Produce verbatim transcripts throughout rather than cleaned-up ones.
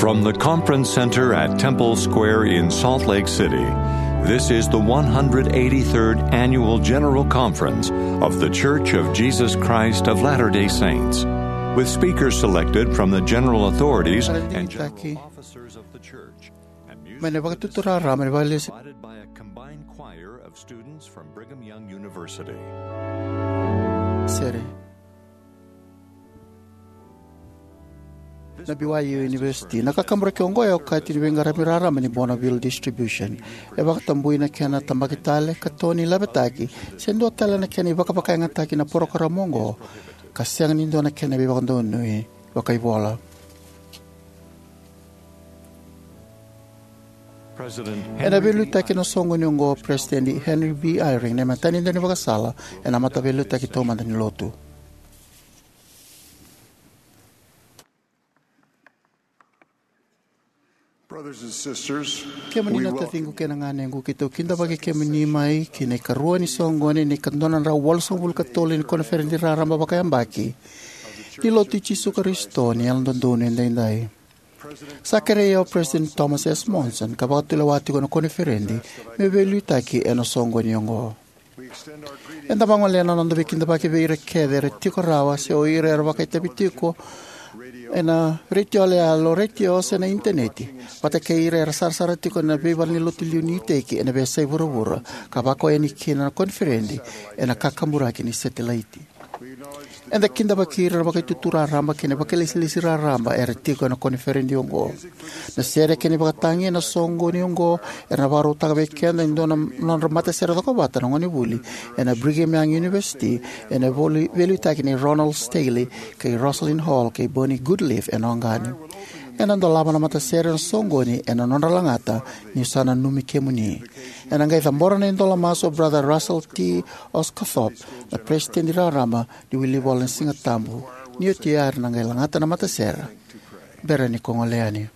From the Conference Center at Temple Square in Salt Lake City, this is the one hundred eighty-third Annual General Conference of The Church of Jesus Christ of Latter-day Saints, with speakers selected from the general authorities and general officers of the church, and music provided by a combined choir of students from Brigham Young University. Sere. Na B Y U University. Na kakaburaki oqo e okati ni veiqaravi raraba ni Bonneville Distribution. E vakatabui na kena tabaki tale, katoni, lavetaki, se dua tale na kena ivakavakayagataki na parokaramu oqo, ka sega ni dua na kena veivakadonui vakaivola. Ena veiliutaki ena soqoni oqo o President Henry B. Eyring, na imatai ni daunivakasala ena mataveiliutaki taumada ni Lotu. Brothers and sisters, kemuni na taciqu kei na ganequ, keitou kidavaki kemuni mai ki na ikarua ni soqoni ni ka dua na drau walusagavulu ka tolu ni koniferedi raraba vakayabaki ni Lotu i Jisu Karisito ni Yalododonu Edaidai. Sa kerei au o President Thomas S. Monson ka vakatulewa tiko na koniferedi meu veiliutaki ena soqoni oqo. Eda vagolea na noda veikidavaki vei ira kece era tiko rawa se o ira era vakaitavi tiko ena retio yaloyalo, retio se na initaneti, vata kei ira era sarasara tiko ena veivalenilotu liu ni iteki ena veiyasai vuravura ka vakau yani kina na koniferedi ena kakaburaki ni setilaiti. Eda kidavaki ira na vakaitutu raraba kei na vakailesilesi raraba era tiko ena koniferedi oqo. Na sere kei na ivakatagi ena soqoni oqo era na vakarautaka vei keda e dua na nodra matasere cokovata na gonevuli ena Brigham Young University, ena voli-, veiliutaki nei Ronald Staley kei Rosalind Hall kei Bernie Goodleaf ena Ogani. Ena dolava na matasere ena soqoni ena nodra lagata, niu sa nanumi kemuni. Ena qai cabora na idola masu o Brother Russell T. Osguthorpe, na peresitedi raraba ni Wilivola ni Siga Tabu, ni oti ya era na qai lagata na matasere. Bera ni ko gole yani.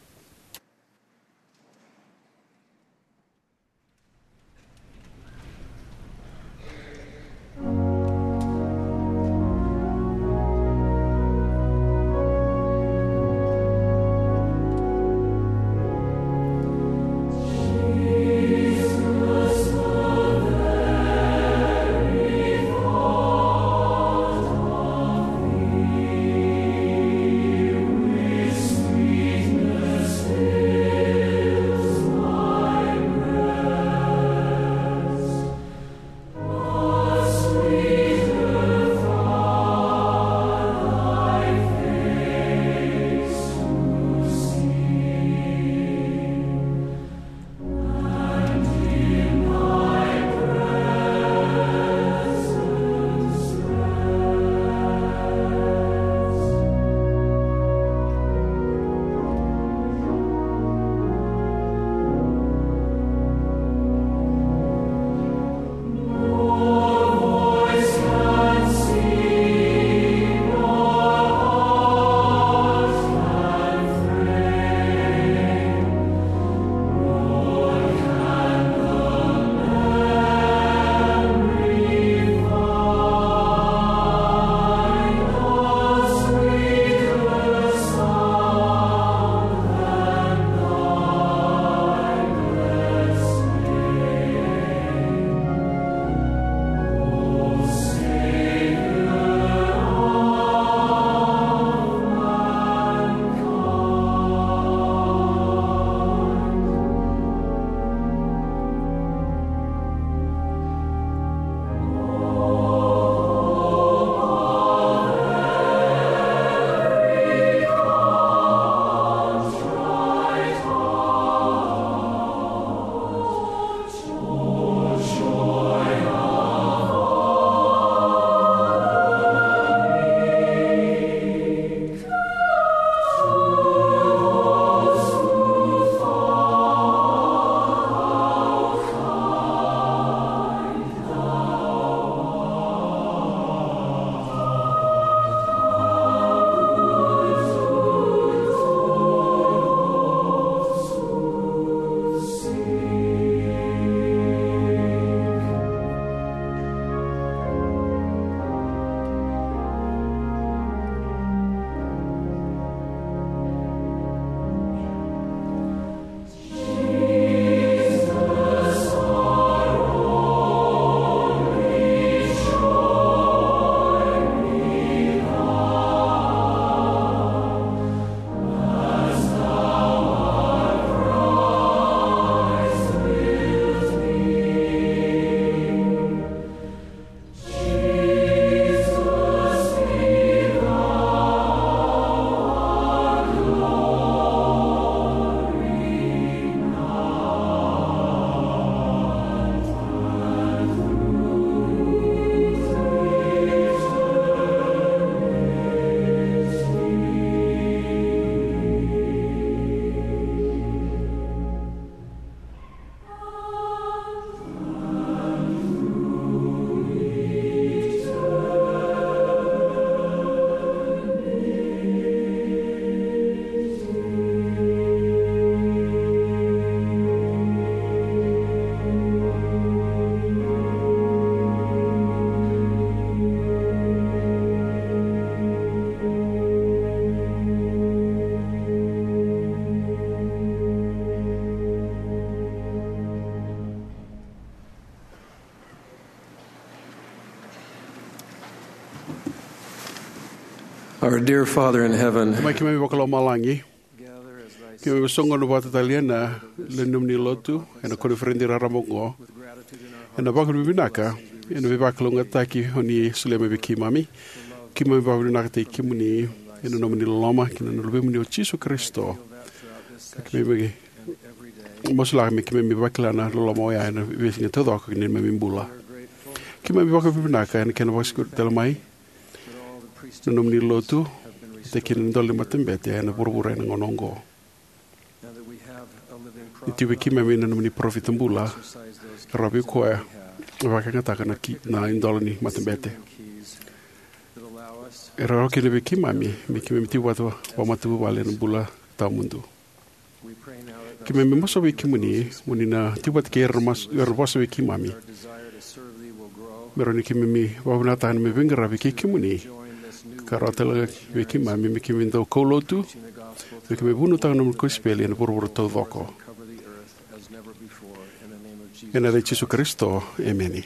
Our dear Father in heaven, Mai keimami vakalomalagi, keimami soqona vata tale ena nomuni lotu ena koniferedi raraba oqo, ena vakavinavinaka ena veivakalougatataki o ni solia mai vei keimami. Keimami vakavinavinakataki kemuni ena nomuni loloma kei na Luvemuni o Jisu Karisito. Ka keimami masulaka me keimami vakila na loloma oya ena veisiga taucoko ki na neimami bula. Keimami vakavinavinaka ena kena vakasikuri tale mai na nomuni lotu, vata kei na idola ni matabete ena vuravura ena gauna oqo. Ni tiko vei keimami na nomuni parofita bula, e rawa vei koya me vakayagataka na ki-, na idola ni matabete. E rawa kina vei keimami me keimami tiko vata vakamatavuvale ena bula tawamudu. Keimami masu vei kemuni mo ni na tiko vata kei ira na mas-, ira na vosa vei keimami, me rawa ni keimami vakavinavinakataka na neimami veiqaravi kei kemuni, ka rawa tale ga vei keimami me keimami dau kaulotu me keimami vunautaka na nomuni kosipeli ena vuravura taucoko. Ena yaca i Jisu Karisito, emeni.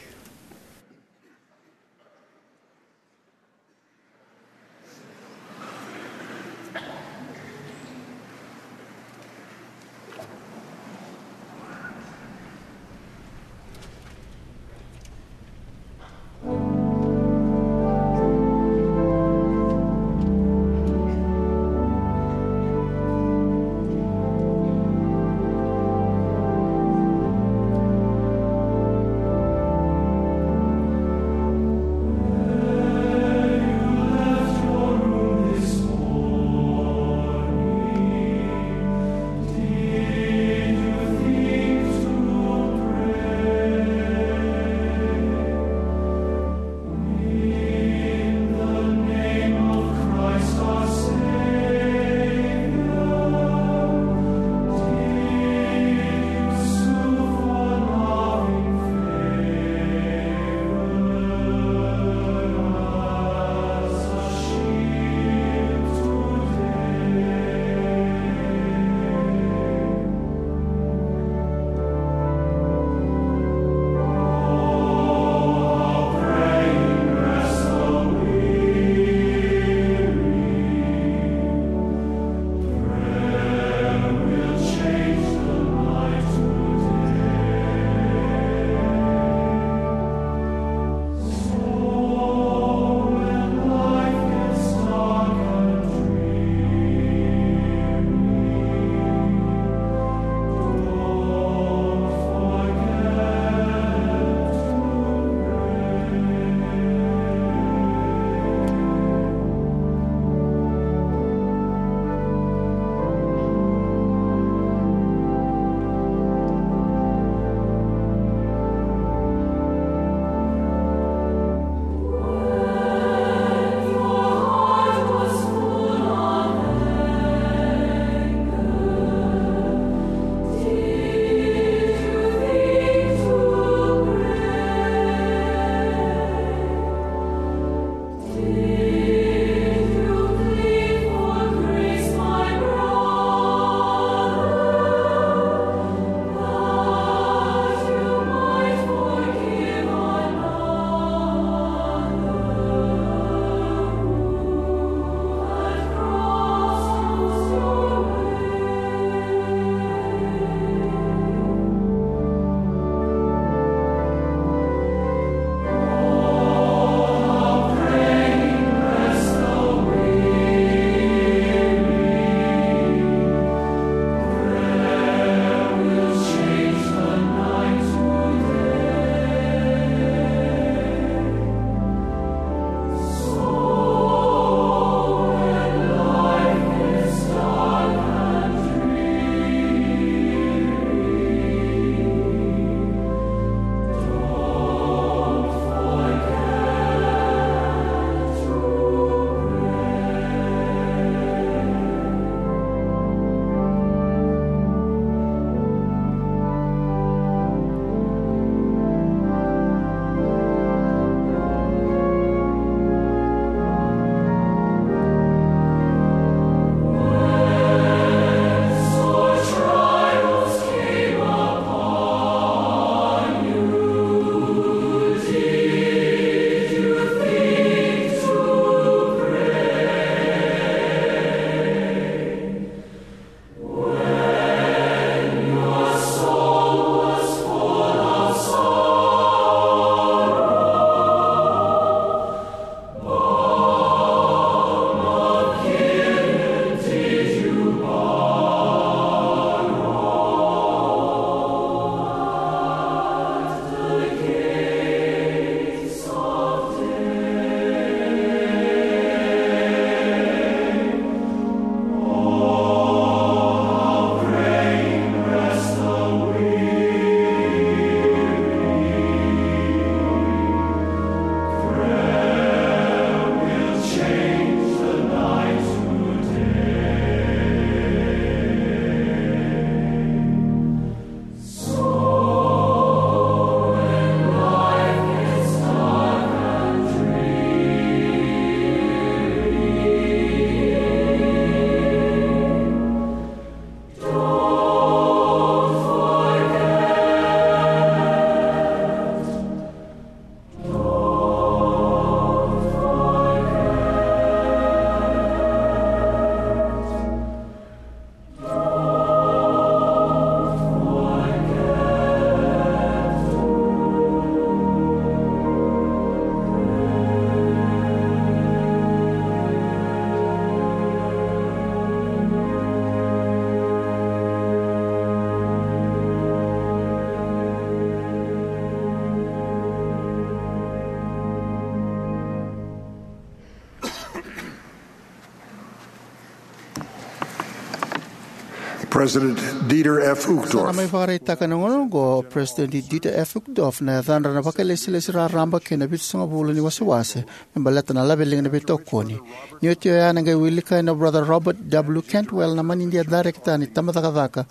President Dieter F. Uchtdorf. Sa na mai vakaraitaka na gauna oqo o President Dieter F. Uchtdorf na yacadra na vakailesilesi raraba kei na vitusagavulu ni wasewase me baleta na laveliga ni veitokoni. Ni oti oya, na qai wilika ena Brother Robert W. Cantwell na manidia darekita ni tabacakacaka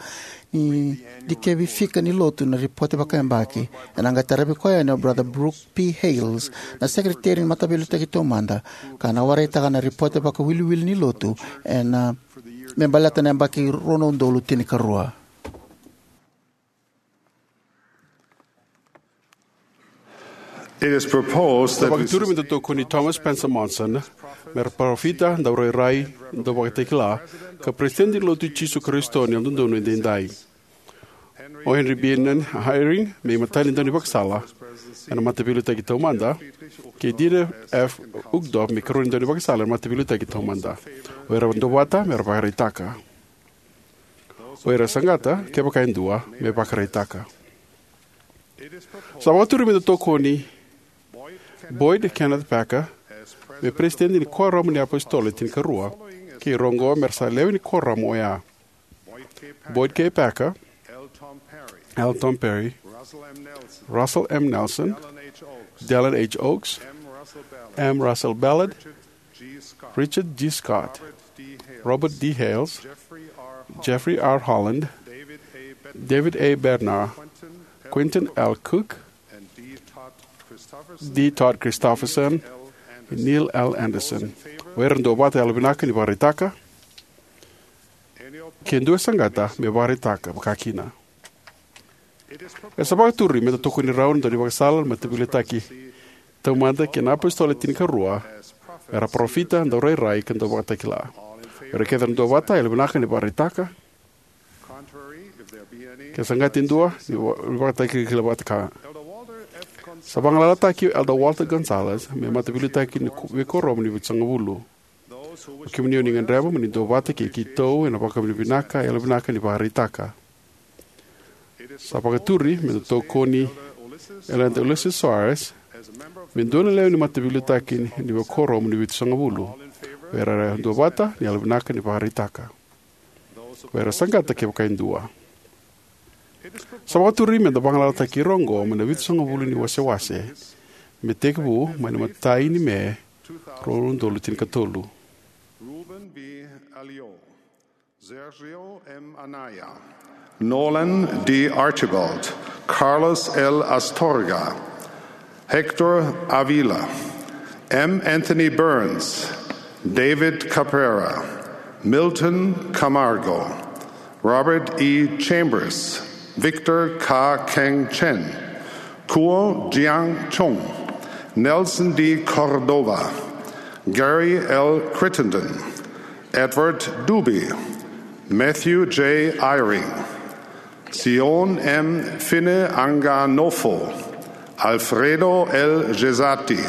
ni dikevi fika ni lotu na ripote vakayabaki. Ena qai taravi koya yani o Brother Brooke P. Hales, na sekereteri ni Mataveiliutaki Taumada, ka na waraitaka na ripote vakawiliwili ni lotu ena me baleta na yabaki rua na udolu tinikarua. It is proposed that we vakaturi me da tokoni Thomas Spencer Monson me ra parofita, daurairai, dauvakatakila, ka Peresitedi ni Lotu i Jisu Karisito ni Yalododonu Edaidai. O Henry Bennion Eyring me imatai ni daunivakasala ena Mataveiliutaki Taumada, kei Dieter F. Uchtdorf me ikarua ni daunivakasala ena Mataveiliutaki Taumada. O ira era duavata me ra vakaraitaka. O ira era saqata, kevaka e dua, me vakaraitaka. Sa vakaturi me da tokoni Boyd Kenneth Packer me Peresitedi ni Kuoramu ni iApositolo e Tinikarua, kei ira oqo me ra sa lewe ni kuoramu oya: Boyd K. Packer, L. Tom Perry, Russell M. Nelson, Dallin H. Oaks, M. Russell Ballard, Richard G. Scott, Robert D. Hales, Jeffrey R. Holland, David A. Bednar, Quentin L. Cook, D. Todd Christofferson, Neil L. Andersen. O ira era duavata, yalovinaka ni vakaraitaka. Ke dua e saqata, me vakaraitaka vakakina. E sa vakaturi me da tokoni rau na daunivakasala ena Mataveiliutaki Taumada kei na iApositolo e Tinikarua me ra parofita, daurairai, ka dauvakatakila. O ira kece era duavata, yalovinaka ni vakaraitaka. Ke saqata e dua, ni va-, ni vakatakilakilavata. Sa vagalalataki Elder Walter Gonzalez me mataveiliutaki ni ku-, veikuoramu ni Vitusagavulu. O kemuni o ni gadreva mo ni duavata kei keitou ena vakavinavinaka, yalovinaka ni vakaraitaka. Sa vakaturi me da tokoni Elder Ulisses Soares me dua na lewe ni mataveiliutaki ni veikuoramu ni Vitusagavulu. O ira era duavata, ni yalovinaka ni vakaraitaka. O ira era saqata, kevaka e dua. Sa vakaturi me da vagalalataki ira oqo mai na Vitusagavulu ni wasewase me tekivu mai na imatai ni Me, rua na udolu tinikatolu. Ruben V. Alio, Sergio M. Anaya, Nolan D. Archibald, Carlos L. Astorga, Hector Avila, M. Anthony Burns, David Cabrera, Milton Camargo, Robert E. Chambers, Victor Ka Keng Chen, Kuo Jiang Chong, Nelson D. Cordova, Gary L. Crittenden, Edward Dube, Matthew J. Eyring, Sion M. Fineanganofo, Alfredo L. Gessati,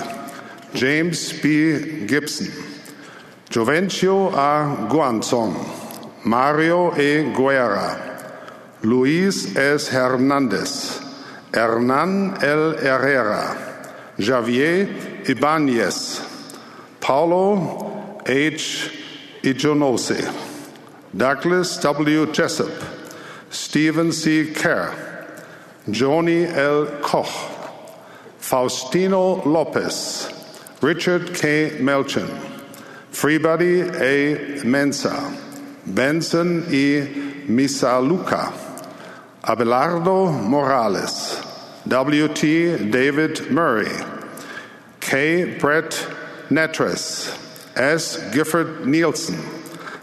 James B. Gibson, Jovencio A. Guanzon, Mario E. Guerra, Luis S. Hernandez, Hernan L. Herrera, Javier Ibanez, Paulo H. Ijonose, Douglas W. Jessup, Stephen C. Kerr, Johnny L. Koch, Faustino Lopez, Richard K. Melchin, Freebody A. Mensah, Benson E. Misalucha, Abelardo Morales, W. T. David Murray, K. Brett Nattress, S. Gifford Nielsen,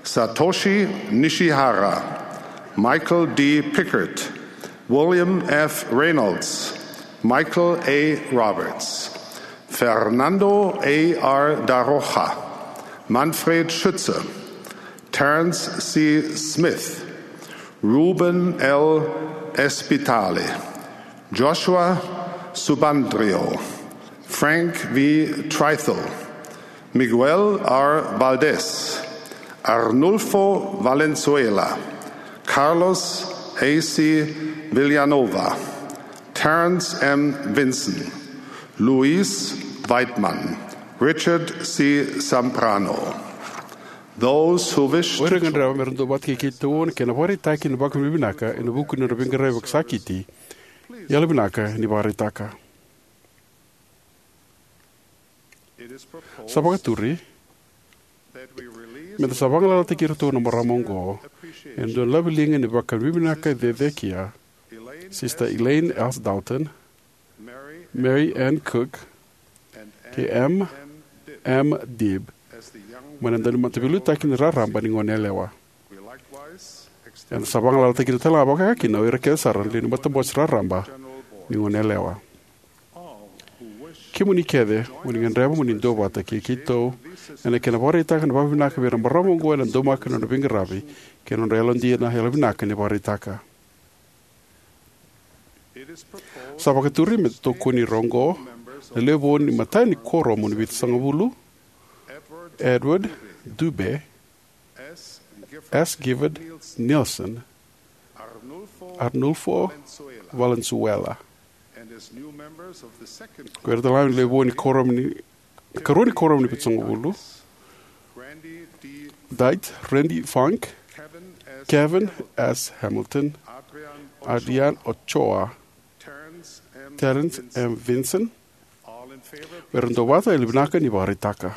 Satoshi Nishihara, Michael D. Pickard, William F. Reynolds, Michael A. Roberts, Fernando A. R. Da Rocha, Manfred Schütze, Terence C. Smith, Ruben L. Espitale, Joshua Subandrio, Frank V. Trythall, Miguel R. Valdez, Arnulfo Valenzuela, Carlos A. C. Villanova, Terence M. Vinson, Luis Weidman, Richard C. Zambrano. Those who wish O ira to ga e gadreva me ra duavata kei keitou ena kena vakaraitaki na vakavinavinaka ena vuku ni nodra veiqaravi vakasakiti, yalovinaka ni vakaraitaka. Sa vakaturi me da sa vagalalataki iratou na marama oqo ena dua na laveliga ni vakavinavinaka cecekia, Sister Elaine S. Dalton, Mary Ann Cook, kei Em M. Dibb, mai na daunimate mataveilautaki ni raraba ni goneyalewa. Eda sa vagalalataka tale ga vakakina o ira kece sara na lewe ni matabose raraba ni goneyalewa. Kemuni kece o ni gadreva mo ni duavata kei keitou ena kena vakaraitaka na vakavinavinaka vei ira na marama oqo ena daumaka ni nodra veiqaravi kei na nodra yalodina, yalovinaka ni vakaraitaka. Sa vakaturi me tokoni ira oqo na lewe vou ni matai ni kuoramu ni vitusagavulu: Edward Dube, S. Gifford Nielsen, Arnulfo Valenzuela. Ko ira tale ga na lewe vou ni kuoramu ni, karua ni kuoramu ni vitusagavulu: Diet Randy Funk, Kevin S. Hamilton, Adrian Ochoa, Terence M. Vinson. O ira na duavata, yalovinaka ni vakaraitaka.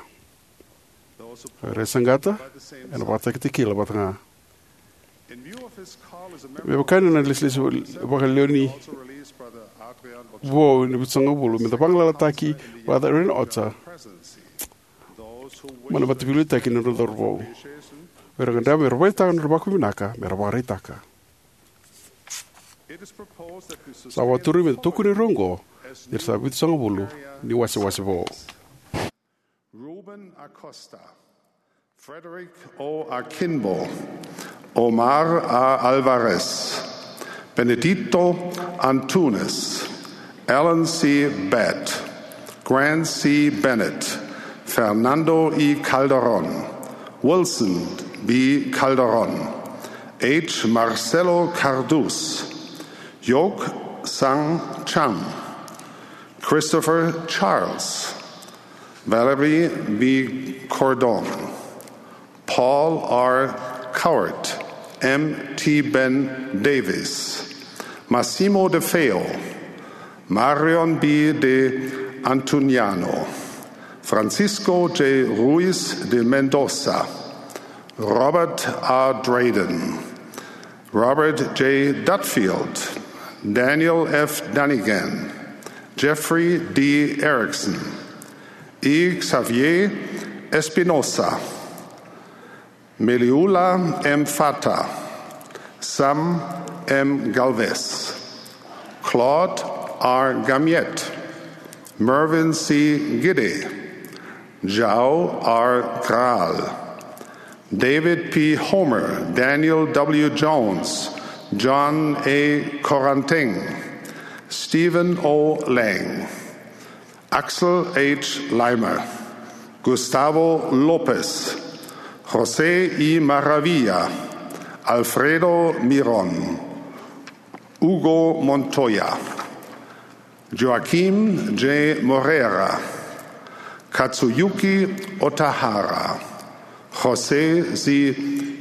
O ira e saqata, ena vakatakitakila vata ga. Me vaka ni nona ilesilesi vakalewe vou ni vitusagavulu, me da vagalalataki Brother Adrian Ochoa mai na mataveilautaki ni nodra cauravou. O ira e gadreva me ra vakaraitaka na nodra vakavinavinaka, me ra vakaraitaka. Sa vakaturi me da tokoni ira oqo ni ra sa vitusagavulu ni wasewase vou: Ruben Acosta, Frederick O. Akinbo, Omar A. Alvarez, Benedito Antunes, Alan C. Batt, Grant C. Bennett, Fernando E. Calderon, Wilson B. Calderon, H. Marcelo Cardus, Yok Sang Chang, Christopher Charles, Valerie V. Cordon, Paul R. Cowart, M. T. Ben Davis, Massimo De Feo, Marion B. De Antoniano, Francisco J. Ruiz de Mendoza, Robert A. Drayden, Robert J. Dudfield, Daniel F. Dunnigan, Jeffrey D. Erickson, E. Xavier Espinosa, Meliula M. Fata, Sam M. Galvez, Claude R. Gamiet, Mervyn C. Gide, Jao R. Graal, David P. Homer, Daniel W. Jones, John A. Koranteng, Stephen O. Lang, Axel H. Leimer, Gustavo Lopez, Jose E. Maravilla, Alfredo Miron, Hugo Montoya, Joaquim J. Moreira, Katsuyuki Otahara, Jose Z.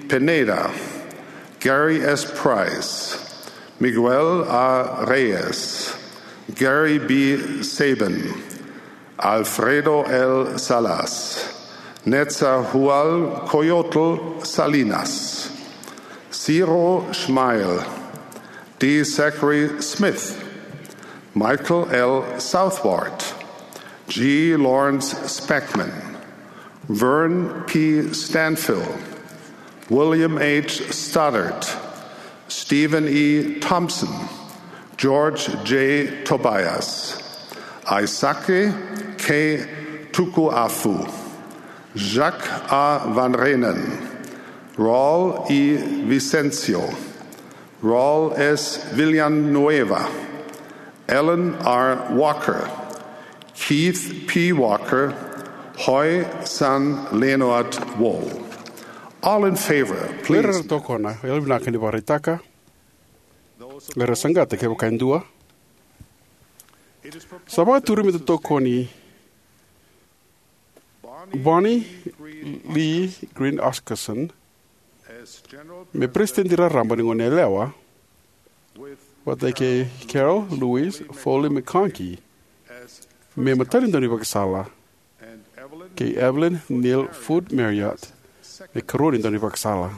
Pineda, Gary S. Price, Miguel A. Reyes, Gary B. Sabin, Alfredo L. Salas, Netzahualcoyotl Salinas, Ciro Schmeil, D. Zachary Smith, Michael L. Southward, G. Lawrence Speckman, Vern P. Stanfill, William H. Stoddard, Stephen E. Thompson, George J. Tobias, Aisake K. Tukuafu, Jacques A. Van Reenen, Raul E. Vicencio, Raul S. Villanueva, Alan R. Walker, Keith P. Walker, Hoi San Leonard Wall. All in favor, please. Ira na tokona, yalovinaka ni vakaraitaka. Ira saqata kevaka e dua. Sa vakaturi me da tokoni Bonnie Lee Green Oscarson me peresitedi raraba ni Goneyalewa, vata kei Carol Louise Foley McConkie me imatai ni daunivakasala, kei Evelyn Neal Foot Marriott me ikarua ni daunivakasala.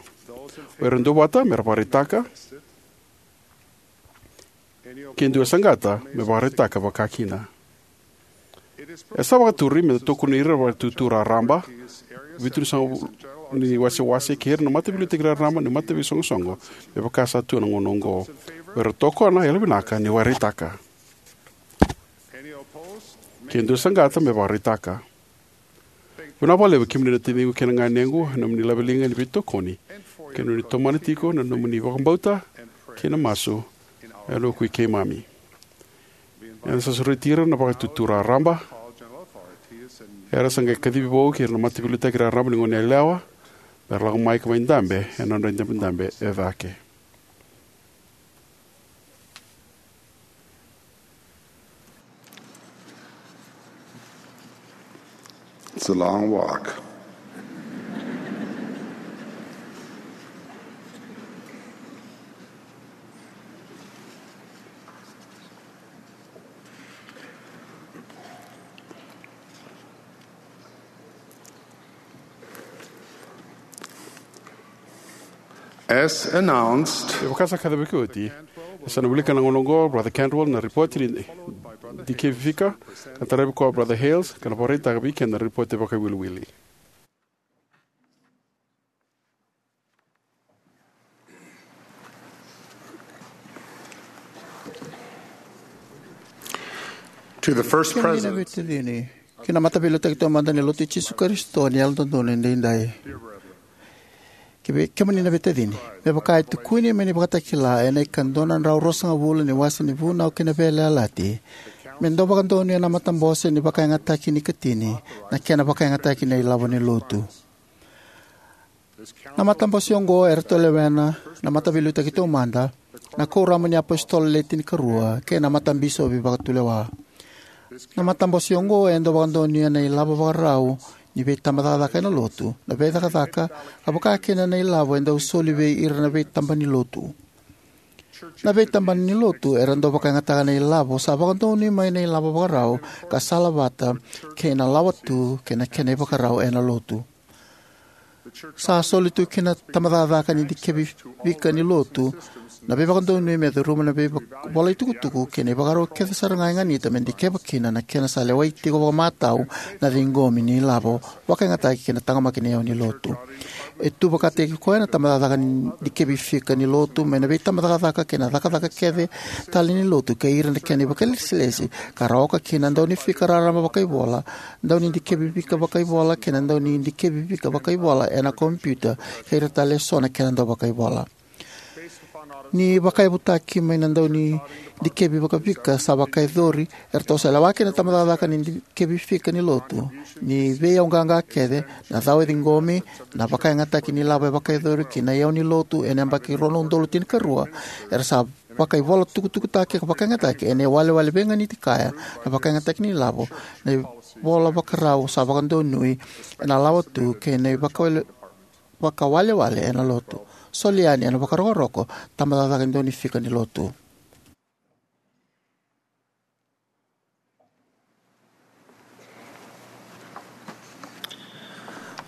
O ira era duavata me ra vakaraitaka. Ke dua e saqata me vakaraitaka vakakina. E sa vakaturi me da tokoni ira na Vakaitutu Raraba, Vitusagavulu ni Wasewase, kei ira na mataveiliutaki raraba ni mataveisoqosoqo, me vaka sa tu ena gauna oqo. O ira era tokona, yalovinaka ni vakaraitaka. Ke dua e saqata me vakaraitaka. Vinaka vakalevu kemuni na taciqu kei na ganequ ena nomuni laveliga ni veitokoni kei na nomuni tomana tiko na nomuni vakabauta kei na masu ena vukui keimami. Eda sa sureti ira na Vakaitutu Raraba, era sa qai kacivi vou kei ira na mataveiliutaki raraba ni Goneyalewa me ra lako mai ka mai dabe ena nodra idabedabe e cake. It's a long walk. As announced, e vaka sa kacivaki oti, e sa na wilika na gauna oqo Brother Cantwell na ripoti ni dikevi fika, ka taravi koya Brother Hales, ka na vakaraitaka vei keda na ripoti vakaiwiliwili. To the first Kemuni na president, veitacini, kei na mataveiliutaki taumada ni Lotu i Jisu Karisito ni Yalododonu Edaidai. Kei kemuni na veitacini, me vaka e tukuni mai na ivakatakila ena ikadua na drau ruasagavulu ni wase ni Vunau kei na Veiyalayalati, me dau vakadonuya na matabose ni vakayagataki ni ikatini, na kena vakayagataki na ilavo ni Lotu. Na matabose oqo eratou lewena na mataveiliutaki taumada, na kuoramu ni apositolo le tinikarua, kei na matabisopi vakatulewa. Na matabose oqo e dau vakadonuya na ilavo vakarau ni veitabacakacaka ena Lotu, na veicakacaka, ka vakakina na ilavo e dau soli vei ira na veitabana ni Lotu. Na veitabana ni Lotu era dau vakayagataka na ilavo sa vakadonui mai na ilavo vakarau ka salavata kei na lawa tu kei na kena ivakarau ena Lotu. Sa soli tu ki na tabacakacaka ni dikevi fika ni Lotu na veivakadonui me curuma na veivolai tukutuku kei na ivakarau kece sara ga e ganita me dikeva kina na kena sa lewai tiko vakamatau na ciqomi ni ilavo vakayagataki kei na taqomaki ni iyau ni Lotu. E tu vakataki koya na tabacakacaka ni dikevi fika ni Lotu mai na veitabacakacaka kei na cakacaka kece tale ni Lotu kei ira na kena ivakalesilesi ka ra oka kina na dau ni fika raraba vakaivola, dau ni dikevi fika vakaivola kei na dau ni dikevi fika vakaivola ena kompiuta kei ira tale eso na kena dau vakaivola. Ni vakayavutaki mai na dau ni dikevi vakafika sa vakayacori, eratou sa lewa kina na tabacakacaka ni dikevi fika ni Lotu ni veiyauqaqa kece, na cau e ciqomi, na vakayagataki ni lavo e vakayacori kei na iyau ni Lotu ena yabaki rua na udolu tinikarua. Era sa vakaivolatukutukutaki ka vakayagataki ena iwalewale veiganiti kaya na vakayagataki ni lavo, na ivola vakarau sa vakadonui ena lawa tu kei na ivakawale vakawalewale ena Lotu. Soli yani ena vakarokoroko, tabacakacaka e dau ni fika ni Lotu.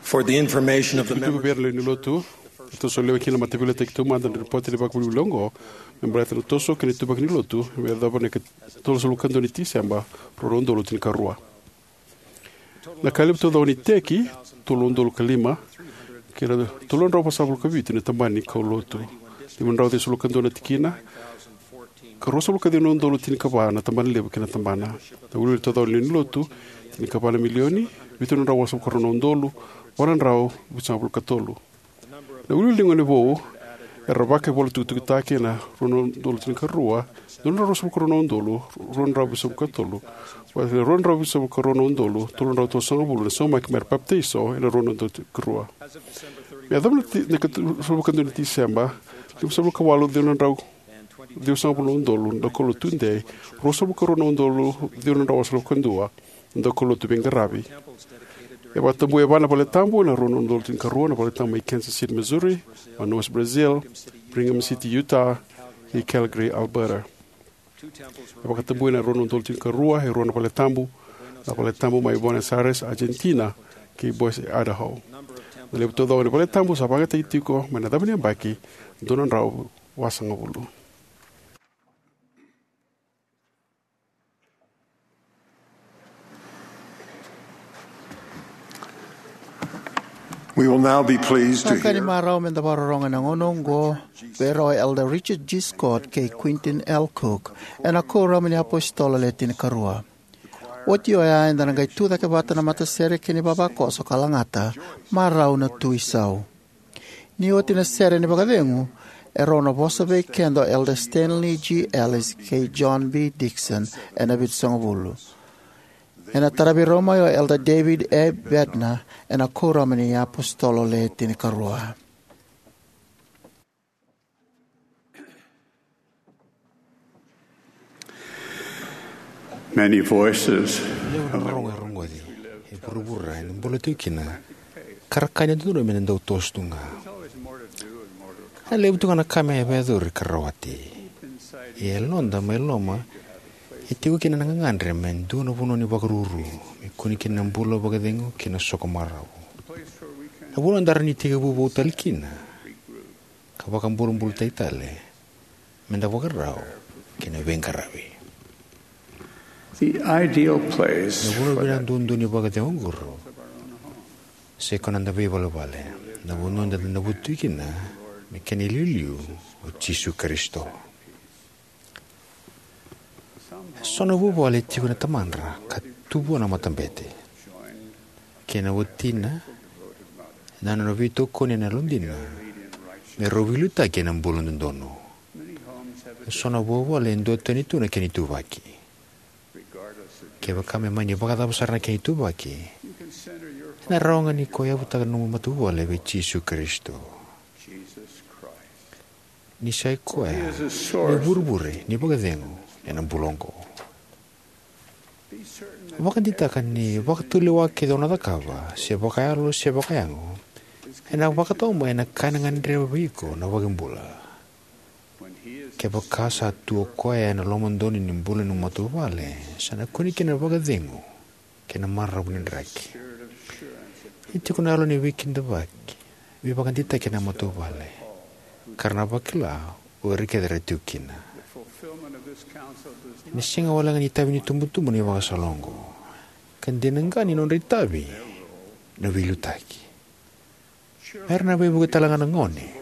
For the information of the Ni tuku members, vei ira na lewe ni Lotu, e toso lewe kina na mataveiliutaki taumada na ripoti ni vakavilivoliti oqo me baleta na toso kei na ituvaki ni Lotu me yacova na ikatolusagavulu ka dua ni Tiseba, rua na udolu tinikarua. Na ka levu taucoko ni iteki, tolu na udolu ka lima, kei na tolu na drau vasagavulu ka vitu na tabana ni kaulotu, lima na drau ciwasagavulu ka dua na tikina, ka ruasagavulu ka ciwa na udolu tinikava na tabana levu kei na tabana. Na wiliwili taucoko ni lewe ni Lotu, tinikava na milioni, vitu na drau vasagavulu ka rua na udolu, va na drau vitusagavulu ka tolu. Na wiliwili ni gone vou era vakaivolatukutukutaki ena rua na udolu tinikarua, dua na drau ruasagavulu ka rua na udolu, rua na drau vitusagavulu ka tolu, vata kei na rua na drau vitusagavulu ka rua na udolu, tolu na drau tolusagavulu na saumaki mera papitaiso ena rua na udolu tinikarua. Me yacova na ti-, na ikatolusagavulu ka dua ni Tiseba, limasagavulu ka walu, ciwa na drau ciwasagavulu na udolu na daukaulotu tudei, ruasagavulu ka rua na udolu, ciwa na drau wasagavulu ka dua na daukaulotu veiqaravi. E vakatabui e va na vale tabu, na rua na udolu tinikarua, na vale tabu mai Kansas City, Missouri, Manaus, Brazil, Brigham City, Utah, kei Calgary, Alberta. E vakatabui na rua na udolu tinikarua e rua na vale tabu, na vale tabu mai Buenos Aires, Argentina, kei Boise, Idaho. Na levu taucoko ni vale tabu sa vakayagataki tiko mai na cava ni yabaki, dua na drau vasagavulu. We will now be pleased to Sa ka ni hear marau me da vakarorogo ena gauna oqo vei rau o Elder Richard G. Scott kei Quentin L. Cook ena Kuoramu ni iApositolo Le Tinikarua. Oti oya eda na qai tucake vata na matasere kei na ivavakoso ka lagata Marau na Tu Isau. Ni oti na sere ni vakacegu, erau na vosa vei keda o Elder Stanley G. Ellis kei John B. Dixon ena Vitusagavulu. Ena taravi rau mai o Elder David A. Bednar ena Kuoramu ni iApositolo Le Tinikarua. Many voices. Levu na rogo e rogoci e vuravura eda bula tiko kina, ka ra kaya ni dodonu me na dau toso tu ga. E levu tu ga na ka me vakayacori ka rawati. Ia e yaloda mai loma e tiko kina na gagadre me dua na vanua ni vakaruru, me kune kina na bula vakacegu kei na soko marau. Na vanua eda rawa ni tekivu vou tale kina ka vakabulabulataki tale me da vakarau kei na veiqaravi. The ideal place Na vanua for vinaka that duadua ni vakacegu oqori sai koya na noda veivalevale, na vanua eda na vutu kina me kena iliuliu o Jisu Karisito. E so na vuvale e tiko na tamadra ka tu vua na matabete kei na watina, na nona veitokoni ena yalodina me rau veiliutaki ena bula dodonu. E so na vuvale e duatani tu na kena ituvaki. Kevaka me mani vakacava sara na kena ituvaki, ena rawa ga ni ko yavutaka na nomu matavuvale vei Jisu Karisito. Ni sa i koya na ivurevure ni vakacegu ena bula oqo. Vakadeitaka ni vakatulewa kece o na cakava, se vakayalo se vakayago, ena vakatau mai ena ka ena gadreva vei iko na iVakabula. Kevaka sa tu o koya ena lomadonu ni bula ni matavuvale, sa na kune kina na vakacegu kei na maravu ni draki. E tiko na yalo ni veikidavaki, veivakadeitaki ena matavuvale, ka ra na vakila o ira kece era tiko kina. Ena sega walega ni itavi ni itubutubu na ivakasala oqo, ka dina ga ni nodra itavi na veiliutaki. Me ra na veivuke tale ga na gone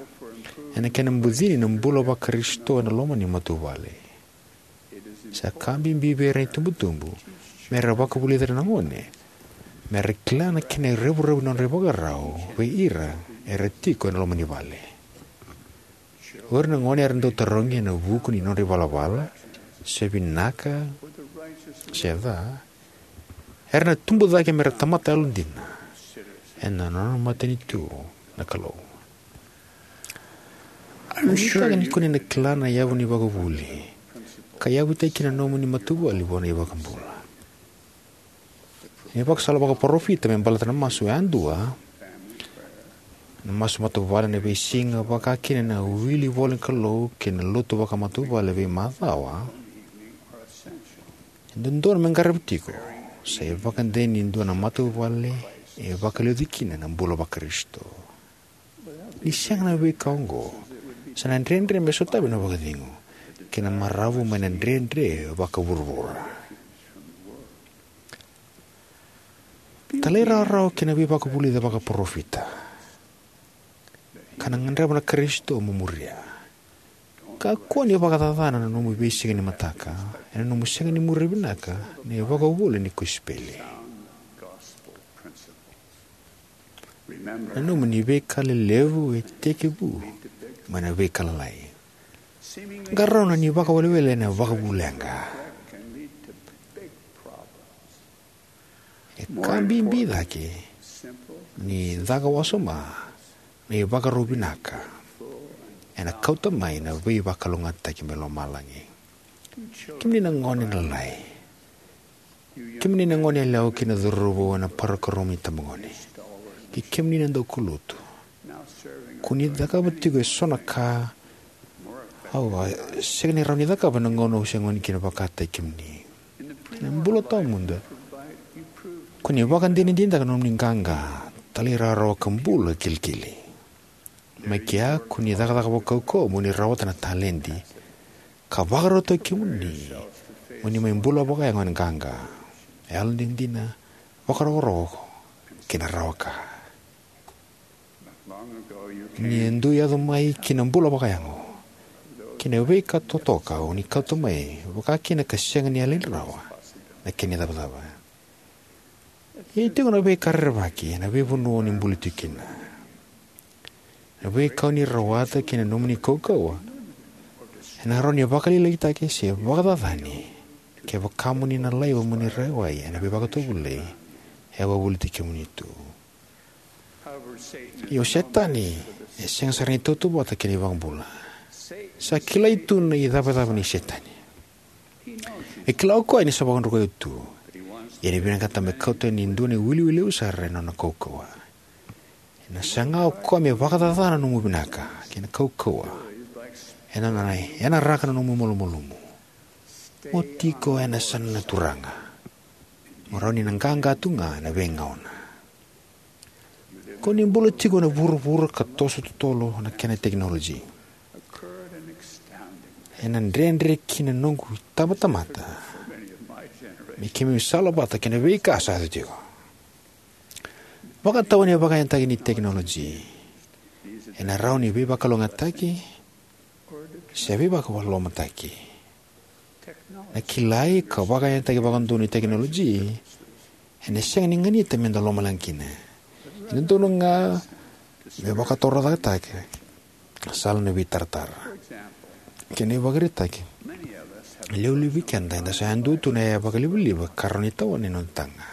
ena kena bucini na bula vaKarisito ena loma ni matavuvale. Sa ka bibi vei ira na itubutubu me ra vakavulica na gone me ra kila na kena revurevu ni nodra ivakarau vei ira era tiko ena loma ni vale. O ira na gone era dau tarogi ena vuku ni nodra ivalavala, se vinaka se ca, era na tubu cake me ra tamata yalodina ena nona matanitu na Kalou. Au nuitaka ni ko ni na kila na yavu ni vakavuvuli ka yavutaki kina na nomuni matavuvale vua na iVakabula. Na ivakasala vakaparofita me baleta na masu yadua, na masu matavuvale ena veisiga, vakakina na wili ivolanikalou kei na lotu vakamatavuvale veimacawa, e dodonu me qaravi tiko, sa ivakadei ni dua na matavuvale e vakaliuci kina na bula vaKarisito. Ni sega na veika oqo, sa na dredre me sotavi na vakacegu kei na maravu mai na dredre vakavuravura. Talairawarawa ki na veivakavulici vakaparofita ka na gadreva na Karisito mo muria. Kakua ni vakacacana na nomu veisiga ni mataka ena nomu sega ni muria vinaka na ivakavuvuli ni kosipeli. Na nomuni veika lelevu e tekivu mai na veika lalai. Qarauna ni vakawelewele ena vakavu leqa. E ka bibi cake ni caka wasoma na ivakarau vinaka ena kauta mai na veivakalougatataki mai lomalagi. Kemuni na gone lalai, Kemuni na goneyalewa kei na cauravou ena parokaramu ni itabagone, kei kemuni na daukaulotu, ko ni cakava tiko eso na ka au a sega ni rawa ni cakava ena gauna au se gone kina vakataki kemuni. Ena bula tawamudu, ko ni vakadinadinataka na nomuni qaqa, talairawarawa, ka bula kilikili. Mai kea, ko ni cakacaka vakaukauwa mo ni rawata na taledi ka vakarautaki kemuni mo ni mai bula vakayago ena qaqa, yalodina, vakarokoroko, kei na rawa-ka. Ni a dui yaco mai ki na bula vakayago, kei na veika totoka o ni kauta mai, vakakina ka sega ni yalani rawa na kena icavacava. Ia e tiko na veika rerevaki ena veivanua o ni bula tiko kina. Na veika o ni rawata kei na nomuni kaukauwa ena rawa ni vakalialiataki se vakacacani kevaka mo ni na laiva mo ni rawai ena veivakatovolei e a wavoliti kemuni tu. Ia o Setani e sega sara ni tautauvata kei na iVakabula. Sa kilai tu na icavacava nei Setani. E kila o koya ni sa vakadrukai iko tu, ia e vinakata me kauta yani e dua na iwiliwili levu sara ena nona kaukauwa. Ena saga o koya me vakacacana na nomu vinaka kei na kaukauwa. Ena nona yanaraka na nomu malumalumu. Mo tiko ena yasana na Turaga. Mo rawa ni na qaqa tu ga ena veigauna. Ko ni bula tiko ena vuravura ka toso totolo na kena tekinoloji. Ena dredre ki na noqu itabatamata me keimami salavata kei na veika sa yaco tiko. Vakatau ena vakayagataki ni tekinoloji, ena rawa ni veivakalougatataki se veivakalomataki. Na kilai ka vakayagataki vakadodonu ni tekinoloji ena sega ni ganita meda lomaleqa kina. E dodonu ga me vakatorocaketaki sala na veitaratara. Kena ivakaraitaki, e levu vei keda eda sa yadua tu na yaya vakalivaliva ka rawa ni tawana ena noda taga.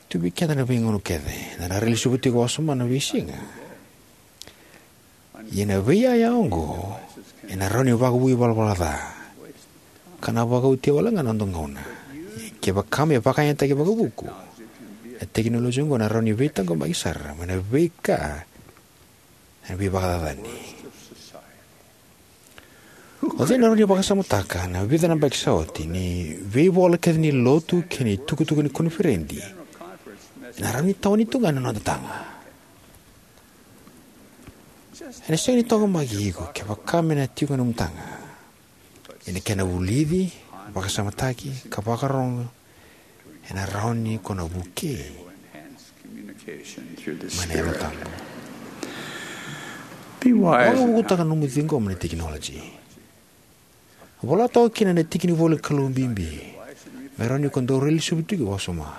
Tu vei keda ena veigauna kece eda na railesuva tiko wasoma ena veisiga. Ia na veiyaya oqo ena rawa ni vakavoui ivalavala ca ka na vakaotia wale ga na noda gauna. Ia kevaka me vakayagataki vakavuku, na tekinoloji oqo ena rawa ni veitaqomaki sara mai na veika ena veivakacacani. O cei ena rawa ni vakasamataka ena vica na yabaki sa oti ni veivola kece ni lotu kei na itukutuku ni koniferedi ena rawa ni tawani tu ga ena noda taga? Ena sega ni taqomaki iko kevaka me na tiko ena nomu taga. Ia na kena vulici, vakasamataki, ka vakarorogo ena rawa ni ko na vukei mai na Yalo Tabu. Vakavukutaka na nomu ciqoma na tekinoloji. Vola toka kina na tiki ni ivolanikalou bibi me rawa ni ko dau railesuva tiko wasoma.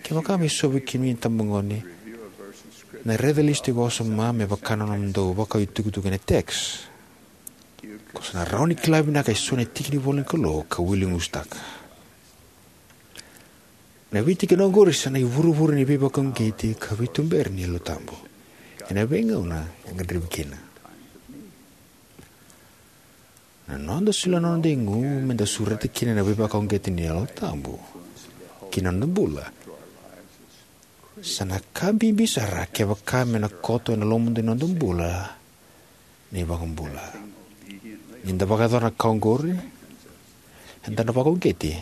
Kevaka me so vei kemuni na itabagone na raica lesu tiko wasoma me vaka na nomudou vakau itukutuku ena text, ko sa na rawa ni kila vinaka eso na tiki ni ivolanikalou ka wili gusutaka. Na veitikina oqori sa na ivurevure ni veivakauqeti ka veituberi ni Yalo Tabu ena veigauna e gadrevi kina. Na noda solia na noda igu meda sureta kina na veivakauqeti ni Yalo Tabu ki na noda bula sa na ka bibi sara kevaka me na koto ena lomada ni noda bula na iVakabula. Ni da vakayacora na ka oqori, eda na vakauqeti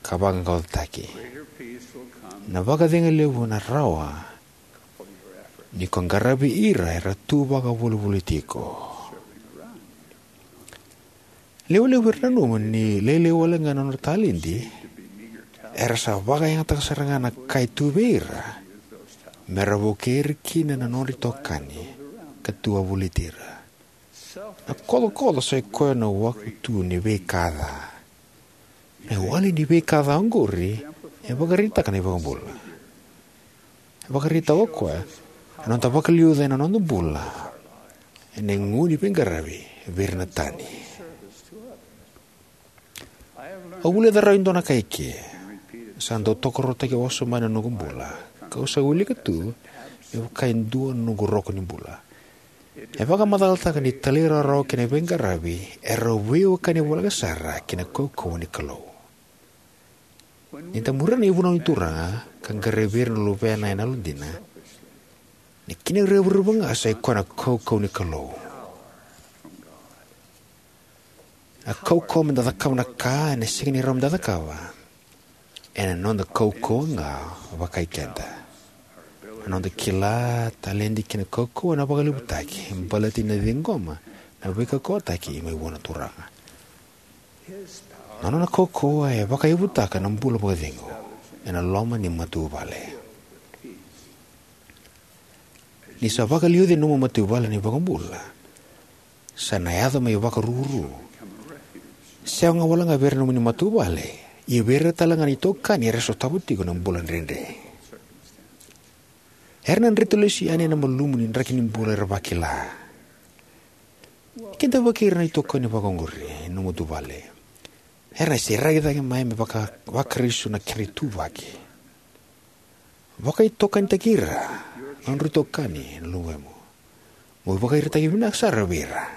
ka vaqaqacotaki. Na vakacegu levu ena rawa ni ko qaravi ira era tu vakavolivoliti iko. Lewe levu era nanuma ni lailai wale ga na nodra taledi, era sa vakayagataka sara ga na ka e tu vei ira me ra vukei ira kina na nodra itokani ka tu wavoliti ira. Na kocokoco sa i koya na waku tu ni veika ca. Na iwali ni veika ca oqori e vakaraitaka na iVakabula. E vakaraitaka o koya na noda vakaliuca ena noda bula ena igu ni veiqaravi vei ira na tani. Au vulica rawa e dua na ka eke sa dau tokaruataki wasoma ena noqu bula, kau sa wilika tu me vaka e dua na noqu roka ni bula. E vakamacalataka ni talairawarawa kei na veiqaravi erau veiwekani voleka sara kei na kaukauwa ni Kalou. Ni da muria na ivunau ni Turaga ka qaravi ira na luvena ena yalodina, na kena revurevu ga sa ikoya na kaukauwa ni Kalou. A kaukauwa me da cakava na ka ena sega ni rawa me da cakava, ena noda kaukauwa ga vakai keda. Na noda kila, taledi kei na kaukauwa ena vakalevutaki baleta ni na ciqoma na veikaukauwataki mai vua na Turaga. Na nona kaukauwa e vakaivutaka na bula vakacegu ena loma ni matavuvale. Ni sa vakaliuci ena nomu matavuvale na iVakabula, sa na yaco me ivakaruru, sega walega vei ira na nomuni matavuvale, ia vei ira tale ga na itokani era sotava tiko na bula dredre. Era na dreti lesu yani ena malumu ni draki ni bula era vakila. Kidavaki ira na itokani vakaoqori ena nomu matavuvale. Era na sereki cake mai me vaka, vaKarisito na kedra ituvaki. Vakaitokanitaki ira, na nodrau itokani ena luvemu. Mo ivakaraitaki vinaka sara vei ira.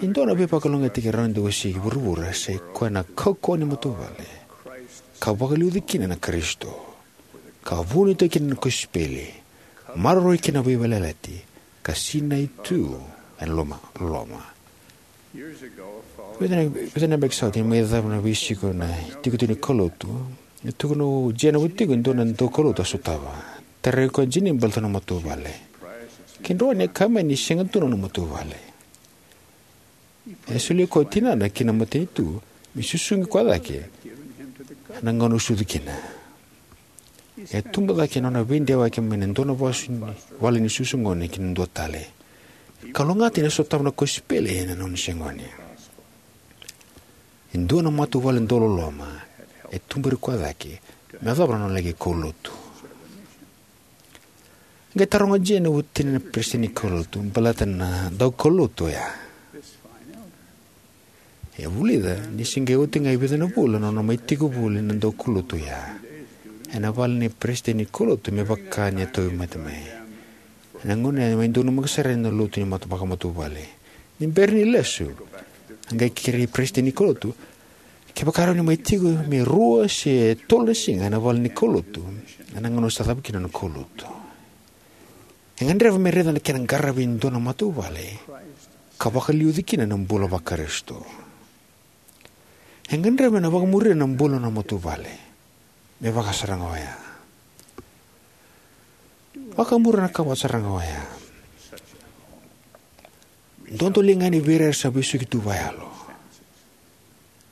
E dua na veivakalougatataki rawa ni da wasea e vuravura sa ikoya na kaukauwa ni matavuvale ka vakaliuci kina na Karisito, ka vunitaki kina na kosipeli, maroroi kina na veiyalayalati, ka sinai tu ena loma, loloma. Vica na, vica na yabaki sa oti, ni mai cava na veisiko na itikotiko ni kaulotu, e tukuna o Jane vata tiko e dua na daukaulotu a sotava. Tarai koya o Jane baleta na matavuvale. Ke droini e kaya mai ni sega tu na nona matavuvale. E solia koya o tinana ki na matanitu me susugi koya cake ena gauna e sucu kina. E tubu cake ena nona veidewaki mai na dua na vasu ni vale ni susu gone ki na dua tale. E kalougata ni sotava na kosipeli ena nona se gone. E dua na matavuvale dauloloma e tuberi koya cake me yacova na nona laki kaulotu. Qai taroga o Jane o tinana na peresitedi ni kaulotu baleta na daukaulotu oya. E vulica ni se qai oti ga e vica na vula na nona mai tiko voli na daukaulotu oya ena vale ni peresitedi ni kaulotu, me vaka ni a tauvimate mai. Ena gauna ya e mai donumaka sara na lotu ni mata, vakamatavuvale. Ni bera ni lesu, a qai kerei peresitedi ni kaulotu kevaka e rawa ni mai tiko me rua se tolu na siga ena vale ni kaulotu ena gauna sa cava kina na kaulotu. E gadreva me raica na kena qaravi e dua na matavuvale ka vakaliuci kina na bula vaKarisito. E gadreva me na vakamuria na bula na matavuvale me vaka sara ga oya. Vakamuria na ka vaka sara ga oya. Dodoliga yani vei ira era sa vesuki tu vakayalo.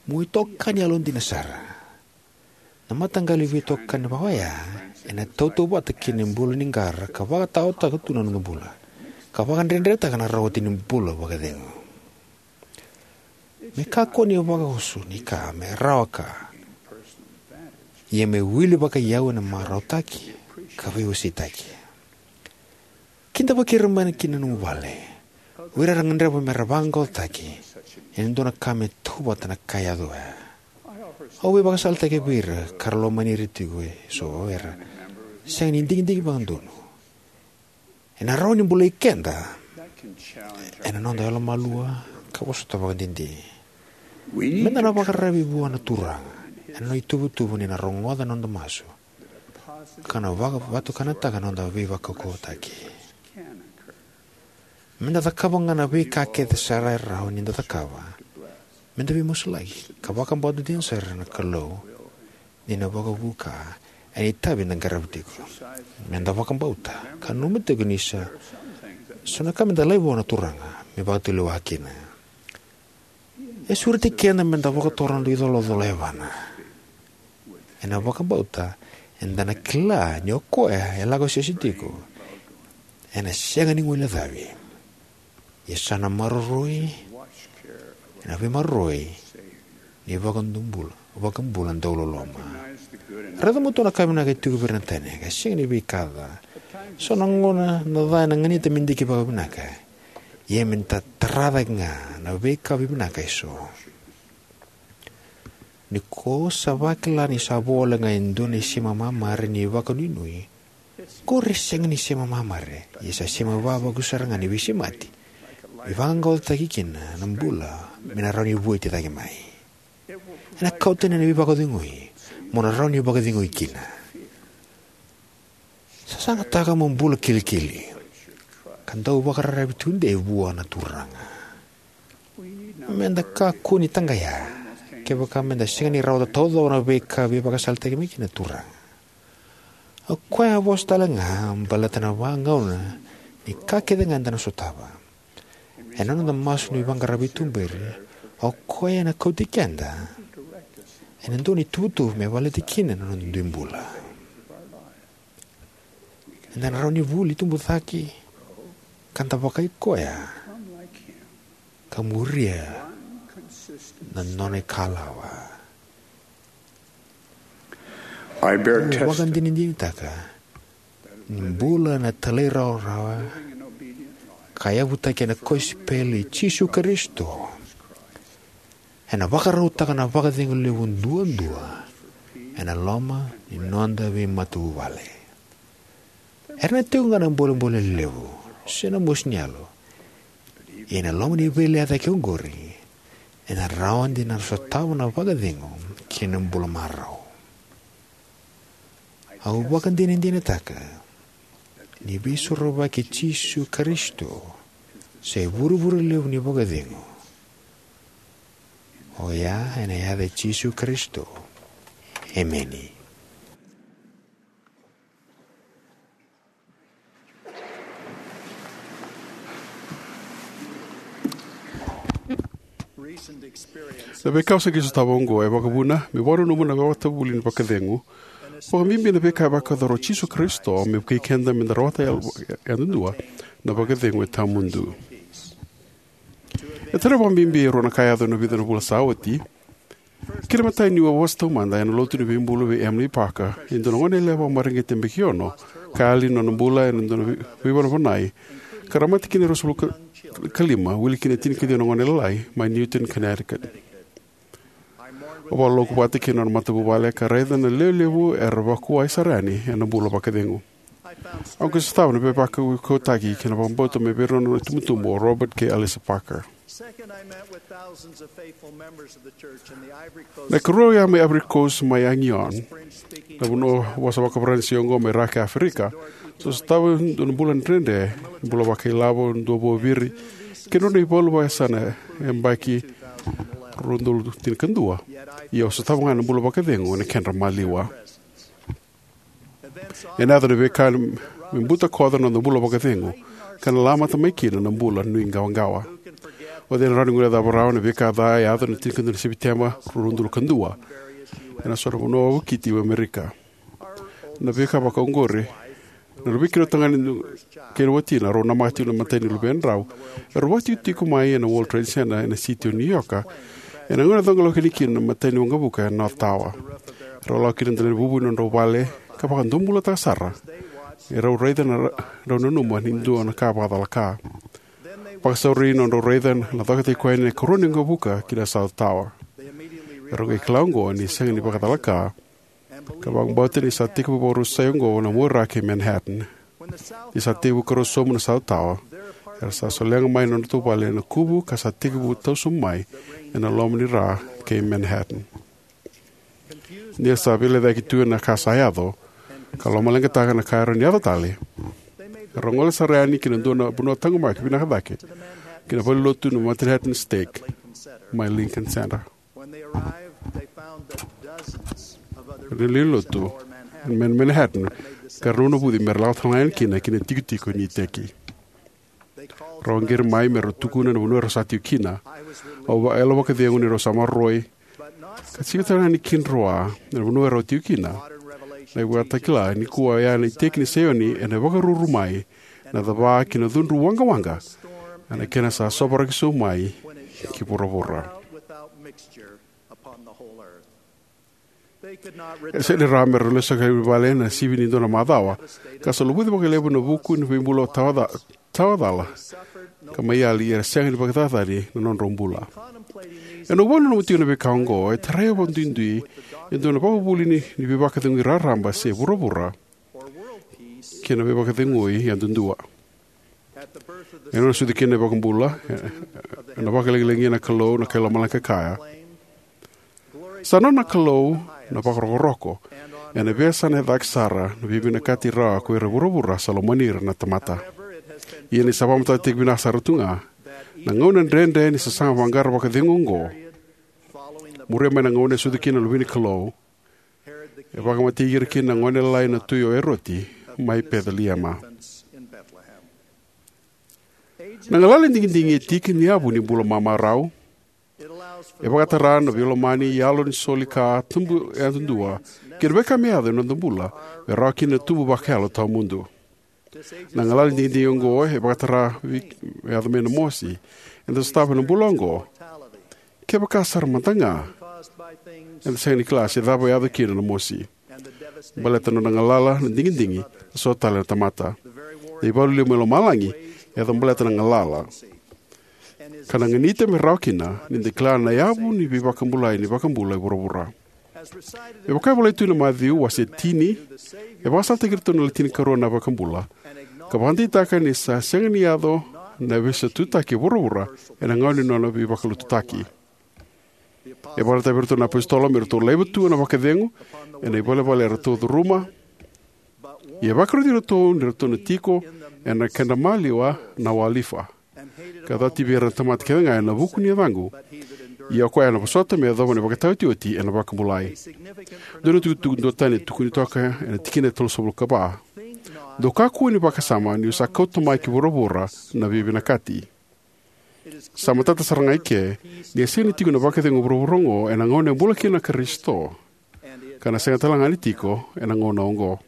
Mo itokani yalodina sara. Na mataqali veitokani vaka oya ena tautauvata kei na bula ni qara ka vakataotaka tu na noda bula, ka vakadredretaka na rawati ni bula vakacegu. Me kakua ni vakaoso ni ka me rawa ka, ia me wili vakaiyau ena marautaki ka veiwaseitaki. Kidavaki ira mai ki na nomu vale o ira era gadreva me ra vaqaqacotaki ena dua na ka me tautauvata na ka e yaco oya. Au veivakasalataki vei ira ka ra lomani ira tiko eso era sega ni digidigi vakadodonu. Ena rawa ni bulai keda ena noda yalomalua ka vosota vakadede. Meda na vakararavi vua na Turaga ena nona ituvatuva ni na rogoca na noda masu ka na vakavatukanataka na noda veivakaukauwataki. Meda cakava ga na veika kece sara e rawa ni da cakava meda veimasulaki ka vakabauta dina sara na Kalou ni na vakavuka ena itavi eda qarava tiko. Meda vakabauta ka nanuma tiko ni sa so na ka meda laiva vua na Turaga me vakatulewa kina. E sureti keda meda vakatora na noda icolacola e yavana. Ena vakabauta eda na kila ni o koya e lako sese tiko ena sega ni guilecavi. Ia sa na maroroi ena veimaroroi ni vakadubula, vakabula dauloloma. Raica matua na ka vinaka e tiko vei ira na tani ka sega ni veika ca. So na gauna na ca ena ganita me diki vakavinaka. Ia meda tara cake ga na veika vivinaka eso. Ni ko sa vakila ni sa vo wale ga e dua na isema mamare ni vakanuinui, qori e sega ni sema mamare, ia sa sema vavaku sara ga ni veisemati me vaqaqacotaki kina na bula me na rawa ni vueti cake mai. Ena kauta yani na veivakacegui mo na rawa ni vakacegui kina. Sasagataka mo bula kilikili ka dau vakararavi tudei vua na Turaga. Meda kakua ni taqaya kevaka meda sega ni rawata taucoko na veika veivakasalataki mai kina na Turaga. O koya a vosa tale ga baleta na vagauna ni ka kece ga eda na sotava. Ena noda masu ni vaqara veituberi, o koya ena kauti keda ena dua na ituvatuva me valeti kina na noda dui bula. Eda na rawa ni vuli tubu cake ka da vakai koya ka muria na nona ikalawa. I bear Au test vakadinadinataka ni bula na talairawarawa ka yavutaki ena kosipeli i Jisu Karisito ena vakarautaka na vakacegu levu duadua ena loma ni noda veimatavuvale. Era na tiko ga na bolebole levu se na mosi ni yalo, ia ena loma ni veilea cake oqori, ena rawa ni da na sotava na vakacegu kei na bula marau. Au vakadinadinataka ni Veisorovaki i Jisu Karisito sa ivurevure levu ni vakacegu. Oya ena yaca i Jisu Karisito. Emeni. Na veika au sa qai sotava oqo e vakavuna meu vakananuma na matavuvale ni vakacegu, vakabibi na veika e vakayacora o Jisu Karisito me vukei keda meda rawata yadudua na vakacegu e tawamudu. E tarai vakabibi e rua na ka e yaco ena vica na vula sa oti. Kena imatai, niu a vosa taumada ena Lotu ni Veibulu vei Emilie Parker, e dua na goneyalewa vakamareqeti yabaki ono, ka yali na nona bula ena dua na vei- veivanavanai, ka ra mate kina e ruasagavulu ka lima, wili kina e tinikaciwa na gone lalai, mai Newtown, Connecticut. Au vakaloloku vata kei na nona matavuvale ka raica na lewe levu era vakuwai sara yani ena bula vakacegu. Au qai sotava na veivakaukauwataki kei na vakabauta mai vei ira na nona itubutubu, o Robert kei Alissa Parker. Na ikarua, au a mai Ivory Coast mai Abidjan, na vanua vosa vakaFaranisi oqo mai ra kei Aferika. Sa sotava e dua na bula dredre, bula vakailavo, dua vuaviri, kei na nodra ivalu vakayasana ena yabaki rua na udolu tinikadua. Ia au sotava ga na bula vakacegu ena kedra maliwa. Ena yaco na veika me butakoca na noda bula vakacegu, ka na lamata mai kina na bula nuiqawaqawa. O cei ena rawa ni guilecava rawa na veika ca e yaco ena tinikadua ni Sepiteba, rua na udolu ka dua, ena so na vanua vakiti e Amerika? Na veika vakaoqori, na rui kei rau tagane kei na watina, rau namaka tiko na imatai ni luvedrau, erau vakatikotiko mai ena World Trade Center ena siti o New York, ena gauna e coqa lako yani kina na imatai ni waqavuka ena North Tower. Erau lako ki na dela ni vuvu ni nodrau vale ka vakadobulataka sara, erau raica na ra- rau nanuma ni dua na ka vakacalaka. Vakasauri nodrau raica na cokataki koya na ikarua ni waqavuka ki na South Tower. Erau qai kila oqo ni sega ni vakacalaka, ka vakabauta ni sa tekivu vakarusai oqo na muaira kei Manhattan. Ni sa tekivu karusa sobu na South Tower, era sa solega mai na nodratou vale ena kuvu ka sa tekivu tau sobu mai ena loma ni ra kei Manhattan. Ni ra sa veilecayaki tu ena ka sa yaco, ka lomaleqataka na ka e rawa ni yaco tale, erau gole sara yani ki na dua na vanua taqomaki vinaka cake, ki na valenilotu na Manhattan Stake mai Lincoln Center. Erau lai lotu mai Manhattan, ka ra navunavuci me ra lako tale ga yani kina ki na itikotiko ni iteki. Rau qiri mai me rau tukuna na vanua erau sa tiko kina. Au vakayalo vakacegu ni rau sa maroroi, ka sega tale ga ni kidroa na vanua erau tiko kina. Na ivakatakila nikua oya na iteki ni Saioni ena vakaruru mai, na cava ki na cudru waqawaqa, ena kena sa sovaraki sobu mai ki vuravura. E sega ni rawa me ra lesu sara i vale ena sivi ni dua na macawa, ka sa luvuci vakalevu na vuku ni veibulu tawaca- tawacala, ka mai yali era sega ni vakacacani na nodrau bula. Ena nomu vakananuma tiko na veika oqo, e tarai vakaduidui e dua na ivakavuvuli ni veivakacegui raraba se vuravura kei na veivakacegui yadudua. Ena nona sucu kina na iVakabula, ena vakalagilagia na Kalou na kai lomalagi ka kaya: Sa nona na Kalou na vakarokoroko ena veiyasana e cake sara, na veivinakati rawa ko ira e vuravura sa lomani ira na tamata. Ia ni sa vakamatatataki vinaka sara tu ga, na gauna dredre ni sasaga vaqara vakacegu oqo, muria mai na gauna e sucu kina na Luve ni Kalou, e vakamatei ira kina na gone lalai na tui o Eroti mai Peceliema. Na galala ni digidigi e tiki ni yavu ni bula mamarau. E vakatara na veilomani, yalo ni soli ka tubu yadudua, kei na veika me yaco ena noda bula me rawa kina na tubu vakayalo tawamudu. Na galala ni digidigi oqo e vakatara vei, yaco mai na mosi eda sotava ena bula oqo. Kevaka sara mada ga eda sega ni kila se cava e yaco kina na mosi. Baleta nona galala na digidigi, na so tale na tamata. Na ivalu lima mai lomalagi e yaco baleta na galala, ka na ganita me rawa kina ni da kila na yavu ni veivakabulai ni vakabula e vuravura. Me vaka e volai tu ena Maciu wase tini, e vakasalataki iratou na le tinikarua na vakabula, ka vakadeitaka ni sa sega ni yaco na veisaututaki e vuravura ena gauna ni nona veivakalotutaki. E vakaraitaki vei iratou na apositolo me ratou laiva tu na vakacegu ena ivalevale eratou curuma. Ia e vakaroti iratou ni ratou na tiko ena kedra maliwa na wolifa, ka cati vei ira na tamata kece ga ena vuku ni yacaqu. Ia o koya ena vosota me yacova na ivakataotioti ena vakabulai. Dua na itukutuku duatani e tukuni toka ena tikina e tolusagavulu ka va: Dou kakua ni vakasama niu sa kauta mai ki vuravura na veivinakati. Sa matata sara ga eke ni a sega ni tiko na vakacegu e vuravura oqo ena gauna e bula kina na Karisito, ka na sega tale ga ni tiko ena gauna oqo.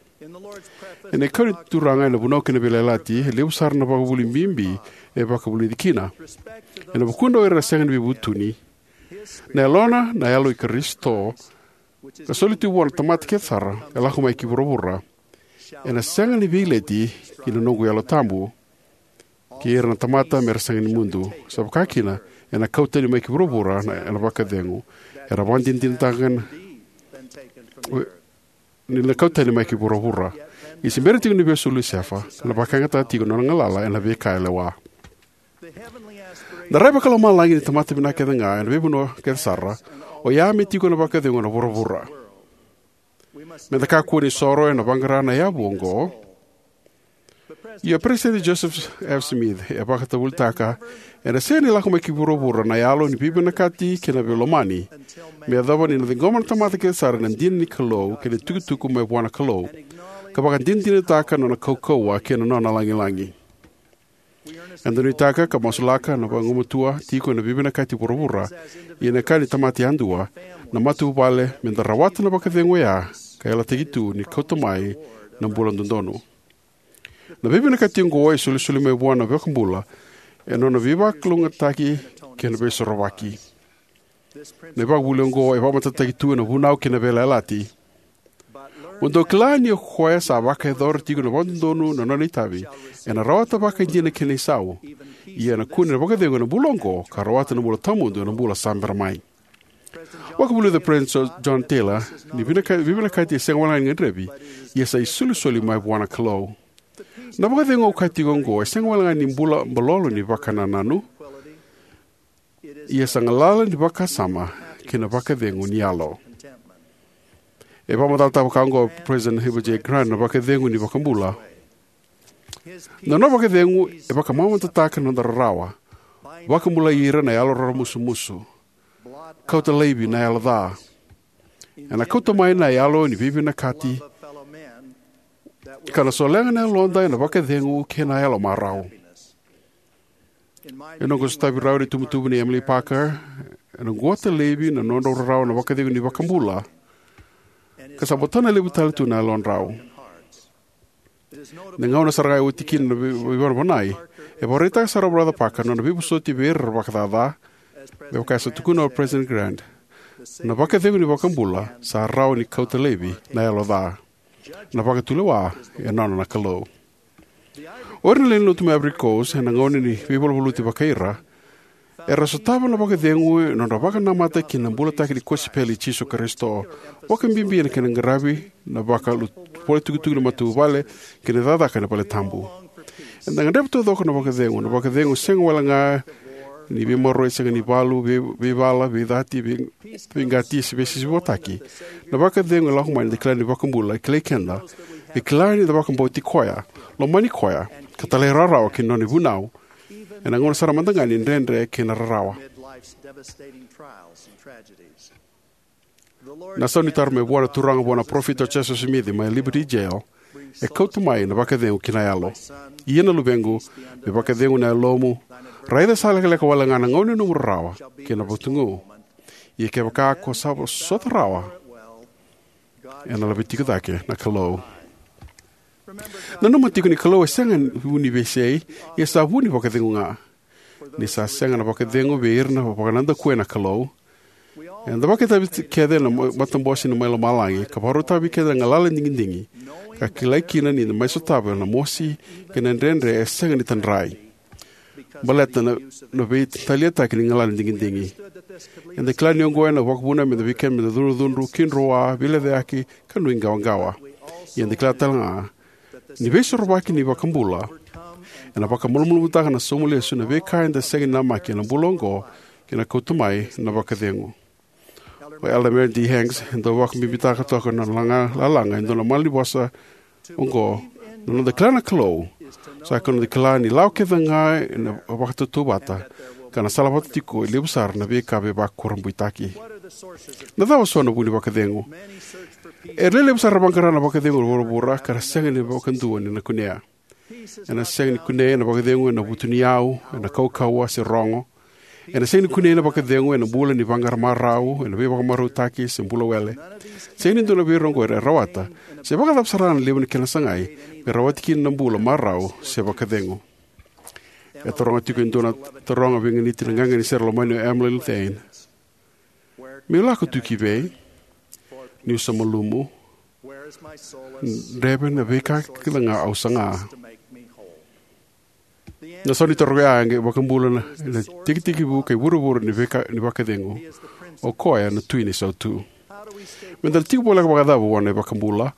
Ena ikau ni Turaga ena Vunau kei na Veiyalayalati, e levu sara na vakavuvuli bibi e vakavulici kina. Ena vukudra o ira era sega ni veivutuni, na Yalona, na Yalo i Karisito, ka soli tu vua na tamata kece sara, e lako mai ki vuravura, ena sega ni veileti ki na noqu Yalo Tabu kei ira na tamata me ra sega ni mudu. Sa vaka kina, ena kau tani mai ki vuravura na, ena vakacegu. Era vakadinadinataka na, ni na kau tani mai ki vuravura. Ia se bera tiko ni vesu o Lusefa, ka na vakayagataka tiko na nona galala ena veika e lewa. Na rai vakalomalagi ni tamata vinaka kece ga ena veivanua kece sara, oya me tiko na vakacegu ena vuravura. Meda kakua ni soro ena vaqara na yavu oqo. Ia o Peresitedi Joseph F. Smith e vakatavulitaka, ena sega ni lako mai ki vuravura na yalo ni veivinakati kei na veilomani me yacova ni na ciqoma na tamata kece sara na dina ni Kalou kei na itukutuku mai vua na Kalou, ka vakadinadinataka na nona kaukauwa kei na nona lagilagi. Eda nuitaka ka masulaka na vagumatua tiko ena veivinakati vuravura, ia na ka ni tamata yadua, na matavuvale, meda rawata na vakacegu oya ka yalataki tu ni kauta mai na bula dodonu. Na veivinakati oqo e solisoli mai vua na iVakabula ena nona veivakalougatataki kei na veisorovaki. Na ivakavuvuli oqo e vakamatatataki tu ena Vunau kei na Veiyalayalati. Mo dou kila ni o koya sa vakayacora tiko vakadodonu na nona itavi, ena rawata vakaidina kina isau. Ia ena kune na vakacegu ena bula oqo, ka rawata na bula tawamudu ena bula sa bera mai. Vakavulica o Peresitedi Jo-, John Taylor ni vinaka-, veivinakati e sega wale ga ni gadrevi, ia sa isolisoli mai vua na Kalou. Na vakacegu au kaya tiko oqo e sega wale ga ni bula balolo ni vakanananu, ia sa galala ni vakasama kei na vakacegu ni yalo. E vakamacalataka vaka oqo o President Heber J. Grant na vakacegu ni iVakabula. Na nona vakacegu e vakamamadataka na noda rarawa, vakabulai ira na yalo raramusumusu, kauta laivi na yalo ca. Ena kauta mai na yalo ni veivinakati, ka na solega na yaloda ena vakacegu kei na yalo marau. Ena noqu sotavi rau na itubutubu nei Emilie Parker, ena quta laivi na nodrau rarawa na vakacegu ni iVakabula, ka sa botana levu tale tu na yalodrau. Na gauna sara ga e oti kina na vei-, veivanavanai, e vakaraitaka sara o Brother Parker na nona veivosoti vei ira era vakacaca, me vaka e sa tukuna o President Grant. Na vakacegu ni iVakabula sa rawa ni kauta laivi na yalo ca. Na vakatulewa e nona na Kalou. O ira na lewe ni lotu mai Ivory Coast ena gauna ni veivaluvaluti vakai ira, era sotava na vakacegu ena nodra vakanamata ki na bulataki ni kosipeli i Jisu Karisito, vakabibi ena kena qaravi na vakalu-, vakaitukutuku ni matavuvale kei na cakacaka ena valetabu. Eda gadreva taucoko na vakacegu, na vakacegu sega wale ga ni veimaroroi, sega ni valu, vei- veivala, veicati, vei- veiqati, se veisisivotaki. Na vakacegu e lako mai ni da kila ni Vakabula e kilai keda, e kila ni da vakabauti koya, lomani koya, ka talairawarawa ki na nona ivunau, ena gauna sara mada ga ni dredre kei na rarawa. Na sau ni taro mai vua na Turaga vua na parofita o Josefa Simici mai Liberty Jail e kauta mai na vakacegu ki na yalo. Ia na luvequ, me vakacegu na yalomu, raica sa lekaleka wale ga na gauna ni nomu rarawa kei na vutugu. Ia kevaka ko sa vosota rawa, ena laveti iko cake na Kalou. Nanuma tiko ni Kalou e sega ni vu ni veisei, ia sa vu ni vakacegu ga. Ni sa sega na vakacegu vei ira na vakanadakuya na Kalou. Eda vakaitavi kece ena ma- matabose ni mai lomalagi, ka vakarautaka vei keda na galala ni digidigi, ka kilai kina ni da mai sotava na mosi kei na dredre e sega ni tadrai, baleta na, na veitaliataki ni galala ni digidigi. Eda kila ni oqo ena vakavuna meda vei keda meda cudrucudru, kidroa, veilecayaki, ka nuiqawaqawa. Ia eda kila tale ga ni veisorovaki ni Vakabula ena vakamalumalumutaka na sauma lesu na veika eda sega ni namaki ena bula oqo, kei na kauta mai na vakacegu. O Elder Marion D. Hanks e dau vakabibitaka toka na laga- lalaga e dua na malanivosa oqo: na noda kila na Kalou sa ikoya na noda kila ni lawa kece ga ena vakatautauvata, ka na salavata tiko e levu sara na veika veivakurabuitaki. Na cava so na vu ni vakacegu? E lewe levu sara era vaqara na vakacegu e vuravura, ka ra sega ni vakadua ni na kunea. Ena sega ni kunei na vakacegu ena vutuniyau, ena kaukauwa, se rogo. Ena sega ni kunei na vakacegu ena bula ni vaqara marau, ena veivakamarautaki, se bula wele. Sega ni dua vei ira oqo e rawata, se vakacava sara na levu ni kena sagai, me rawati kina na bula marau se vakacegu. E taroga tiko e dua na taroga veiganiti na qaqa ni sere lomani o Emily Lou Thayne: Meu lako tu ki vei? Niu sa malumu, dreve na veika kece ga au saga. Na sau ni taro oya e vakabula na, na tikitiki vu kei vuravura ni veika ni vakacegu. O koya na Tui ni Sautu. Meda na tiko voleka vakacava vua na iVakabula?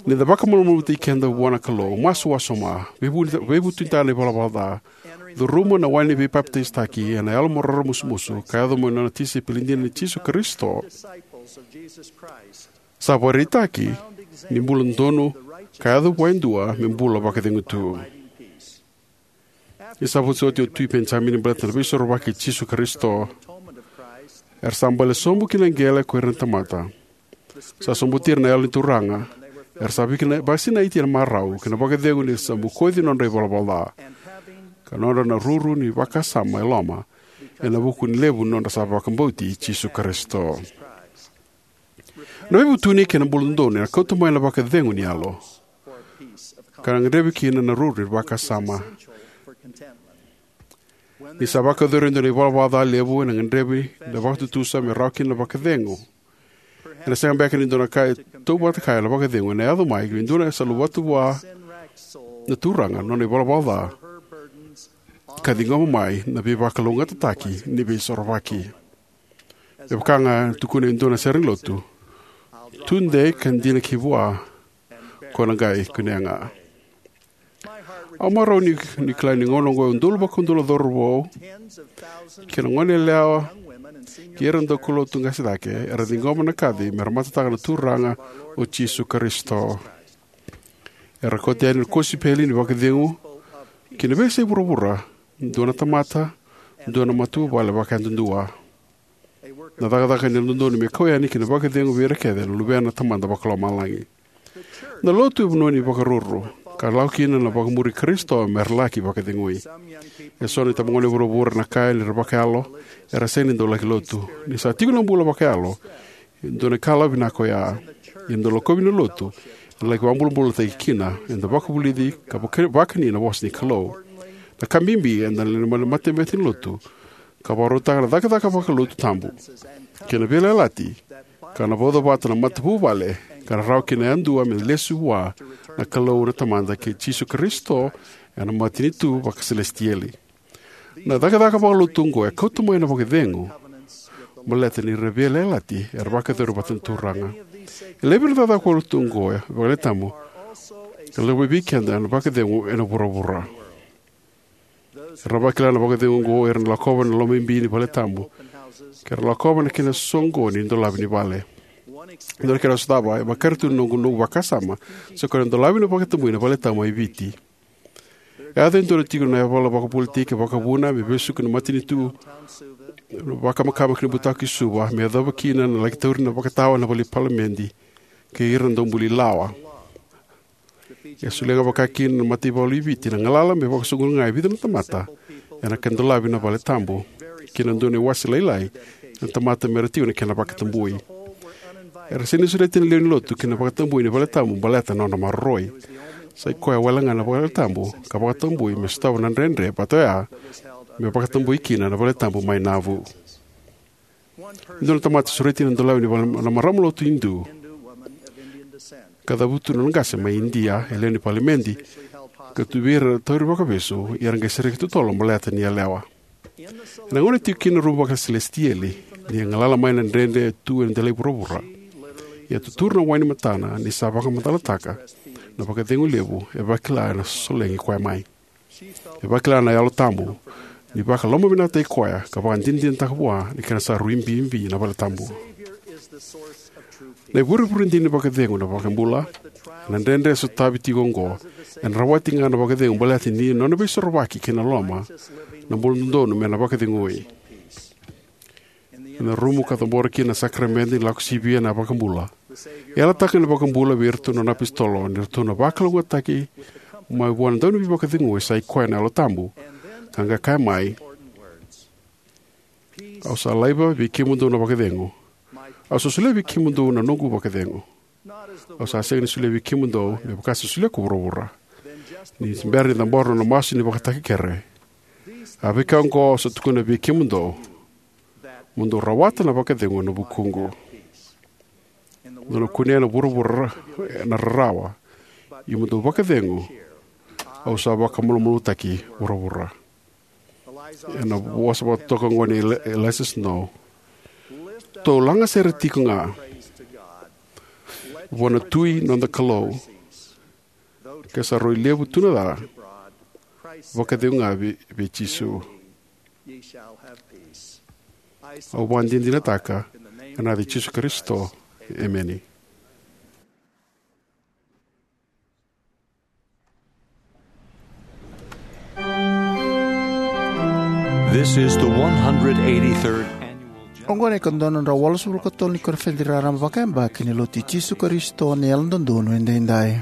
Ni da vakamalumalumutaki keda vua na Kalou, masu wasoma, veivu- veivutunitaka na ivalavala ca, curuma na wai ni veipapitaisotaki ena yalo mo raramusumusu, ka yaco mo nona tisaipeli dina ni Jisu Karisito, sa vakaraitaki ni bula donu ka yaco vua e dua me bula vakacegu tu. Ni sa vosa oti o Tui Penijamini baleta na veisorovaki i Jisu Karisito, era sa bale sobu ki na qele ko ira na tamata. Sa sobuti ira na Yalo ni Turaga, era sa viki- vakasinaiti ena marau kei na vakacegu ni sa bokoci nodra ivalavala ca, ka nodra na ruru ni vakasama e loma, ena vuku ni levu ni nodra sa vakabauti Jisu Karisito. Na veivutuni kei na bula dodonu ena kauta mai na vakacegu ni yalo, ka na gadrevi kina na ruru ni vakasama. Ni sa vakayacori e dua na ivalavala ca levu, ena gadrevi na vakatutusa me rawa kina na vakacegu. Ena sega beka ni dua na ka e tautauvata kaya na vakacegu ena yaco mai vei dua na sa luvata vua na Turaga na nona ivalavala ca, ka ciqoma mai na veivakalougatataki ni veisorovaki. Me vaka ga e tukuna e dua na sere ni lotu: Tudei ka dina ki vua, ko na qai kunea ga. Au marau ni, ni kila ni gauna oqo e udolu vakaudolu na cauravou kei na goneyalewa kei ira na daukaulotu qase cake era ciqoma na kaci me ra matataka na Turaga o Jisu Karisito. Era kauta yani na kosipeli ni vakacegu ki na veiyasai vuravura, dua na tamata, dua na matavuvale vakayadudua. Na cakacaka ni dodonu me kau yani ki na vakacegu vei ira kece na luvena na Tamada Vakalomalagi. Na lotu e vanua ni vakaruru, ka lako kina na vakamuri Karisito me ra laki vakacegui. Eso na itabagone e vuravura ena kaya ni ra vakayalo, era sega ni dau laki lotu. Ni sa tiko na bula vakayalo, e dua na ikalawa vinaka oya. Ia na dau lakovi na lotu ena laki vakabulabulataki kina, eda vakavulici ka vaka- vakani na vosa ni Kalou. Na ka bibi, eda na lewe ni matabete ni lotu ka vakarautaka na cakacaka vakalotu tabu kei na veiyalayalati, ka na vauca vata na matavuvale, ka na rawa kina yadua me lesu vua na Kalou na Tamada kei Jisu Karisito ena matanitu vakaselesitieli. Na cakacaka vakalotu oqo e kauta mai na vakacegu baleta ni ra veiyalayalati era vakayacora vata na Turaga. E levu na cakacaka vakalotu oqo e vakalewe tabu ka lako vei keda na vakacegu ena vuravura. Era vakila na vakacegu oqo era na lakova na lomabibi ni vale tabu, ke ra lakova na kena soqoni dolavi ni vale. Dua na kena sotava e vakaraitaka na noqu, noqu vakasama, sa koya na dolavi na vakatabui na vale tabu mai Viti. E yaco e dua na tiko na yavala vakapolitiki vakavuna me vesuki na matanitu, na vakamakama kei na butako ki Suva, me yacova kina na laki tauri na vakatawa na vale palimedi kei ira na daubuli lawa. E solia ga vaka kina na mataivalu i Viti na galala me vakasoqoni ga e vica na tamata ena kena dolavi na vale tabu, kei na dua na iwase lailai na tamata me ra tiko na kena vakatabui. Era sega ni sureti na lewe ni lotu ki na vakatabui ni vale tabu baleta na nona maroroi. Sa i koya wale ga na vale tabu ka vakatabui me sotava na dredre vata oya me vakatabui kina na vale tabu mai Nauvoo. E dua na tamata sureti na dolavi ni vale, na marama lotu Idu, ka cavutu na nona qase mai Idia, e lewe ni palimedi, ka tu vei ira tauri vakavesu, ia era qai sereki totolo baleta ni yalewa. Ena gauna e tiko kina na rumu vakasilesitieli, ni galala mai na dredre e tu ena delai vuravura, ia tuturu na wai ni matana ni sa vakamacalataka na vakacegu levu e vakila ena sosolegi koya mai. E vakila na Yalo Tabu ni vakalomavinakataki koya ka vakadinadinataka vua ni kena sa rui bibi na vale tabu. Na ivurevure dina ni vakacegu na iVakabula. Na dredre e sotavi tiko oqo ena rawati ga na vakacegu baleta ni nona veisorovaki kei na loma, na bula dodonu me na vakacegui. Ena rumu ka cabora kina na sakaramede ni Lako Sivia na iVakabula, e yalataka na iVakabula vei iratou na nona apositolo ni ratou na vakalougatataki mai vua na Dauniveivakacegui sa i koya na Yalo Tabu, ka qai kaya mai: Au sa laiva vei kemudou na vakacegu. Au sa solia vei kemudou na noqu vakacegu. Au sa sega ni solia vei kemudou me vaka sa solia ko vuravura. Ni se bera ni cabora na nona masu ni vakatakekere, a veika oqo au sa tukuna vei kemudou, mo dou rawata na vakacegu ena vukuqu. Dou na kunea na vuravura na rarawa, ia mo dou vakacegu, au sa vakamalumalumutaki vuravura. Ena vosa vakatotoka oqo nei Eli-, Eliza Snow: Tou laga sere tiko ga vua na Tui noda Kalou, ke sa rui levu tu na ca, vakacegu ga vei, vei Jisu. Au vakadinadinataka ena yaca i Jisu Karisito. Emeni. This is the one hundred eighty-third annual General Oqo na ikaono drau walusagavulu ka tolu ni koniferedi raraba vakayabaki ni Lotu i Jisu Karisito ni Yalododonu Edaidai.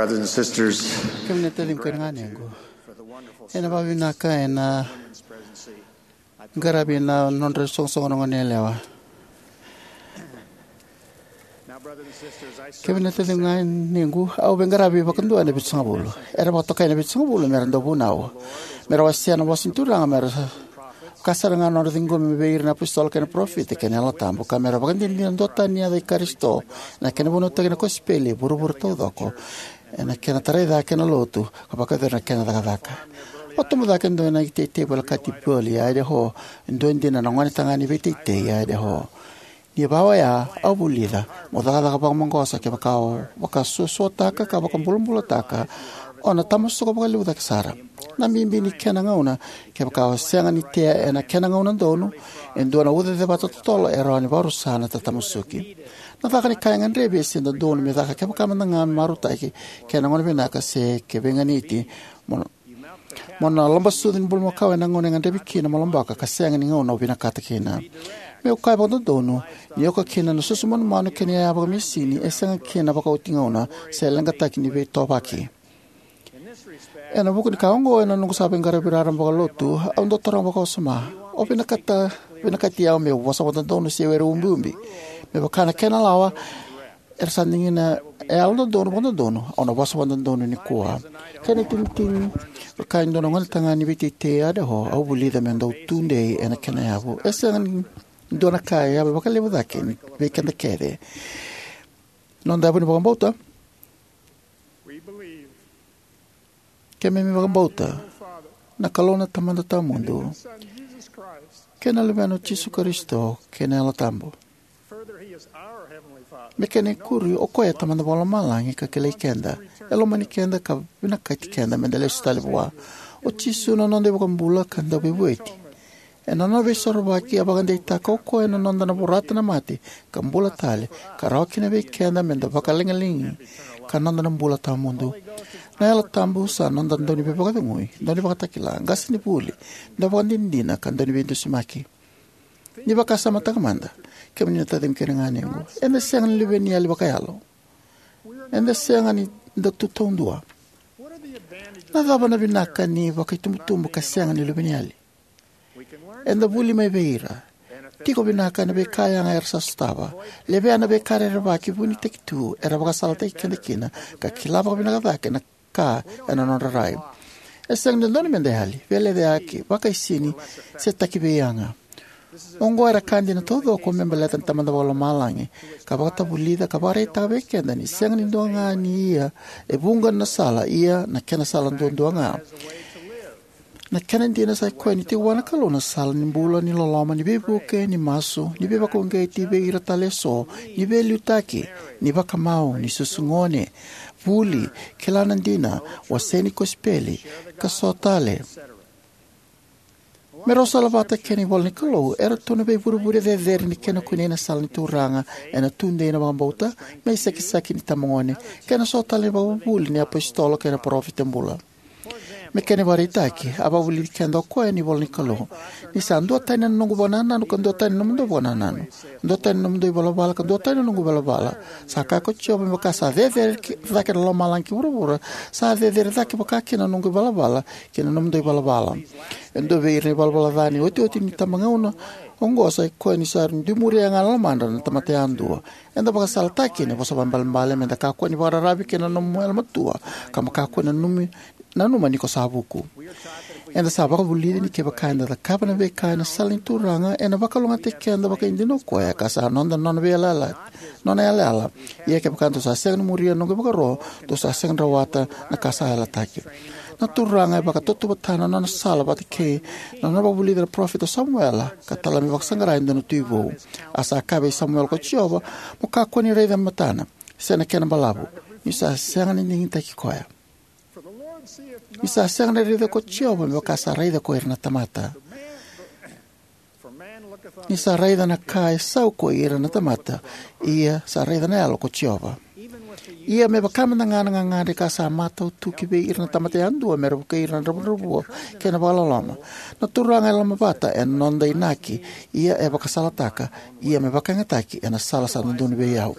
Brothers and sisters, kemuni na taciqu kei na ganequ, ena vakavinaka ena qaravi na nodra soqosoqo na goneyalewa. Kemuni na taciqu kei na ganequ, au veiqaravi vakadua ena Vitusagavulu. Era vakatokai na Vitusagavulu mera dau vunau, mera wasea na vosa ni Turaga, mera vaka sara ga na nodra ciqomi vei ira na apositolo kei na parofita kei na Yalo Tabu, ka mera vakadinadina duatani ni yaca i Karisito ena kena vunautaki na kosipeli e vuravura taucoko, ena kena tarai cake na lotu, ka vakayacori na kena cakacaka. A tubu cake e dua na iteitei volekati Pearl e Idaho, e dua dina na gonetagane ni veiteitei e Idaho. Ni va oya, au vulica, mo cakacaka vakamaqosa kevaka o vakasuasuataka ka vakabulabulataka, o na tamasuka vakalevu cake sara. Na bibi ni kena gauna, kevaka o sega ni tea ena kena gauna donu, e dua na ucacevata totolo e rawa ni vakarusa na tatamasuki. Na caka ni ka e gadrevi e sega ni dodonu me caka kevaka mada ga me marautaki, kei na gauna vinaka se ke veiganiti, mo, mo na lobasucu ni bulumakau ena gauna e gadrevi kina mo lobaka ka sega ni gauna o vinakata kina. Meu kaya vakadodonu, ni oka kina na susu manumanu kei na iyaya vakamesini, e sega kina vakaoti gauna, se leqataki ni veitovaki. Ena vuku ni ka oqo, ena noqu sa veiqaravi raraba vakalotu, au dau taroga vakawasoma: O vinakata, vinakati au meu vosa vakadodonu se were ubiubi? Me vaka na kena lawa, era sa digina e yalododonu vakadodonu, au na vosa vakadodonu nikua. Kena itinitini, vaka e dua na gonetagane ni veiteitei e Idaho, au vulica meu dau tudei ena kena yavu. E sega ni dua na ka e yavi vakalevu cake vei keda kece. Noda yavu ni vakabauta. Keimami vakabauta na Kalou na Tamada Tawamudu kei na Luvena o Jisu Karisito kei na Yalo Tabu. Me kena ikuri, o koya e Tamada Vakalomalagi ka kilai keda, e lomani keda ka vinakati keda meda lesu tale vua. O Jisu na noda iVakabula ka Dauveivueti. Ena nona Veisorovaki, a vakadeitaka o koya na noda na vorata na mate ka bula tale, ka rawa kina vei keda meda vakalagilagia ka noda na bula tawamudu. Na Yalo Tabu sa noda Dauniveivakacegui, Daunivakatakila, Qasenivuli, Dauvakadinadina, ka Dauniveidusimaki. Ni vakasamataka mada, kemuni na taciqu kei na ganequ, eda sega ni luveniyali vakayalo. Eda sega ni da tu taudua. Na cava na vinaka ni vakaitubutubu ka sega ni luveniyali? Eda vuli mai vei ira, tiko vinaka ena veika yaga era sa sotava, levea na veika rerevaki vunitaki tu era vakasalataki keda kina, ka kila vakavinaka cake na ka ena nodra rai. E sega ni dodonu meda yali, veilecayaki, vakaisini, se taki veiyaga. Oqo era ka dina taucoko me baleta na Tamada Vakalomalagi, ka vakatavulica ka vakaraitaka vei keda ni sega ni dua ga ni ia e vuqa na sala, ia na kena sala duadua ga. Na kena dina sa i koya ni tiko vua na Kalou na sala ni bula, ni loloma, ni veivuke, ni masu, ni veivakauqeti vei ira tale eso, ni veiliutaki, ni vakamau, ni susu gone, vuli, kila na dina, wasei ni kosipeli, ka so tale. Me rau salavata kei na ivola ni Kalou, eratou na veivurevure cecere ni kena kunei na sala ni Turaga, ena tudei na vakabauta, me isekiseki ni itabagone, kei na so tale na ivakavuvuli ni apositolo kei na parofita bula. Me kena ivakaraitaki, a vakavulici keda o koya ena ivola ni Kalou: Ni sa duatani na noqu vakanananu ka duatani na nomudou vakanananu, duatani na nomudou ivalavala ka duatani na noqu ivalavala. Sa kaya ko Jiova, me vaka sa cecere cake na lomalagi ki vuravura, sa cecere cake vakakina na noqu ivalavala ki na nomudou ivalavala. E dua vei ira na ivalavala ca ni otioti ni itabagauna oqo sa i koya ni sa dui muria ga na lomadra na tamata yadua. Eda vakasalataki ena vosa vakaibalebale meda kakua ni vakararavi ki na nomu yalomatua, ka mo kakua ni nanumi, nanuma ni ko sa vuku. Eda sa vakavulici ni kevaka eda cakava na veika ena sala ni Turaga, ena vakalougatataki keda vakaidina o koya, ka sa noda na nona veiyalayala, nona yalayala. Ia kevaka dou sa sega ni muria na noqu ivakaro, dou sa sega ni rawata na ka sa yalataki. Na Turaga e vakatautauvatataka na nona sala vata kei na nona vakavulici na parofita o Samuela, ka tala me vakasaqara e dua na tui vou. A sa kaya vei Samuela ko Jiova, mo kakua ni raica na matana, se na kena balavu, niu sa sega ni digitaki koya. Ni sa sega ni raica ko Jiova me vaka sa raica ko ira na tamata. Ni sa raica na ka e sau ko ira na tamata, ia sa raica na yalo ko Jiova. Ia me vaka mada ga na gagadre ka sa matau tu ki vei ira na tamata yadua me ra vukei ira na dravudravua kei na vakaloloma. Na Turaga e lomavata ena noda inaki, ia e vakasalataka, ia me vakayagataki ena sala sa dodonu vei au.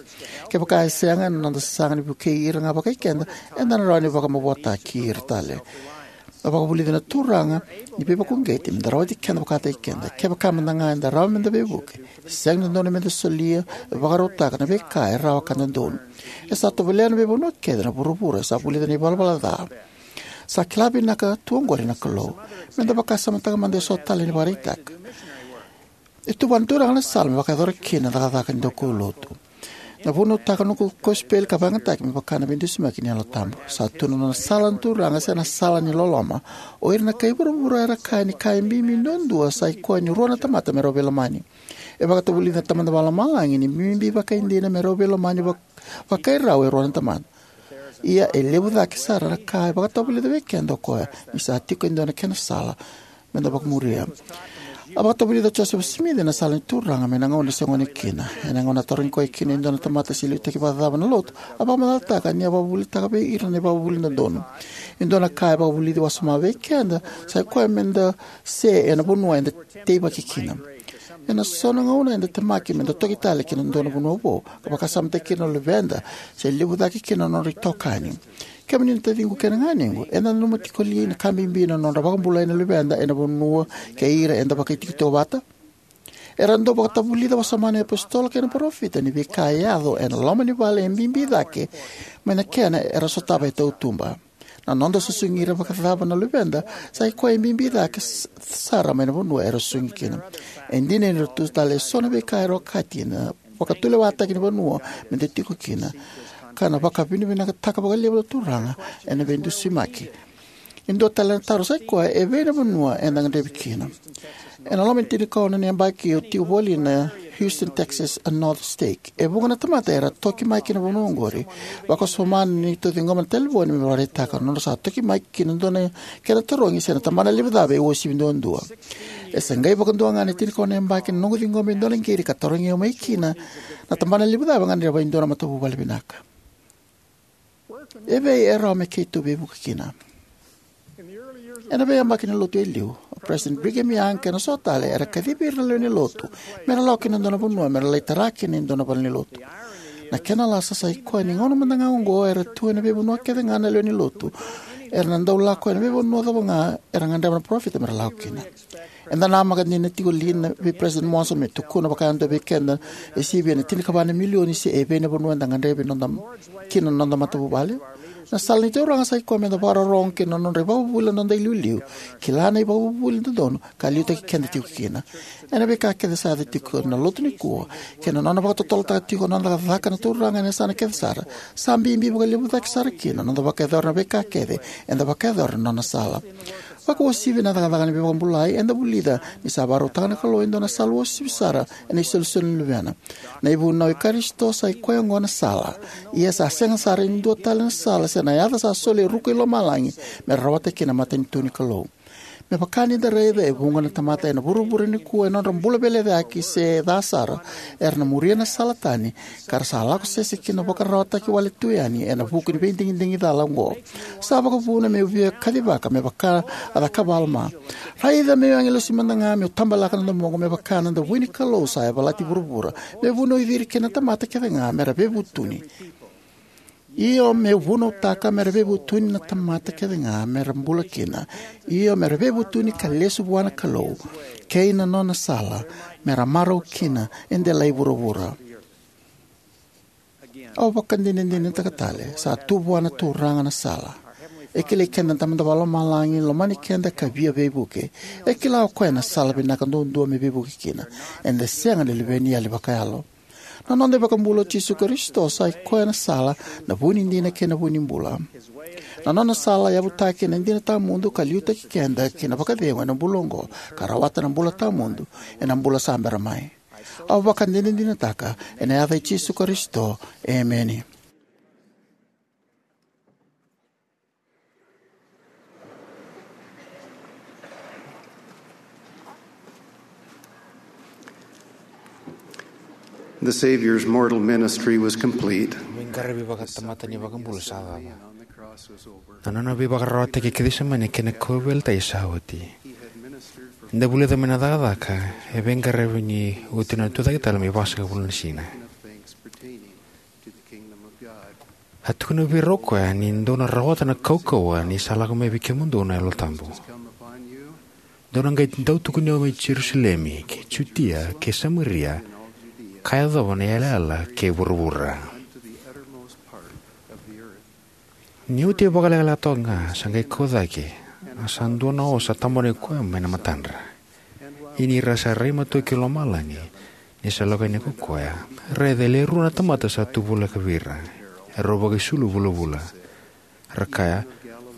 Kevaka e sega, ena noda sasaga ni vukei ira ga vakai keda, eda na rawa ni vakamavoataki ira tale. A vakavulici na Turaga ni veivakauqeti me da rawati keda vakataki keda. Kevaka mada ga eda rawa me da veivuke, e sega ni dodonu me da solia, vakarautaka na veika e rawa ka dodonu. E sa tovolea na veivanua kece na vuravura, e sa vulica na ivalavala ca. Sa kila vinaka tu oqori na Kalou. Me da vakasamataka mada eso tale ni vakaraitaka. E tu vua na Turaga na sala me vakayacora kina na cakacaka ni daukaulotu. Na vunautaka na noqu kosipeli ka vakayagataki me vaka na veidusimaki ni Yalo Tabu. Sa tu na nona sala na Turaga, se na sala ni loloma. O ira na kai vuravura era kaya ni ka e bibi duadua sa i koya ni rua na tamata me rau veilomani. E vakatavulica na Tamada Vakalomalagi ni bibi vakaidina me rau veilomani vak-, vakairau e rua na tamata. Ia e levu cake sara na ka e vakatavulica vei keda o koya, ni sa tiko e dua na kena sala me da vakamuria. A vakatavulica o Josefa Simici na sala ni Turaga mai na gauna e se gone kina. Ena gauna a tarogi koya kina e dua na tamata se liutaki vakacava na lotu, a vakamacalataka ni a vakavuvulitaka vei ira na ivakavuvuli dodonu. E dua na ka e vakavulici wasoma vei keda, sa i koya me da se ena vanua eda teivaki kina. Ena so na gauna eda temaki me da toki tale ki na dua na vanua vou, ka vakasamataki ira na luveda, se levu cake kina na nodra itokani. Kemuni na taciqu kei na ganequ, eda nanuma tiko li na ka bibi na nodra vakabulai na luveda ena vanua kei ira eda vakaitikotiko vata? Era dau vakatavulica wasoma na iapositolo kei na parofita ni veika e yaco ena loma ni vale e bibi cake mai na kena era sotava e tautuba. Na noda susugi ira vakacava na luveda, sa i koya e bibi cake s-, sara mai na vanua era susugi kina. E dina ni ra tu tale eso na veika era okati na vakatulewataki ni vanua me da tiko kina, ka na vakavinavinakataka vakalevu na Turaga ena veidusimaki. E dua tale na taro sa i koya, e vei na vanua eda gadrevi kina? Ena loma ni tinikaono na yabaki au tiko voli na Houston, Texas, a North Stake. E vuqa na tamata era toki mai ki na vanua oqori, vakasoma ni tauciqoma na talevoni me vakaraitaka na nodra sa toki mai ki na dua na kena tarogi se na tabana levu cava e uasivi duadua. E sa qai vakadua ga na tinikaono na yabaki na noqu ciqoma e dua na qiri ka tarogi au mai kina, na tabana levu cava e gadreva e dua na matavuvale vinaka. E vei e rawa me keitou veivuke kina? Ena veiyabaki ni lotu e liu, o President Brigham Young kei na so tale era kacivi ira na lewe ni lotu me ra lako ki na dua na vanua me ra lai tara kina e dua na valenilotu. Na kena lasa sa i koya ni gauna mada ga oqo era tu ena veivanua kece ga na lewe ni lotu. Era na dau lako ena veivanua cava ga era gadreva na parofita me ra lako kina. Eda namaka dina tiko li na vei President Monson me tukuna vakayadua vei keda e sivia na tinikava na milioni se e vei na vanua eda gadrevi noda, kina na noda matavuvale? Na sala ni Turaga sa i koya me da vakarorogo kina na nodra ivakavuvuli na noda iliuliu, kila na ivakavuvuli dodonu ka liutaki keda tiko kina. Ena veika kece sa yaco tiko na lotu nikua, kei na nona vakatotolotaka tiko na noda cakacaka na Turaga ena yasana kece sara, sa bibi vakalevu cake sara kina na noda vakayacora na veika kece eda vakayacora na nona sala. Vakauasivi na cakacaka ni veivakabulai, eda vulica ni sa vakarautaka na Kalou e dua na sala uasivi sara ena isolisoli ni Luvena. Na ivunau i Karisito sa i koya oqo na sala. Ia sa sega sara ni dua tale na sala se na yaca sa soli e ruku i lomalagi me ra rawata kina na matanitu ni Kalou. Me vaka ni da raica, e vuqa na tamata ena vuravura nikua e nodra bula veilecayaki se ca sara, era na muria na sala tani, ka ra sa lako sese ki na vakararawataki wale tu yani ena vuku ni veidigidigi cala oqo. Sa vakavuna meu via kacivaka me vaka a cakava o Alama. Raica meu agilosi mada ga meu tabalaka na domoqu me vaka na davui ni Kalou sa yavalati vuravura, me vunauci ira kina na tamata kece ga me ra veivutuni. Io, meu vunautaka me ra veivutuni na tamata kece ga me ra bula kina. Io, me ra veivutuni ka lesu vua na Kalou kei na nona sala, me ra marau kina e delai vuravura. Au vakadinadinataka tale, sa tu vua na Turaga na sala. E kilai keda na Tamada Vakalomalagi, lomani keda ka via veivuke. E kila o koya na sala vinaka duadua me veivuke kina. Eda sega ni luveni yali vakayalo. Na noda iVakabula o Jisu Karisito sa i koya na sala, na vu ni dina kei na vu ni bula. Na nona sala yavutaki ena dina tawamudu ka liutaki keda ki na vakacegu ena bula oqo, ka rawata na bula tawamudu ena bula sa bera mai. Au vakadinadinataka ena yaca i Jisu Karisito. Emeni. The Savior's mortal ministry was complete. qaravi vakatamata ni iVakabula sa cava. Na nona veivakararawataki e Kecisemani kei na kauveilatai sa oti. Ni da vulica mai na cakacaka e veiqaravi ni oti na Tucaketale me vasagavulu na siga. A tukuna vei ira o koya, ni dou na rawata na kaukauwa ni sa lako mai vei kemudou na Yalo Tabu. Dou na qai dau tukuni au mai Jerusalemi, kei Jutia, kei Samaria, ka yacova na yalayala kei vuravura. Ni oti e vakalekaleka toka ga, sa qai kau cake, a sa dua na osa tabonaki koya mai na matadra. Ia ni ra sa rai matua ki lomalagi, ni sa lako yani ko koya, raica e le rua na tamata sa tu voleka vei ira, erau vakaisulu vulavula. Ra kaya,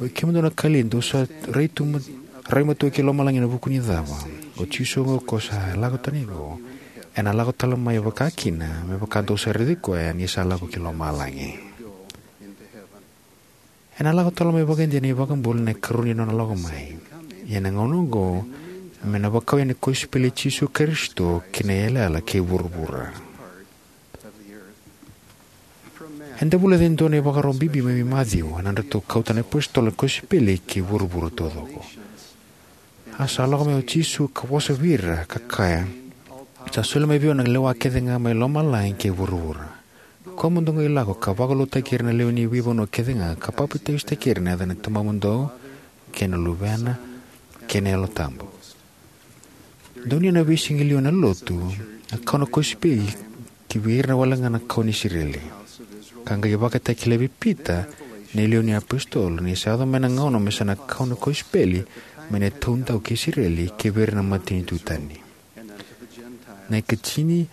oi kemudou na Kalili, dou sa rai tu ma-, rai matua ki lomalagi ena vuku ni cava? O Jisu oqo ko sa lako tani vou, ena lako tale mai vakakina, me vaka dou sa raici koya ni sa lako ki lomalagi. Ena lako tale mai vakaidina na iVakabula ena ikarua ni nona lako mai. Ia ena gauna oqo, me na vakau yani na kosipeli i Jisu Karisito ki na yalayala kei vuravura. Eda vulica e dua na ivakarau bibi mai vei Maciu, ena nodratou kauta na iapositolo na kosipeli ki vuravura taucoko. A sa lako mai o Jisu ka vosa vei ira, ka kaya, sa soli mai vei au na lewa kece ga mai lomalagi kei vuravura. Kua mo dou qai lako ka vakalougatataki ira na lewe ni veivanua kece ga, ka papitaisotaki ira ena yaca ni Tamamudou, kei na Luvena, kei na Yalo Tabu. Donuya na veisiga e liu ena lotu, a kau na kosipeli ki vei ira wale ga na kau ni Isireli. Ka qai vakatakilai vei Pita, na iliuliu ni iapositolo, ni sa yaco mai na gauna me sa na kau na kosipeli, mai na taudau kei Isireli, kei vei ira na matanitu tani. Na ikatini,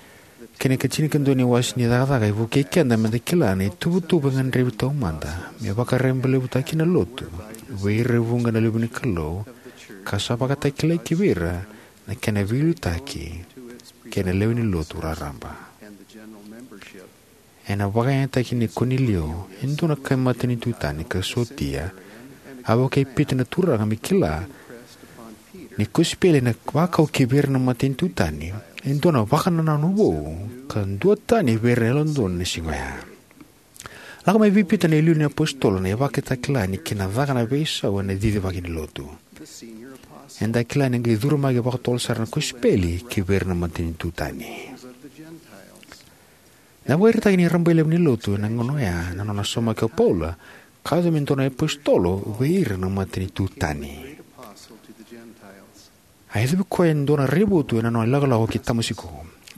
kei na ikatinikadua ni wase ni Cakacaka e vukei keda me da kila na ituvatuva e gadrevi taumada, me vakarabailevutaki na lotu, vei ira e vuqa na luve ni Kalou, ka sa vakatakilai ki vei ira, na kena veiliutaki, kei na lewe ni lotu raraba. Ena vakayagataki nei Konilio, e dua na kai matanitu tani ka sotia, a vukei Pita na Turaga me kila, ni kosipeli ena vakau ki vei ira na matanitu tani, e dua na vakanananu vou, ka duatani vei ira na yalododonu ena siga oya. Lako mai vei Pita na iliuliu ni iapositolo na ivakatakila ni kena caka na veisau ena cicivaki ni lotu. Eda kila ni qai curu mai vakatotolo sara na kosipeli ki vei ira na matanitu tani. Na vakaraitaki ni rabailevu ni lotu ena gauna oya, na nona saumaki o Paula, ka yaco me dua na iapositolo vei ira na matanitu tani. A yacovi koya e dua na raivotu ena nona ilakolako ki Tamasiko,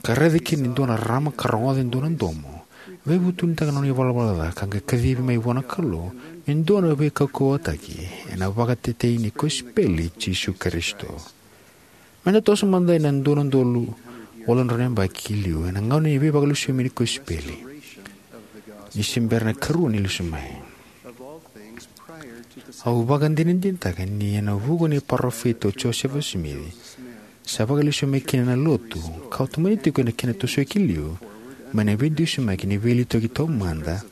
ka raica kina e dua na rarama ka rogoca e dua na domo, veivutunitaka na nona ivalavala ca, ka qai kacivi mai vua na Kalou, me dua na veikaukauwataki, ena vakatetei ni kosipeli i Jisu Karisito. Me da toso mada ena dua na udolu walu na drau na yabaki ki liu, ena gauna ni veivakalesui mai ni kosipeli. Ni se bera na ikarua ni lesu mai. Au vakadinadinataka ni ena vuku ni parofita o Josefa Simici, sa vakalesui mai kina na lotu, ka otimani tiko ena kena tosoya ki liu, mai na veidusimaki ni veiliutaki taumada,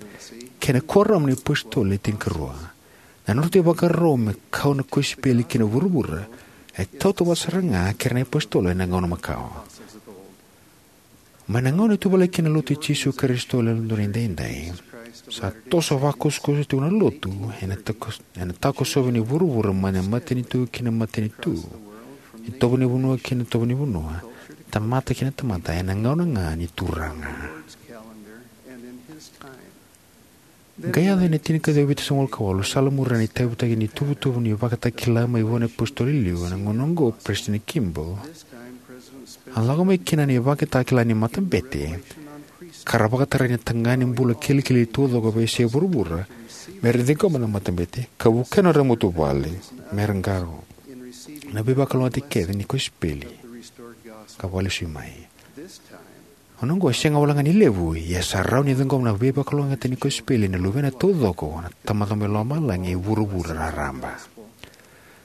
kei na kuoramu ni apositolo e tinikarua. Na nodratou ivakarau me kau na kosipeli ki na vuravura, e tautauvata sara ga kei ira na iapositolo ena gauna makawa. Mai na gauna e tuvalaki kina na lotu i Jisu Karisito ena Yalododonu Edaidai, sa toso vakusakusa tiko na lotu, ena tako-, ena takosovi ni vuravura mai na matanitu ki na matanitu, itovo ni vanua ki na itovo ni vanua, tamata ki na tamata, ena gauna ga ni Turaga. Qai yaco ena tinikaciwa vitusagavulu ka walu, sa lamuri na itavi ni tuvatuva ni ivakatakila mai vua na iapositolo e liu, ena gauna oqo o Peresitedi Kimball. A lako mai kina na ivakatakila ni matabete, ka ra vakatarai na tagane bula kilikili taucoko veiyasai vuravura, me ra ciqoma na matabete, ka vukea na nodra matavuvale, me ra qarauna na veivakalougatataki kece ni kosipeli, ka vakalesui mai. Gauna oqo e sega walega ni levu, ia sa rawa ni ciqoma na veivakalougatataki ni kosipeli na luvena taucoko, na Tamada mai lomalagi e vuravura raraba.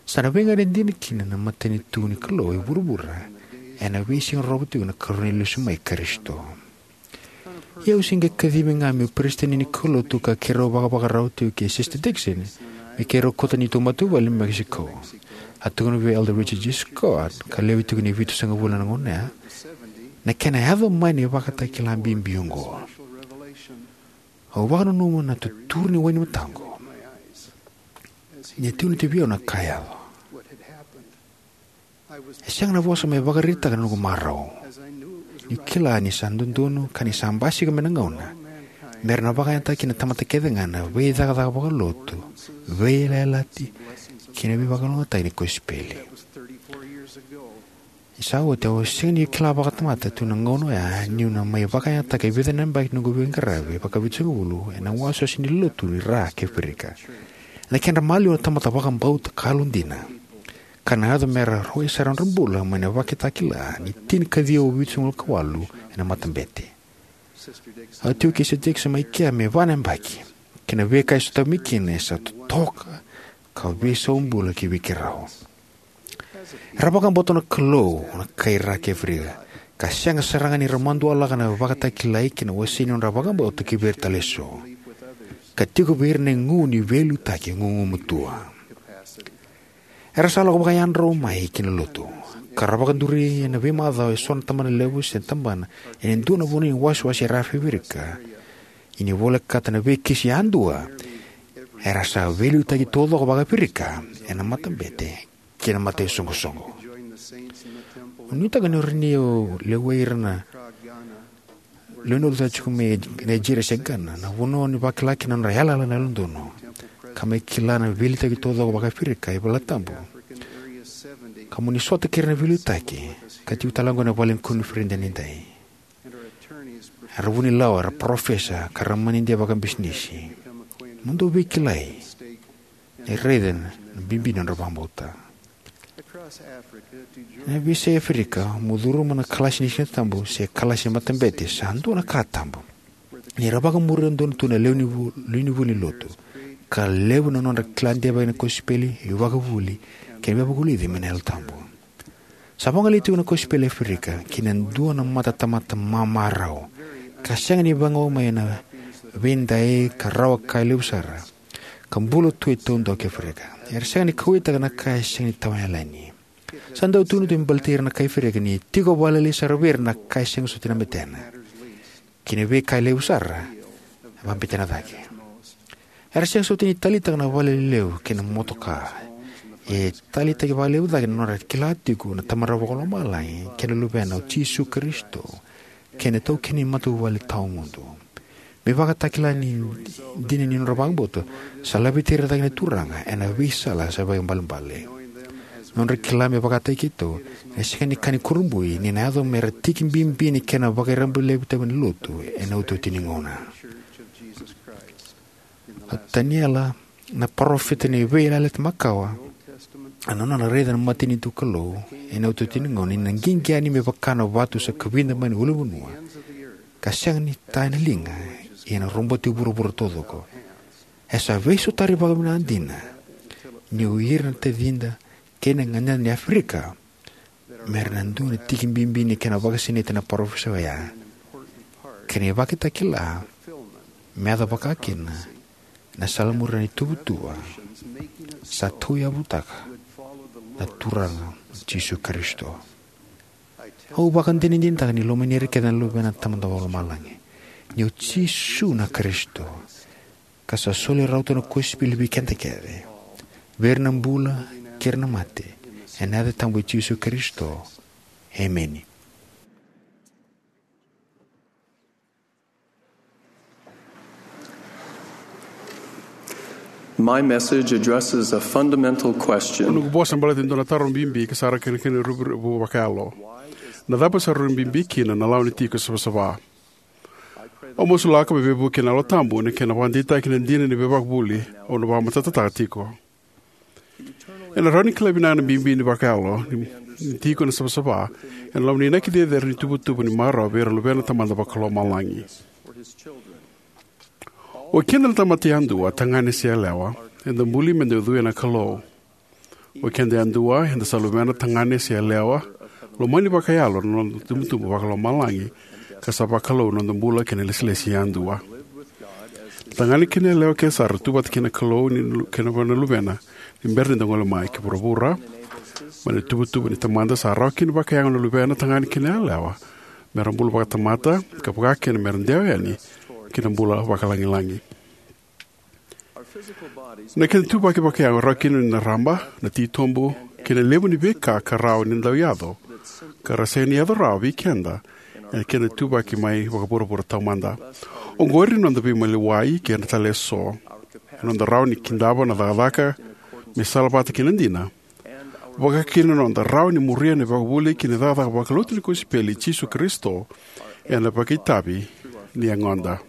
Sa na veiganiti dina kina na matanitu ni Kalou e vuravura, ena veisiga rorogo tiko na ikarua ni lesu mai i Karisito. Ia au se qai kacivi ga meu peresitedi ni kaulotu ka keirau vakavakarau tiko kei Sister Dickson, me keirau kauta neitou matavuvale i Mexico. A tukuna vei Elder Richard G. Scott, ka lewe tiko ni vitusagavulu ena gauna oya, na kena yaco mai na ivakatakila bibi oqo. Au vakananuma na tuturu ni wai ni mataqu ni a tukuna vei au na ka e yaco. E sega na vosa me vakaraitaka na noqu marau. Niu kila ni sa dodonu ka ni sa basika mai na gauna me ra na vakayagataka kina na tamata kece ga na veicakacaka vakalotu, veiyalayalati, kei na veivakalougatataki ni kosipeli. Ni sa oti, au sega ni kila vakatamata tu na gauna oya niu na mai vakayagataka e vica na yabaki noqu veiqaravi vakavitusagavulu ena wasewase ni lotu ni ra kei Aferika. Ena kedra maliwa na tamata vakabauta ka yalodina, ka na yaco me ra rawai sara na nodra bula mai na vakatakila ni tinikaciwa vitusagavulu ka walu ena matabete. A tiko kei Sister Dixon mai kea me va na yabaki, kei na veika e sotavi mai kina e sa totoka ka veisau bula ki vei keirau. Era vakabauta na Kalou na kai ra kei Aferika, ka sega sara ga ni ra madualaka na vakatakilai kei na wasei ni nodra vakabauta ki vei ira tale eso, ka tiko vei ira na igu ni veiliutaki gugumatua. Era sa lako vakayadrau mai ki na lotu, ka ra vakaduri ena veimacawa eso na tabanalevu se tabana ena dua na vanua ni wasewase era Aferika. Ia ni volekata na veikisi yadua, era sa veiliutaki taucoko vaka-Aferika ena matabete kei na mataisoqosoqo. Au nuitaka ni rawa ni o lewai ira na lewe ni lotu tiko mai Nigeria se Ghana, na vanua ni vakila kina na nodra yalayala na Yalododonu, ka mai kila na veiliutaki taucoko vaka-Aferika e Valetabu, ka mo ni sota kei ira na veiliutaki ka tiko tale oqo ena Vale ni Koniferedi edaidai. Era vunilawa, era parofesa, ka ra manidia vakabisinisi. Mo dou veikilai ni raica na bibi ni nodra vakabauta. Ena veiyasai Aferika, mo curuma na kalasi ni Siga Tabu se kalasi ni matabete sa dua na ka tabu. Ni ra vakamuria donu tu na lewe ni vu-, lewe ni vuli ni lotu, ka levu na nodra kila deivaki na kosipeli, ivakavuvuli, kei na veivakavulici mai na Yalo Tabu. Sa vagolei tiko na kosipeli e Aferika ki na dua na matatamata mamarau, ka sega ni vagau mai ena veidai ka rawa ka levu sara, ka bula tu e taudaku e Aferika. Era sega ni kauwaitaka na ka e sega ni tawa yalani. Sa dau tukuni tu me baleti ira na kai Aferika ni tiko vakalailai sara vei ira na ka e sega soti na betena, kei na veika e levu sara e vakabetena cake. Era sega soti ni taleitaka na vale lelevu kei na motoka. E taleitaki vakalevu cake na nodra kila tiko na Tamada Vakalomalagi kei na Luvena o Jisu Karisito, kei na itaukei ni matavuvale tawamudu. Me vakatakila ni dina ni nodra vakabauta, sa laveti ira cake na Turaga ena veisala sa vakaibalebale. Nodra kila me vakataki keitou, ena sega ni ka ni kurabui ni na yaco me ra tiki bibi ni kena vakairabalavi tavi ni lotu ena iotioti ni gauna. O Taniela na parofita ni Veiyalayalati Makawa, a nona raica na matanitu Kalou ena iotioti ni gauna, ni na qiqi yani me vaka na vatu sa kavida mai na ulunivanua, ka sega ni ta ena liga, ia ena roboti vuravura taucoko. E sa veisotari vakavinaka dina, ni o ira na tacida kei na ganeda ni Aferika me ra na dua na tiki bibi ni kena vakasinaiti na parofisai oya, kei na ivakatakila me yaco vakakina ena sala muria na ituvatuva sa tauyavutaka na Turaga o Jisu Karisito. Au vakadinadinataka ni lomani ira kece na Luvena na Tamada Vakalomalagi, ni o Jisu na Karisito, ka sa soli rauta na kosipeli vei keda kece, vei ira na bula kei ira na mate, ena yaca tabu i Jisu Karisito. Emeni. My message addresses a fundamental O question. noqu vosa baleta e dua na taro bibi ka sara kena kena ruviruvi vakayalo. Na cava sa rui bibi kina na lawa ni tiko savasava? Au masulaka me veivuke na Yalo Tabu ena kena vakadeitaki na dina ni veivakavuvuli au na vakamatatataka tiko. Ena rawa ni kila vinaka na bibi ni vakayalo ni, ni tiko na savasava ena loma ni inaki cecere ni tuvatuva ni marau vei ira na luvena na Tamada Vakalomalagi. O keda na tamata yadua, tagane se yalewa, eda buli meda ucuya na Kalou. O keda yadua, eda sa luvena, tagane se yalewa, lomani vakayalo na noda itubutubu vakalomalagi, ka sa vakalou na noda bula kei na ilesilesi yadua. Na tagane kei na yalewa kece sara tu vata kei na Kalou ni lu-, kei na vua na Luvena ni bera ni da gole mai ki vuravura. Mai na ituvatuva ni Tamada sa rawa kina vakayago na luvena, tagane kei na yalewa, mera bula vakatamata, ka vaka kina mera dewa yani ki na bula vakalagilagi. Na kena ituvaki vakayago e rawa kina ni na raba, na titobu, kei na levu ni veika ka rawa ni dau yaco, ka ra sega ni yaco rawa vei keda ena kena ituvaki mai vakavuravura taumada. Oqori na noda veimaliwai kei na tale eso, na noda rawa ni kidava na cakacaka me salavata kei na dina, vaka kina na noda rawa ni muria na ivakavuvuli kei na cakacaka vakalotu ni kosipeli i Jisu Karisito ena vakaitavi ni yagoda.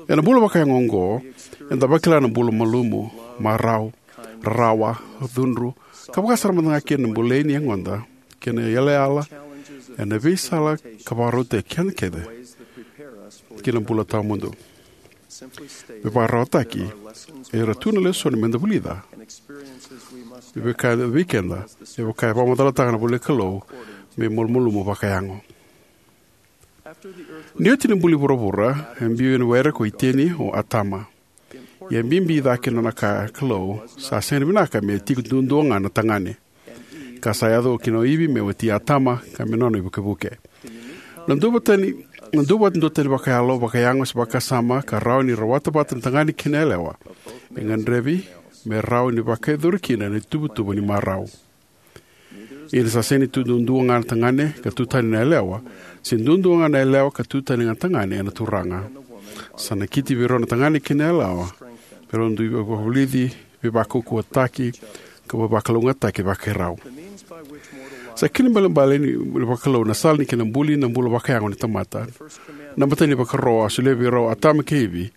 Ena bula vakayago oqo, eda vakila na bula malumu, marau, rarawa, cudru, ka vaka sara mada ga kina na bolei ni yagoda kei na iyalayala ena veisala ka vakarautaki keda kece ki na bula tawamudu. Me vakararawataki, era tu na lesoni meda vulica, me vaka e vei keda, me vaka e vakamacalataka na ivolanikalou, me malumalumu vakayago. Ni oti na buli vuravura, e biu ena waire ko Iteni o Atama. Ia e bibi cake na nona kaya na Kalou, sa sega ni vinaka me tiko duadua ga na tagane. Ka sa yaco kina o Ivi me wati Atama, ka me nona ivukevuke. Na duavata ni, na duavata duatani vakayalo, vakayago se vakasama, ka rawa ni rawata vata na tagane kei na yalewa, e gadrevi me rawa ni vakayacori kina na ituvatuva ni marau. Ia ni sa sega ni tu duadua ga na tagane ka tu tani na yalewa, se duadua ga na yalewa ka tu tani ga na tagane ena Turaga. Sa nakiti vei rau na tagane kei na yalewa me rau dui vakavulici, veivakaukauwataki, ka veivakalougatataki vakai rau. Sa kena ibalebale ni vakalou na sala ni kena buli na bula vakayago ni tamata. Na imatai ni vakaro a solia vei rau o Atama kei Ivi,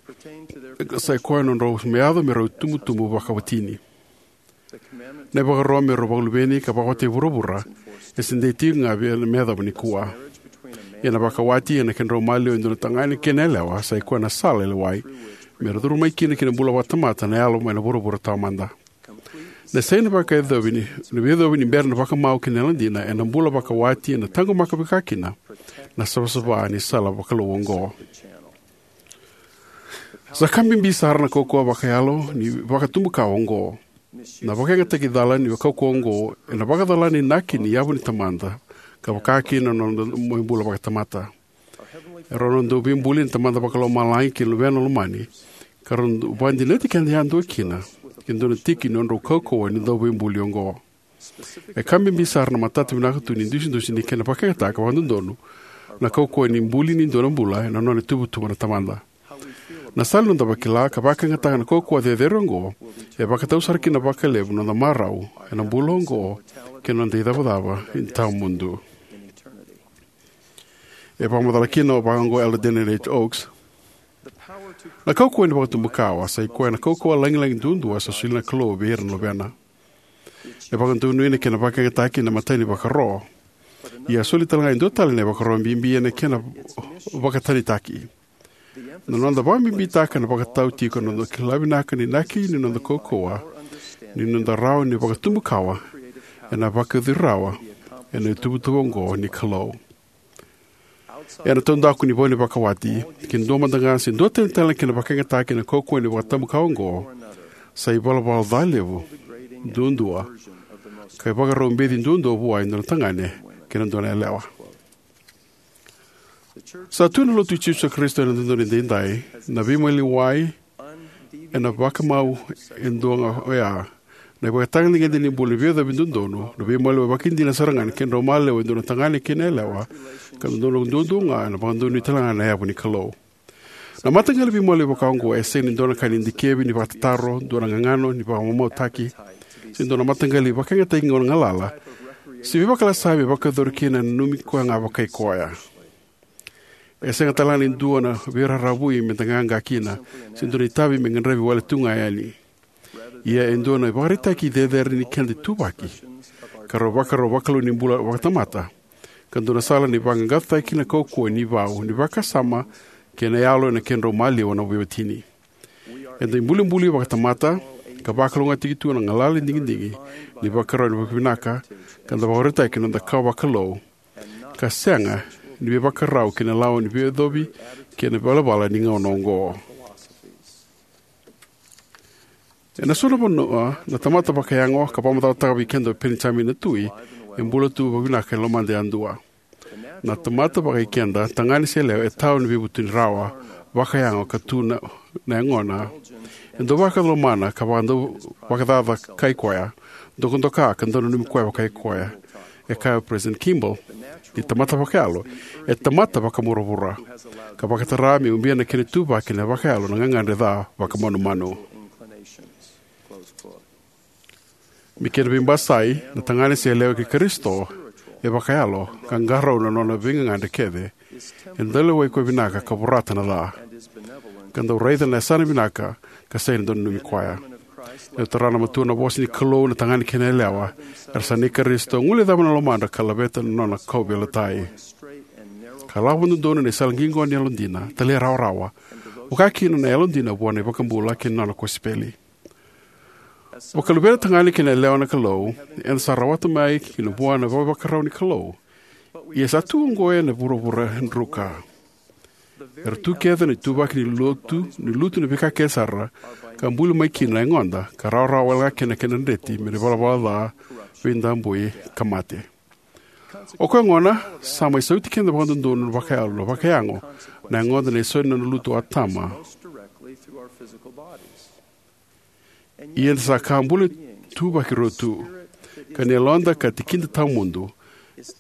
sa i koya na nodrau me yaco me rau itubutubu vakawatini. Na ivakaro me rau vakaluveni ka vakawati e vuravura, e se dei tiko ga vei me yacova nikua. Ia na vakawati ena kedrau maliwa e dua na tagane kei na yalewa, sa i koya na sala e lewai me ra curu mai kina ki na bula vakatamata na yalo mai na vuravura taumada. Na sega ni vakayacovi ni, ni veiyacovi ni bera na vakamau kei na yalodina ena bula vakawati ena taqomaka vaka kina na savasava ni sala vakalou oqo. Sa ka bibi sara na kaukauwa vakayalo ni vakatubukawa oqo. Na vakayagataki cala ni kaukauwa oqo ena vakacala na inaki ni yavu ni tamada, ka vaka kina na noda mai bula vakatamata. E rau na dauveibuli na Tamada Vakalomalagi kei na Luvena Lomani, ka rau vakadinati keda yadua kina ki na dua na tiki ni nodrau kaukauwa ni dauveibuli oqo. E ka bibi sara na matata vinaka tu ni dusidusi ni kena vakayagataka vakadodonu na kaukauwa ni buli ni dua na bula ena nona ituvatuva na tamada. Na sala ni noda vakila ka vakayagataka na kaukauwa cecere oqo e vakatau sara kina vakalevu na noda marau ena bula oqo kei na noda icavacava ni tawamudu. E vakamacala kina vaka oqo o Elder Daniel H. Oaks: Na kaukauwa ni vakatubukawa sa i koya na kaukauwa lagilagi duadua sa solia na Kalou vei ira na luvena. E vakadonuya na kena vakayagataki na imatai ni vakaro. Ia a soli tale ga e dua tale na ivakaro bibi ena kena vakatanitaki. Na noda vakabibitaka na vakatau tiko na noda kila vinaka na inaki ni noda kaukauwa ni noda rawa ni vakatubukawa ena vakayacori rawa ena ituvatuva oqo ni Kalou. Ena taudaku ni vau ni vakawati, ke dua mada ga se dua tani tale na kena vakayagataki na kaukauwa ni vakatubukawa oqo, sa ivalavala ca levu duadua ka ivakarau beci duadua vua e dua na tagane kei na dua na yalewa. Sa tu na Lotu i Jisu Karisito ena dodonu edaidai na veimaliwai ena vakamau e dua ga oya, na ivakatagedegede ni bula ni veiyacovi dodonu, na veimaliwai vakaidina sara ga ni kedrau maliwa e dua na tagane kei na yalewa, ka dodonu duadua ga ena vakadonui tale ga na yavu ni Kalou. Na mataqali veimaliwai vaka oqo e sega ni dua na ka ni dikevi ni vakatataro, dua na gagano ni vakamamautaki, se dua na mataqali vakayagataki gauna galala, se veivakalasai me vakayacori kina ena nanumi koya ga vakai koya. E sega tale ga ni dua na veiraravui meda qaqa kina, se dua na itavi me gadrevi wale tu ga yani. Ia e dua na ivakaraitaki cecere ni keda ituvaki, ka rau vakarau vakalou ni bula vakatamata, ka dua na sala ni vaqaqacotaki na kaukauwa ni vau ni vakasama kei na yalo ena kedrau maliwa na veiwatini. Eda ibulibuli vakatamata, ka vakalougatataki tu na galala ni digidigi ni vakarau ni vakavinaka, ka da vakarautaki na noda kawa vakalou, ka sega ni veivakarau kei na lawa ni veiyacovi kei na ivalavala ni gauna oqo. Ena so na vanua, na tamata vakayago, ka vakamacalataka vei keda o Penijamini na tui, e bula tu vakavinaka e lomada yadua. Na tamata vakaikeda, tagane se yalewa, e tawa ni veivutuni rawa, vakayago ka tu na, na yagona. E dau vakalomana ka vakadau vakacaca kai koya, dokadoka ka dau nanumi koya vakai koya. E kaya o President Kimball, ni tamata vakayalo e tamata vakavuravura, ka vakatara me ubia na kena ituvaki na vakayalo na gagadre ca vakamanumanu. Me kena veibasai, na tagane se yalewa kei Karisito e vakayalo ka qarauna na nona veigagadre kece. E dau lewai koya vinaka ka vorata na ca, ka dau raica na yasana vinaka ka sega ni dau nanumi koya. E dau tara na matua na vosa ni Kalou na tagane kei na yalewa era sa nei Karisito, guilecava na lomadra ka laveta na nona kauveilatai, ka lako vakadodonu ena sala qiqo ni yalodina, talairawarawa, vaka kina na yalodina vua na iVakabula kei na nona kosipeli. Vakaluvena tagane kei na yalewa na Kalou, eda sa rawata mai kina vua na vakavakarau ni Kalou. Ia sa tu oqo ena vuravura druka. Era tu kece na ituvaki ni lotu, ni lutu na veika kece sara, ka buli mai kina na yagoda, ka rawarawa wale ga kina na kena dreti me na ivalavala ca, veidabui, ka mate. O koya gona, sa mai sauti keda vakadodonu na vakayalo, na vakayago, na yagoda na isau ni nona lutu o Atama. Ia eda sa ka bula ituvaki rua tu, ka ni yaloda ka tikida tawamudu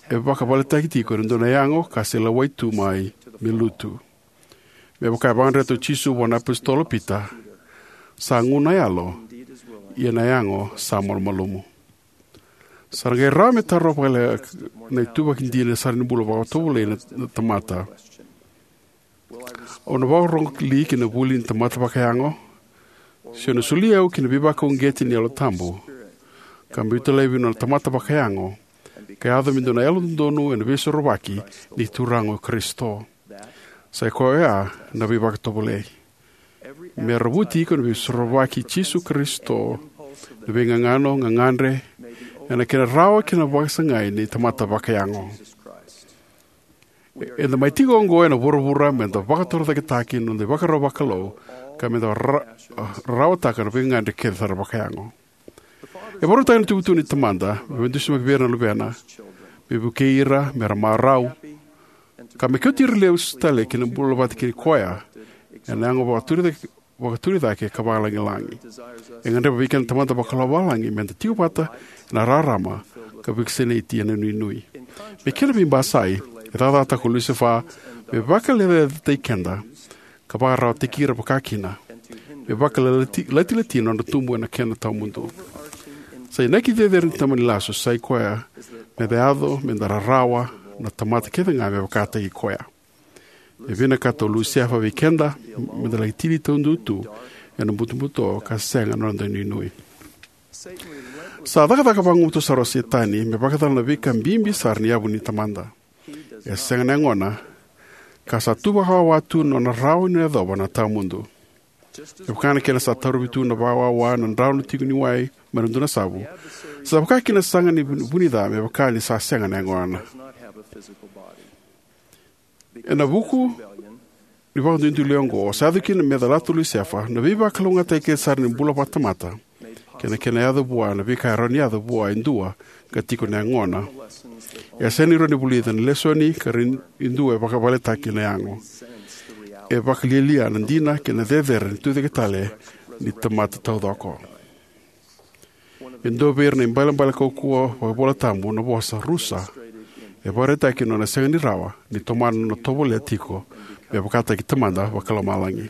e vakavaletaki tiko ena dua na yago ka se lewai tu mai me lutu. Me vaka e vakadreta o Jisu vua na apositolo Pita, sa gu na yalo, ia na yago sa malumalumu. Sa na qai rawa me taro vakalekaleka na ituvaki dina sara ni bula vakatovolei na, na tamata. Au na vakarorogo li ki na vuli ni tamata vakayago? Se au na soli au ki na veivakauqeti ni Yalo Tabu, ka biuta laivi na tamata vakayago, ka yaco me dua na yalododonu ena veisorovaki ni Turaga o Karisito. Sa i koya oya na veivakatovolei. Me ravuti iko na veisorovaki i Jisu Karisito, na veigagano, gagadre, ena kena rawa kina vakasagai ni tamata vakayago. Eda mai tiko oqo ena vuravura me da vakatorocaketaki na noda ivakarau vakalou, ka me da ra-, rarawataka na veigagadre kece sara vakayago. E vakarautaka na ituvatuva ni Tamada me veidusimaki vei ira na luvena, me vukei ira me ra marau, ka me kauti ira lesu tale ki na bula vata kei koya ena yago vakaturi cake, vakaturi cake ka vakalagilagi. E gadreva vei keda na Tamada Vakalomalagi me da tiko vata ena rarama ka vakasinaiti ena inuinui. Me kena veibasai, e cakacakataka o Lusefa me vakalecalecataki keda ka vakararawataki ira vakakina, me vakalatilati na nodra tubu ena kena tawamudu. Sa inaki cecere ni tamani lasu sa i koya me da yaco me da rarawa na tamata kece ga me vakataki koya. E vinakata o Lusefa vei keda me da laki tini taudua tu ena butobuto ka sega na noda inuinui. Sa cakacaka vagumatua sara o Setani me vakacala na veika bibi sara ni yavu ni Tamada. E sega na yagona, ka sa tu vakawawa tu na nona rawa ni yacova na tawamudu. E vaka na kena sa tarovi tu na vakawawa na drano tiko ni wai mai na dua na savu, sa vaka kina saga ni vu-, vunica me vaka ni sa sega na yagona. Ena vuku ni vakaduiduile oqo, sa yaco kina me calata o Lusefa na veivakalougatataki kece sara ni bula vakatamata kei na kena yaco vua na veika e rawa ni yaco vua e dua ka tiko na yagona. E sega ni rawa ni vulica na lesoni ka ra-, e dua e vakavaletaki na yago. E vakalialia na dina kei na cecere ni tucake tale ni tamata taucoko. E dua vei ira na ibalebale kaukauwa vakaivolatabu na vosa rusa. E vakaraitaki na nona sega ni rawa ni tomana na nona tovolea tiko me vakataki Tamada Vakalomalagi.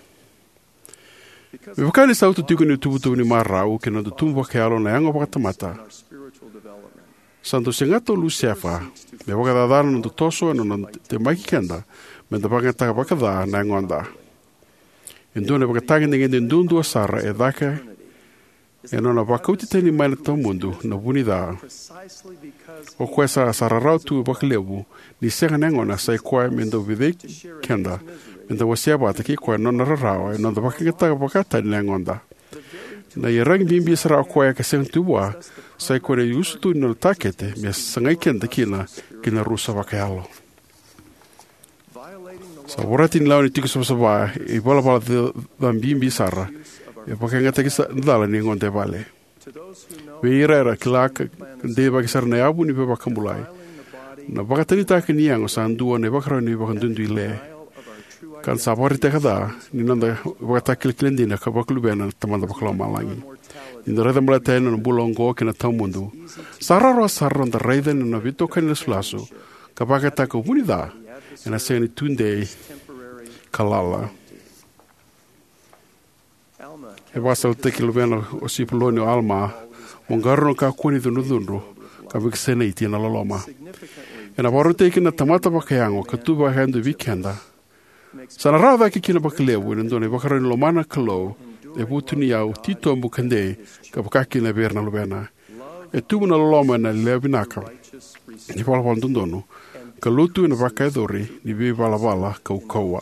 Me vaka ni sa utu tiko ni tuvatuva ni marau kei na noda tubu vakayalo na yago vakatamata, sa dau segata o Lusefa me vakacacana na noda toso ena nona temaki keda me da vakayagataka vakaca na yagoda. E dua na ivakatagedegede duadua sara e caka ena nona vakauti tani mai na tawamudu na vunica. O koya sa, sa rarawa tu vakalevu ni sega na yagona sa i koya me dau vecei keda me da wasea vata kei koya na nona rarawa ena noda vakayagataka vakatani na yagoda. Na iyaragi bibi sara o koya ka sega tu vua sa i koya na iusutu ni nona takete me sagai keda kina ki na rusa vakayalo. Sa vorati ni lawa ni tiko savasava e ivalavala ca, ca bibi sara, e vakayagataki sa, cala ni yagoda e vale. Vei ira era kila ka deivaki sara na yavu ni veivakabulai, Na vakatanitaki ni yago sa dua na ivakarau ni vakaduiduile, ka da sa vakaraitaka ca ni noda ivakatakilakila dina ka vakaluvena na Tamada Vakalomalagi. Ni da raica baleta yani na bula oqo kei na tawamudu, sa rawarawa sara noda raica ni nona veitokani lasulasu ka vakayagataka vunica ena sega ni tudei ka lala. E vakasalataki luvena o Sipuloni o Alama mo qarauna na kakua ni cudrucudru ka vakasinaiti ena loloma. Ena vakarautaki kina na tamata vakayago ka tu vakayadua vei keda, sa na rawa cake kina vakalevu ena dua na ivakarau ni lomana na Kalou e vutuniyau, titobu, ka dei, ka vaka kina vei ira na luvena. E tubu na loloma ena lewe vinaka ni valavala dodonu ka lutu ena vakayacori ni veivalavala kaukauwa.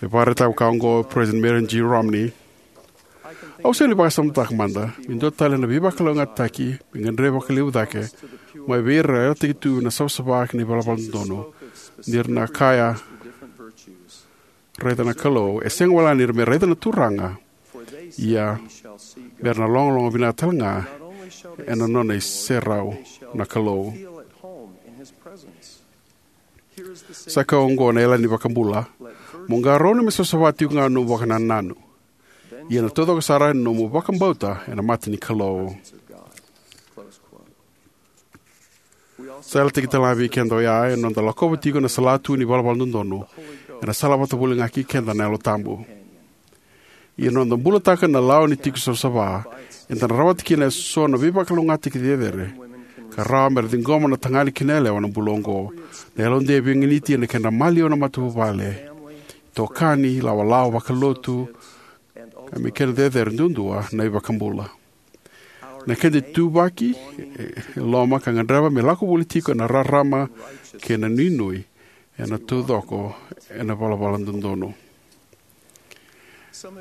E vakaraitaka vaka oqo o President Marion G. Romney: Au sega ni vakasamataka mada me dua tale na veivakalougatataki me gadrevi vakalevu cake mai vei ira era yalataki tu na savasava kei na ivalavala dodonu, ni ra na kaya, raica na Kalou, e sega wale ga ni ra me raica na Turaga, ia me ra na logaloga vinaka tale ga ena nona iserau na Kalou. Sa kaya oqo na Yalani Vakabula: Mo qarauna me savasava tiko ga na nomu vakanananu, ia na taucoko sara na nomu vakabauta ena mata ni Kalou. Sa yalataki tale ga vei keda oya ena noda lakova tiko na salatu ni valavala dodonu, ena sala vata voli ga kei keda na Yalo Tabu. Ia na noda bulataka na lawa ni tiko savasava, eda na rawata kina eso na veivakalougatataki cecere ka rawa me ra ciqoma na tagane kei na yalewa ena bula oqo. Na yalodei e veiganiti ena kedra maliwa na matavuvale, itokani, ilawalawa vakalotu, ka me kena cecere duadua na iVakabula. Na keda ituvaki e loma ka gadreva me lako voli tiko ena rarama kei na nuinui ena taucoko ena valavala dodonu.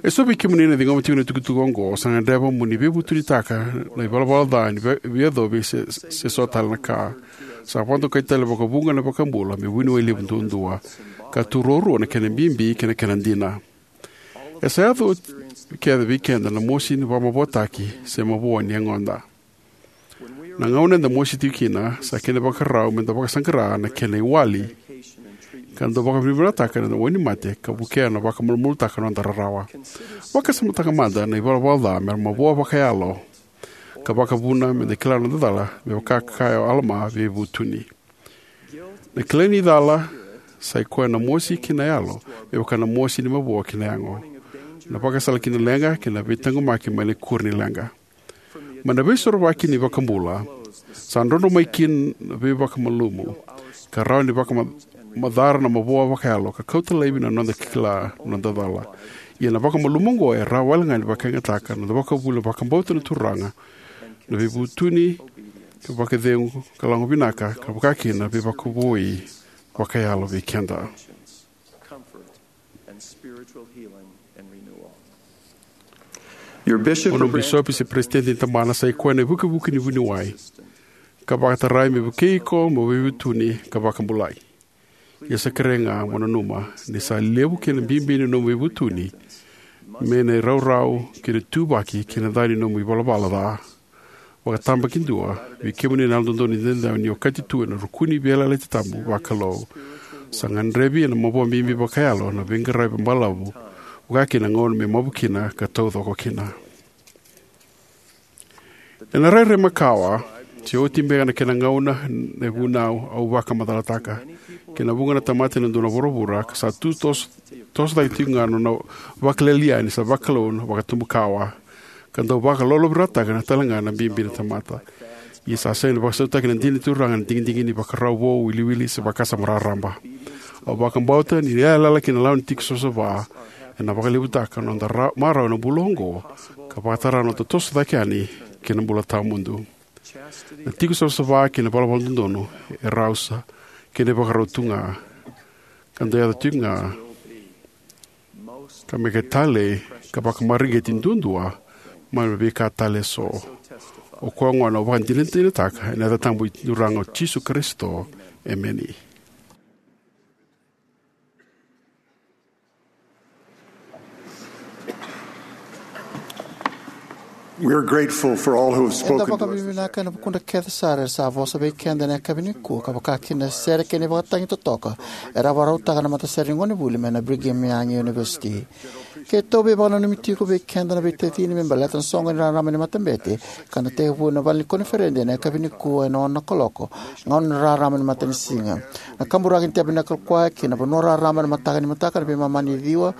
Eso vei kemuni na ciqoma tiko na itukutuku oqo sa gadreva mo ni veivutunitaka na ivalavala ca ni vei- veiyacovi se, se so tale na ka. Sa vakadokai tale vakavuqa na iVakabula me vuniwai levu duadua, ka tu ruarua na kena bibi kei na kena dina. E sa yaco oti kece vei keda na mosi ni vakamavoataki se mavoa ni yagoda. Na gauna eda mosi tiko kina, sa kena ivakarau meda vakasaqara na kena iwali, ka da vakavinavinakataka na wainimate ka vukea na vakamalumalumutaka na noda rarawa. Vakasamataka mada na ivalavala ca mera mavoa vakayalo, ka vakavuna meda kila na noda cala, me vaka e kaya o Alama, veivutuni. Na kilai ni cala sa i koya na mosi ki na yalo, me vaka na mosi ni mavoa ki na yago. Na vakasala ki na leqa kei na veitaqomaki mai na ikuri ni leqa. Mai na Veisorovaki ni iVakabula, sa drodro mai kina na veivakamalumu, ka rawa ni vakamacara na mavoa vakayalo ka kauta laivi na noda kila na noda cala. Ia na vakamalumu oqo e rawa wale ga ni vakayagataka na noda vakavuna vakabauta na Turaga, na veivutuni, ka vakacegu, ka lagona vinaka, ka vaka kina na veivakavoui vakayalo vei keda. Your bishop O nomu bisopi se peresitedi ni tabana sa i koya na ivukivuki ni vuniwai, ka vakatarai me vukei iko mo veivutuni ka vakabulai. Ia sa kerei ga mo nanuma ni sa levu kei na bibi ni nomu veivutuni mai na iraurau kei na ituvaki kei na ca ni nomu ivalavala ca. Vakatabakidua, vei kemuni na Yalododonu Edaidai, ni okati tu ena rukuni veiyalayalati tabu vakalou, sa gadrevi ena mavoa bibi vakayalo na veiqaravi balavu, vaka kina na gauna me mavu kina ka taucoko kina. Ena rairai makawa, se oti beka na kena gauna na ivunau au vakamacalataka, kei na vuqa na tamata ena dua na vuravura ka sa tu toso, toso cake tiko ga na nona vakalialia ni sa vakalou na vakatubukawa, ka dau vakalolovirataka na tale ga na bibi ni tamata. Ia sa sega ni vakasautaki na dina ni Turaga na digidigi ni vakarau vou, iwiliwili se vakasama raraba. Au vakabauta ni yalayala kei na lawa ni tiko savasava ena vakalevutaka na noda ra- marau ena bula oqo, ka vakatara na noda toso cake yani ki na bula tawamudu. Na tiko savasava kei na valavala dodonu e rau sa kena ivakarau tu ga, ka dau yaco tiko ga, ka me ka talei ka vakamareqeti duadua mai na veika tale eso. O koya gona au vakadinadinataka ena yaca tabu ni Turaga o Jisu Karisito. Emeni. We are grateful for all who have spoken to us this vakavinavinaka ena vukudra kece sara era sa vosa vei keda ena yakavi nikua, ka vakakina na sere kei na ivakatagi totoka era vakarautaka na matasere ni gonevuli mai na Brigham Young University. Keitou veivakananumi tiko vei keda na veitacini me baleta na soqo ni rarama ni matabete ka na tekivu ena vale ni koniferedi ena yakavi nikua ena ono na kaloko, gauna ni rarama ni matanisiga. Na kaburaki ni Tabernacle Choir ki na vanua rarama ena mataka ni mataka ena veimama ni ciwa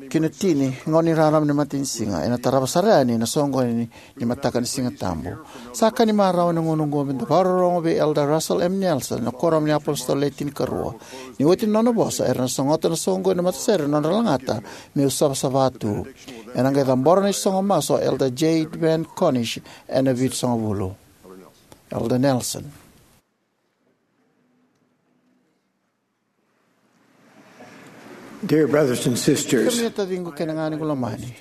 ki na tini, gauna ni rarama ni matanisiga, ena tarava sara yani na soqoni ni mataka ni Siga Tabu. Sa ka ni marau ena gauna oqo meda vakarorogo vei Elder Russell M. Nelson ena Kuoramu ni iApositolo Le Tinikarua. Ni oti na nona vosa, era na sogota na soqoni ni matasere na nodra lagata, Meu Savasava Tu. Ena qai cabora na isogo masu o Elder J. Van Cornish ena Vitusagavulu. Elder Nelson. Dear brothers and sisters, kemuni na taciqu kei na ganequ lomani,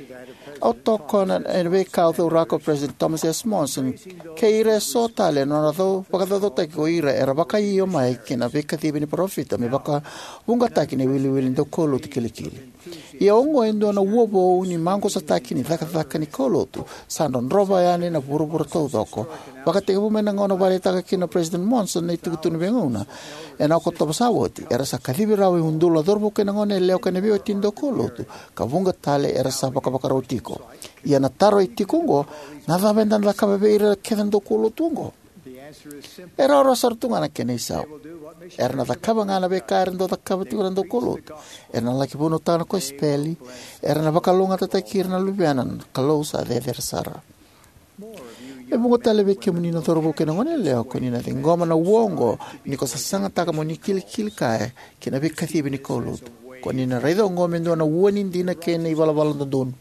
au tokona ena veika au cauraka o President Thomas S. Monson kei ira eso tale ena nodra cau vakacaucautaki ko ira era vakaio mai ki na veikacivi ni parofita me vakavuqataki na iwiliwili ni daukaulotu kilikili. Ia oqo e dua na ua vou ni maqusataki ni cakacaka ni kaulotu sa drodrova yani na vuravura taucoko, vakatekivu mai na gauna vakaraitaka kina o President Monson na itukutuku ni veigauna. Ena Okotova sa oti, era sa kacivi rawa e udolu na cauravou kei na goneyalewa kei na veiwatini daukaulotu, ka vuqa tale era sa vakavakarau tiko. Ia na taro e tiko oqo, na cava eda na cakava vei ira kece na daukaulotu oqo? E rawarawa sara tu ga na kena isau. Era na cakava ga na veika era dau cakava tiko na daukaulotu. Era na laki vunautaka na kosipeli. Era na vakalougatataki ira na luvena na Kalou sa cecere sara. E vuqa tale vei kemuni na cauravou kei na goneyalewa, ko ni na ciqoma na ua oqo ni ko sasagataka mo ni kilikili kaya ki na veikacivi ni kaulotu. Ko ni na raica oqo me dua na ua ni dina kei na ivalavala dodonu.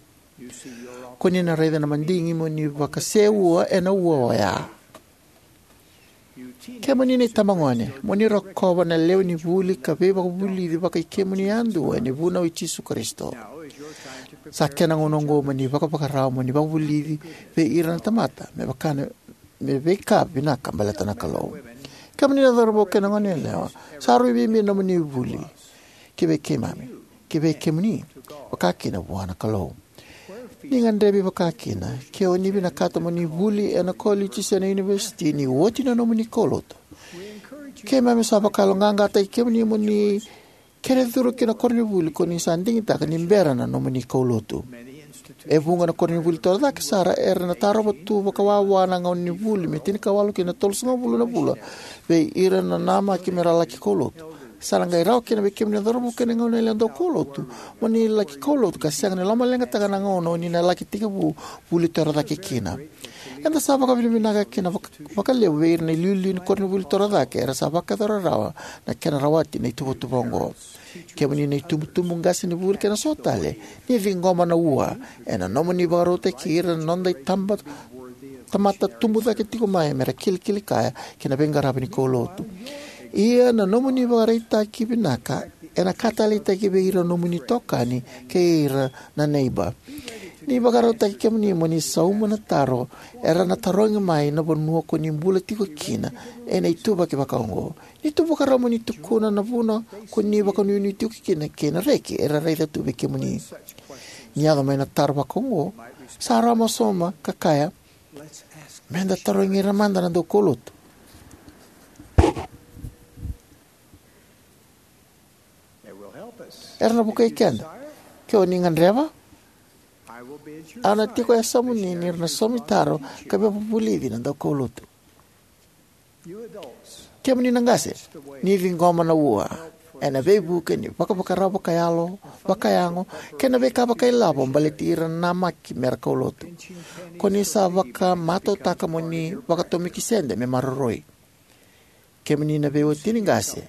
Ko ni na raica na madigi mo ni vakaseua ena ua oya. Kemuni na itabagone, mo ni rokova na lewe ni vuli ka veivakavulici vakai kemuni yadua ena vunau i Jisu Karisito. Sa kena gauna oqo mo ni vakavakarau mo ni vakavulici vei ira na tamata me vaka na, me veika vinaka baleta na Kalou. Kemuni na cauravou kei na goneyalewa, sa rui bibi na nomuni vuli ki vei keimami, ki vei kemuni, vakakina vua na Kalou. Ni gadrevi vakakina ke o ni vinakata mo ni vuli ena koliji se na univesiti ni oti na nomuni kaulotu. Keimami sa vakayaloqaqataki kemuni mo ni kere curu ki na koronivuli ko ni sa digitaka ni bera na nomuni kaulotu. E vuqa na koronivuli torocake sara era na tarova tu vakawawa na gauna ni vuli me tinikawalu ki na tolusagavulu na vula vei ira na namaki me ra laki kaulotu. Sa na qai rawa kina vei kemuni na cauravou kei na goneyalewa daukaulotu mo ni laki kaulotu ka sega ni lomaleqataka na gauna o ni na laki tekivu vuli torocake kina. Eda sa vakavinavinaka kina vaka, vakalevu vei ira na iliuliu ni koronivuli torocake era sa vakayacora rawa na kena rawati na ituvatuva oqo. Kemuni na itubutubu, qasenivuli kei na so tale, ni ciqoma na ua ena nomuni vakarautaki ira na noda itaba, tamata tubu cake tiko mai me ra kilikili kaya ki na veiqaravi ni kaulotu. Ia na nomuni vakaraitaki vinaka ena ka taleitaki vei ira na nomuni itokani kei ira na neiba. Ni vakarautaki kemuni mo ni sauma na taro era na tarogi mai na vanua ko ni bula tiko kina ena ituvaki vakaoqo. Ni tu vakarau mo ni tukuna na vuna ko ni vakanuinui tiko kina kei na reki era raica tu vei kemuni. Ni yaco mai na taro vakaoqo, sa rawa mo sauma ka kaya, "Meda tarogi ira mada na daukaulotu." Era na vukei keda. Ke o ni gadreva, au na tiko e yasamuni ni ra na saumi taro ka veivakavulici na daukaulotu. Kemuni na qase, ni ciqoma na ua ena veivuke ni vakavakarau vakayalo, vakayago, kei na veika vakailavo baleti ira na namaki mera kaulotu. Ko ni sa vakamatautaka mo ni vakatomiki sede me maroroi. Kemuni na veiwatini qase,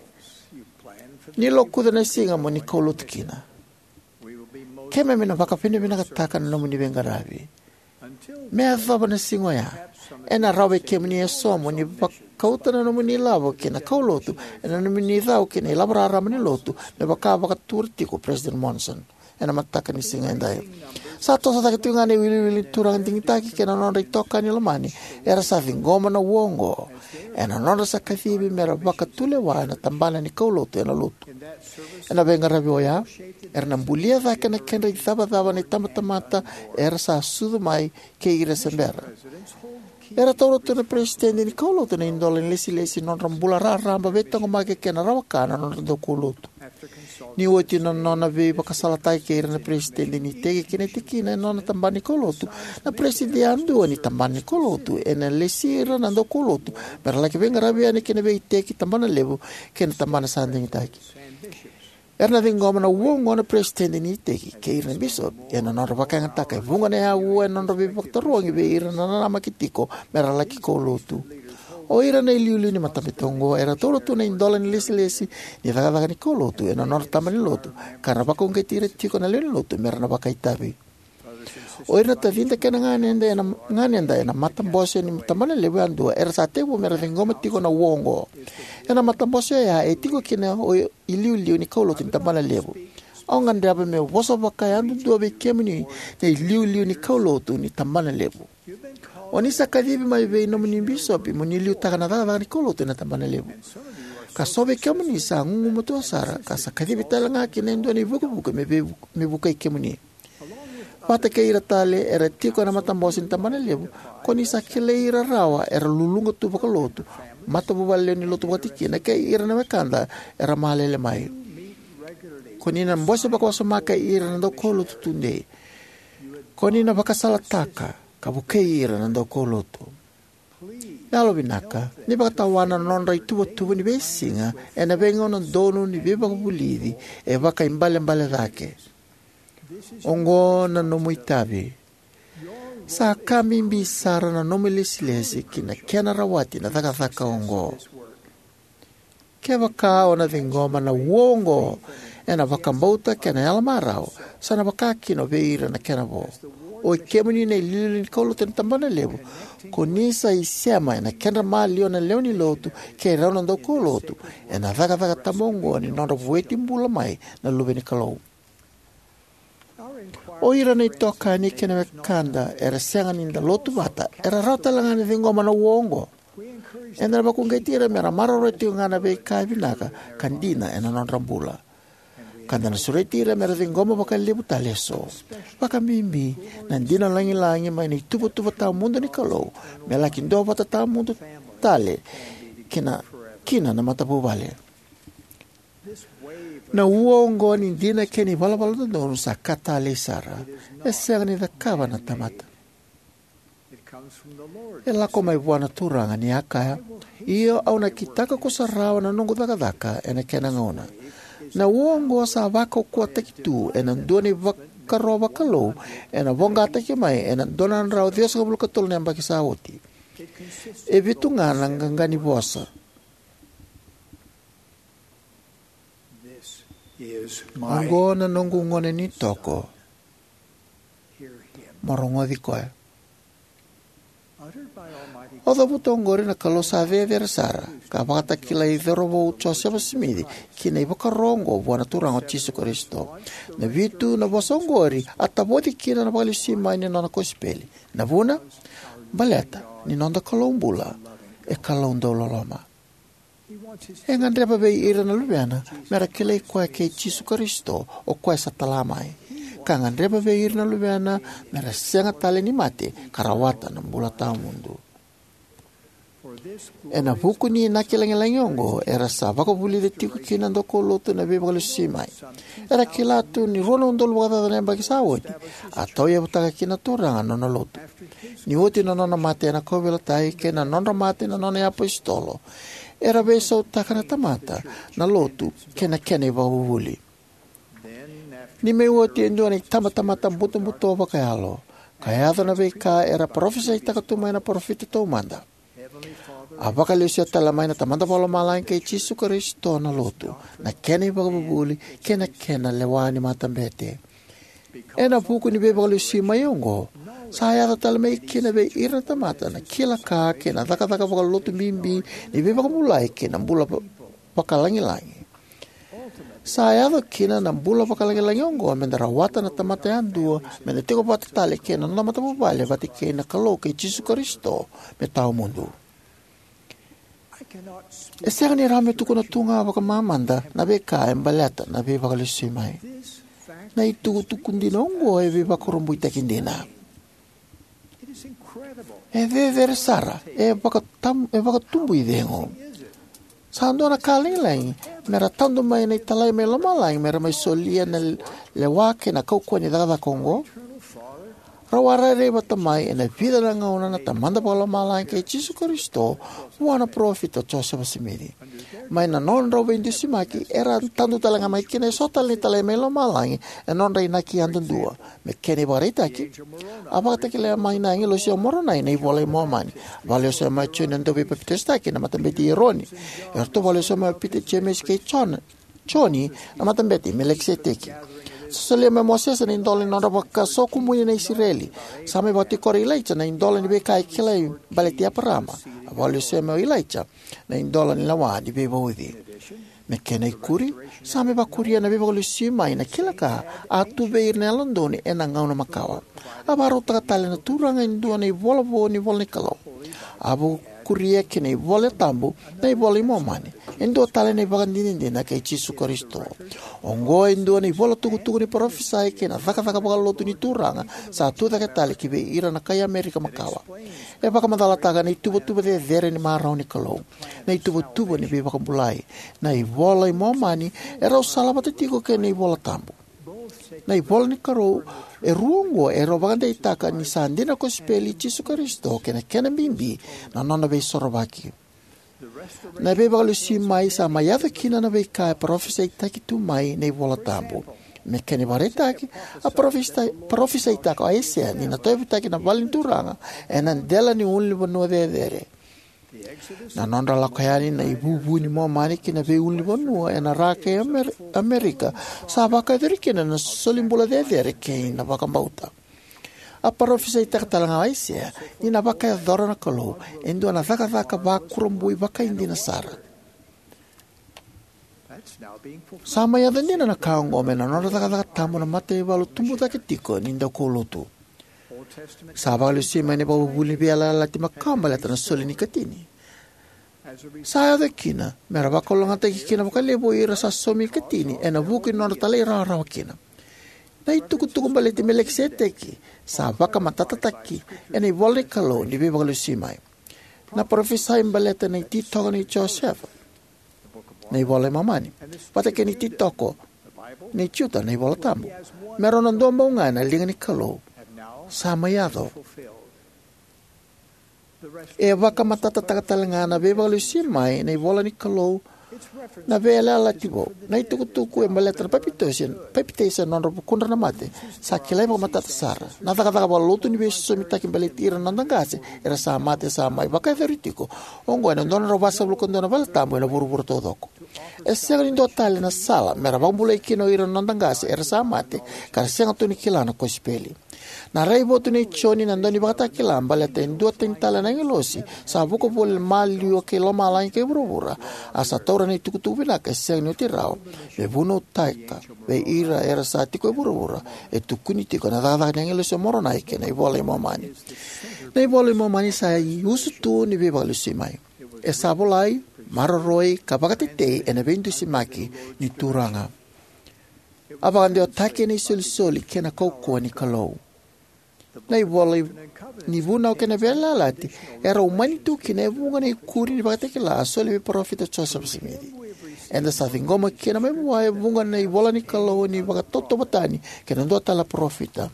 ni lokuca na siga mo ni kaulotu kina. Keimami na vakavinavinakataka na nomuni veiqaravi. Me yacova na siga oya, ena rawa vei kemuni eso mo ni vakauta na nomuni ilavo ki na kaulotu ena nomuni cau ki na ilavo raraba ni lotu, me vaka vakatura tiko o President Monson ena mataka ni siga edai. Sa toso cake tiko ga na iwiliwili ni turaga digitaki kei na nodra itokani lomani era sa ciqoma na ua oqo ena nodra sa kacivi mera vakatulewa ena tabana ni kaulotu ena Lotu. Ena veiqaravi oya, era na bulia cake na kedra icavacava na itabatamata era sa sucu mai kei ira se bera. Era taura tu na peresitedi ni kaulotu na idola ni lesilesi ni nodra bula raraba, veitaqomaki, kei na rawa-ka na nodra daukaulotu. Ni oti na nona veivakasalataki kei ira na peresitedi ni iteki kei na tikina ena nona tabana ni kaulotu, na peresitedi yadua ni tabana ni kaulotu ena lesi ira na daukaulotu mera laki veiqaravi yani ki na veiiteki, tabanalevu, kei na tabana sa digitaki. Era na ciqoma na ua oqo na peresitedi ni iteki kei ira na bisopi ena nodra vakayagataka e vuqa na auwa ena nodra veivakatarogi vei ira na nanamaki tiko mera laki kaulotu. O ira na iliuliu ni matabete oqo era taura tu na idola ni lesilesi ni cakacaka ni kaulotu ena nodra tabana ni lotu, ka ra vakauqeti ira tiko na lewenilotu mera na vakaitavi. O ira na tacida kei na ganeda ena, ganeda ena matabose ni tabanalevu yadua era sa tekivu mera ciqoma tiko na ua oqo. Ena matabose oya e tiko kina o iliuliu ni kaulotu ni tabanalevu. Au gadreva meu vosa vakayadudua vei kemuni na iliuliu ni kaulotu ni tabanalevu. O ni sa kacivi mai vei nomuni bisopi mo ni liutaka na cakacaka ni kaulotu ena tabanalevu. Ka so vei kemuni sa gugumatua sara ka sa kacivi tale ga kina e dua na ivukevuke me vei, me vukei kemuni. Vata kei ira tale era tiko ena matabose ni tabanalevu, ko ni sa kilai ira rawa era luluqa tu vakalotu, matavuvale lewe ni lotu vakatikina, kei ira na wekada era malele mai. Ko ni na bose vakawasoma kei ira na daukaulotu tudei. Ko ni na vakasalataka ka vukei ira na daukaulotu. Yalovinaka, ni vakatawana na nodra ituvatuva ni veisiga ena veigauna donu ni veivakavulici e vakaibalebale cake. Oqo na nomu itavi. Sa ka bibi sara na nomu ilesilesi ki na kena rawati na cakacaka oqo. Kevaka o na ciqoma na ua oqo ena vakabauta kei na yalomarau, sa na vaka kina o vei ira na kena vo. Oi kemuni na iliuliu ni kaulotu ena tabanalevu, ko ni sa isema ena kedra maliwa na lewe ni lotu kei rau na daukaulotu ena cakacaka tabu oqo ni nodra vueti bula mai na luve ni Kalou. O ira na itokani kei na wekada era sega ni da lotu vata era rawa tale ga ni ciqoma na ua oqo. Eda na vakauqeti ira mera maroroya tiko ga na veika e vinaka ka dina ena nodra bula. Ka da na sureti ira mera ciqoma vakalevu tale eso, vakabibi na dina lagilagi mai na ituvatuva tawamudu ni Kalou, me laki duavata tawamudu tale kina, kina na matavuvale. Na ua oqo ni dina kei na ivalavala dodonu sa ka talei sara. E sega ni cakava na tamata. E lako mai vua na Turaga, ni a kaya: Io, au na kitaka kusarawa na noqu cakacaka ena kena gauna. Na ua oqo sa vakaukauwataki tu ena dua na ivakaro vakalou ena voqataki mai ena dua na drau ciwasagavulu ka tolu na yabaki sa oti. E vitu ga na qaqa ni vosa. Oqo na noqu gone ni toko. Mo rogoci koya. O cavuta oqori na Kalou sa cecere sara, ka vakatakilai cauravou Josefa Simici ki na ivakaro oqo vua na Turaga o Jisu Karisito. Na vitu na vosa oqori a tavoci kina na vakalesui mai ni nona kosipeli. Na vuna? Baleta ni noda Kalou bula e Kalou dauloloma. E gadreva vei ira na luvena mera kilai koya kei Jisu Karisito, o koya sa tala mai. Ka gadreva vei ira na luvena mera sega tale ni mate ka rawata na bula tawamudu. Ena vuku ni inaki lagilagi oqo era sa vakavulica tiko kina na daukaulotu na veivakalesui mai. Era kila tu ni rua na udolu vakacaca na yabaki sa oti, a tauyavutaka kina na Turaga na nona lotu. Ni oti na nona mate ena kauveilatai kei na nodra mate na nona iapositolo, era veisautaka na tamata, na lotu, kei na kena ivakavuvuli. Ni mai oti e dua na itabatamata butobuto vakayalo, ka yaco na veika era parofisaitaka tu mai na parofita taumada. A vakalesuya tale mai na Tamada Vakalomalagi kei Jisu Karisito na lotu, na kena ivakavuvuli, kei na kena lewa ni matabete. Ena vuku ni veivakalesui mai oqo, sa yaco tale mai kina vei ira na tamata na kila ka kei na cakacaka vakalotu bibi ni veivakabulai kei na bula va-, vakalagilagi. Sa yaco kina na bula vakalagilagi oqo meda rawata na tamata yadua, meda tiko vata tale kei na noda matavuvale vata kei na Kalou kei Jisu Karisito me tawamudu. E sega ni rawa meu tukuna tu ga vakamamada na veika e baleta na Veivakalesuimai. Na itukutuku dina oqo e veivakurabuitaki dina. E cecere sara, e vakatam-, e vakatubu icegu. Sa dua na ka lagilagi mera tadu mai na italai mai lomalagi mera mai solia na lewa kei na kaukauwa ni cakacaka oqo. Rau a rairai vata mai ena vica na gauna na Tamada Vakalomalagi kei Jisu Karisito vua na Parofita o Josefa Simici. Mai na nodrau veidusimaki, era a tadu tale ga mai kina eso tale na italai mai lomalagi ena nodra inaki yadudua. Me kena ivakaraitaki, a vakatakila mai na agilosi o Moronai na iVola i Momani. A vakalesui mai o Joni na Dauveipapitaisotaki, na Matabete i Eroni. Eratou a vakalesui mai o Pita, Jemesa kei Jona, Joni, na Matabete i Melikiseteki. Sa solia mai o Mosese na idola ni nodra vakasokumuni na Isireli. Sa mai vakatikora o Ilaija na idola ni veika e kilai baleti Eparama. A vakalesui mai o Ilaija na idola ni lewa ni veivauci. Me kena ikuri, sa mai vakuria na Veivakalesuimai na kila ka a tu vei ira na yalododonu ena gauna makawa. A vakarautaka tale na Turaga e dua na ivola vou ni ivola ni Kalou. A vakuria ki na iVola Tabu na iVola i Momani, e dua tale na ivakadinadina kei Jisu Karisito. Oqo e dua na ivola tukutuku ni parofisai kei na cakacaka vakalotu ni Turaga sa tucake tale ki vei ira na kai Amerika makawa. E vakamacalataka na ituvatuva cecere ni marau ni Kalou, na ituvatuva ni veivakabulai. Na iVola i Momani e rau salavata tiko kei na iVola Tabu. Na ivola ni Kalou e rua oqo e rau vakadeitaka ni sa dina na kosipeli i Jisu Karisito kei na kena bibi na nona veisorovaki. Na Veivakalesuimai sa mai yaco kina na veika e parofisaitaki tu mai na iVola Tabu. Me kena ivakaraitaki, a parofisai-, parofisaitaka o Aisea ni na tauyavutaki na vale ni Turaga ena dela ni ulunivanua cecere. Na nodra lako yani na ivuvu ni Momani ki na veiulunivanua ena ra kei Amer-, Amerika sa vakayacori kina na solibula cecere kei na vakabauta. A parofisaitaka tale ga o Aisea ni na vakayacora na Kalou e dua na cakacaka vakurabui vakaidina sara. Sa mai yaco dina na ka oqo mai na nodra cakacaka tabu na mataivalu tubu cake tiko ni daukaulotu. Sa vakalesui mai na ivakavuvuli ni veiyalayalati makawa baleta na soli ni ikatini. Sa yaco kina mera vakalougatataki kina vakalevu o ira sa saumi ikatini ena vuku ni nodra talairawarawa kina. Na itukutuku baleti Melikiseteki sa vakamatatataki ena ivola ni Kalou ni Veivakalesuimai. Na parofisai baleta na ititoko nei Josefa, na iVola i Momani, vata kei na ititoko nei Juta, na iVola Tabu, me rau na duabau ga na liga ni Kalou, sa mai yaco. E vakamatatataka tale ga na Veivakalesuimai na ivola ni Kalou na veiyalayalati vou. Na itukutuku e baleta na papitaiso, papitaiso ena nodra vukudra na mate, sa kilai vakamatata sara. Na cakacaka vakalotu ni veisosomitaki baleti ira na noda qase era sa mate sa mai vakayacori tiko oqo ena dua na drau vasagavulu ka dua na vale tabu ena vuravura taucoko. E sega ni dua tale na sala mera vakabulai kina o ira na noda qase era sa mate ka ra sega tu ni kila na kosipeli. Na raivotu nei Joni na daunivakatakila baleta e duatani tale na agilosi sa vuka voli maliwa kei lomalagi kei vuravura, a sa taura na itukutuku vinaka e sega ni oti rawa me vunautaka vei ira era sa tiko e vuravura, e tukuni tiko na cakacaka ni agilosi o Moronai kei na iVola i Momani. Na iVola i Momani sa iusutu ni Veivakalesuimai. E sa volai, maroroi ka vakatetei ena veidusimaki ni Turaga. A vakadewataki ena isolisoli kei na kaukauwa ni Kalou. Na ivola i-, ni Vunau kei na Veiyalayalati e rau mani tu kina e vuqa na ikuri ni vakatakila a soli vei parofita o Josefa Simici. Eda sa ciqoma kina mai vua e vuqa na ivola ni Kalou ni vakatautauvatani kei na dua tale na parofita.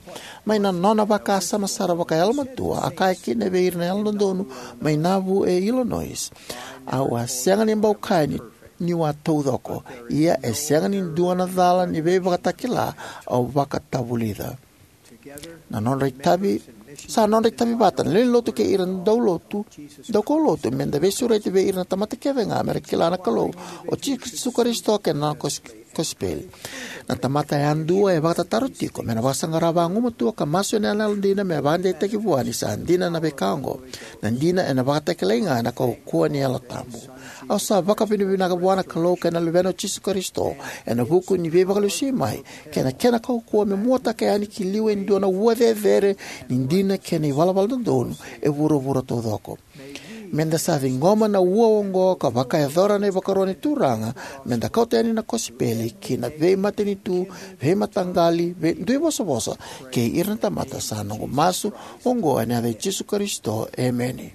Mai na nona vakasama sara vakayalomatua, a kaya kina vei ira na yalododonu mai Nauvoo e Illinois: "Au a sega ni bau kaya ni, niu a taucoko, ia e sega ni dua na cala ni veivakatakila au vakatavulica." Na nodra itavi, sa nodra itavi vata na lewe ni lotu kei ira na daulotu, daukaulotu, meda veisureti vei ira na tamata kece ga mera kila na Kalou, o Jisu Karisito kei na nona kos-, kosipeli. Na tamata yadua e vakatataro tiko me na vakasaqara vagumatua ka masu ena yalodina me vakadeitaki vua ni sa dina na veika oqo. Na dina ena vakatakilai ga ena kaukauwa ni Yalo Tabu. Au sa vakavinavinaka vua na Kalou kei na Luvena o Jisu Karisito ena vuku ni veivakalesui mai kei na kena kaukauwa me muataka yani ki liu e dua na ua cecere ni dina kei na ivalavala dodonu e vuravura taucoko. Meda sa ciqoma na ua oqo ka vakayacora na ivakaro ni Turaga, meda kauta yani na kosipeli ki na veimatanitu, veimataqali, veiduivosavosa kei ira na tamata, sa noqu masu oqo ena yaca i Jisu Karisito. Emeni.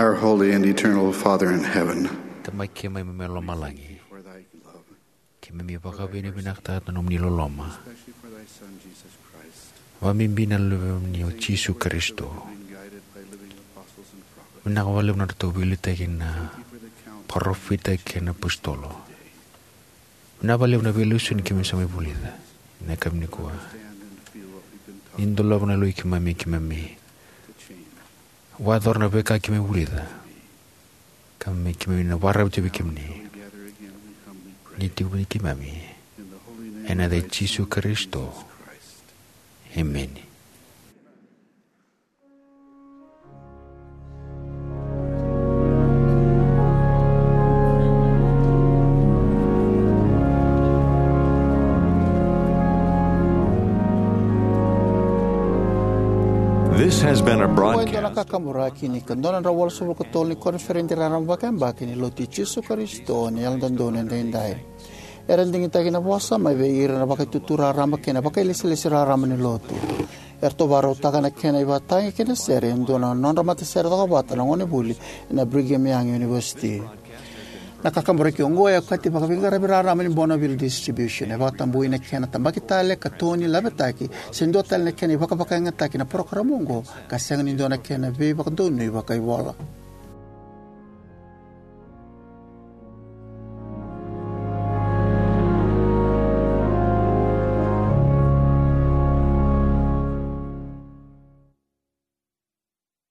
Our holy and eternal Father in heaven, Tamai keimami mai lomalagi, for thy love, keimami vakavinavinakataka na nomuni loloma, especially for thy Son, Jesus Christ. Vakabibi na Luvemuni o Jisu Karisito. Been guided by living apostles and prophets. Vinaka vakalevu na nodratou veiliutaki na parofita kei na apositolo. Vinaka vakalevu na veilesoni keimami sa mai vulica ena yakavi nikua. Ni dolava na yaloi keimami, keimami vakayacora na veika keimami vulica, ka me keimami na vakararavi tu vei kemuni. Ni tiko vei keimami ena yaca i Jisu Karisito. Emeni. This has been a broadcast. Oqo e dua na kakaburaki ni ka dua na drau walusagavulu ka tolu ni koniferedi raraba vakayabaki ni Lotu i Jisu Karisito ni Yalododonu Edaidai. Era digitaki na vosa mai vei ira na Vakaitutu Raraba kei na Vakailesilesi Raraba ni Lotu. Eratou vakarautaka na kena ivakatagi kei na sere e dua na nodra matasere cokovata na gonevuli ena Brigham Young University. Na kakaburaki oqo e okati vakaveiqaravi raraba ni Bonneville Distribution. E vakatabui na kena tabaki tale ka toni lavetaki se dua tale na kena ivakavakayagataki na parokaramu oqo ka sega ni dua na kena veivakadonui vakaivola.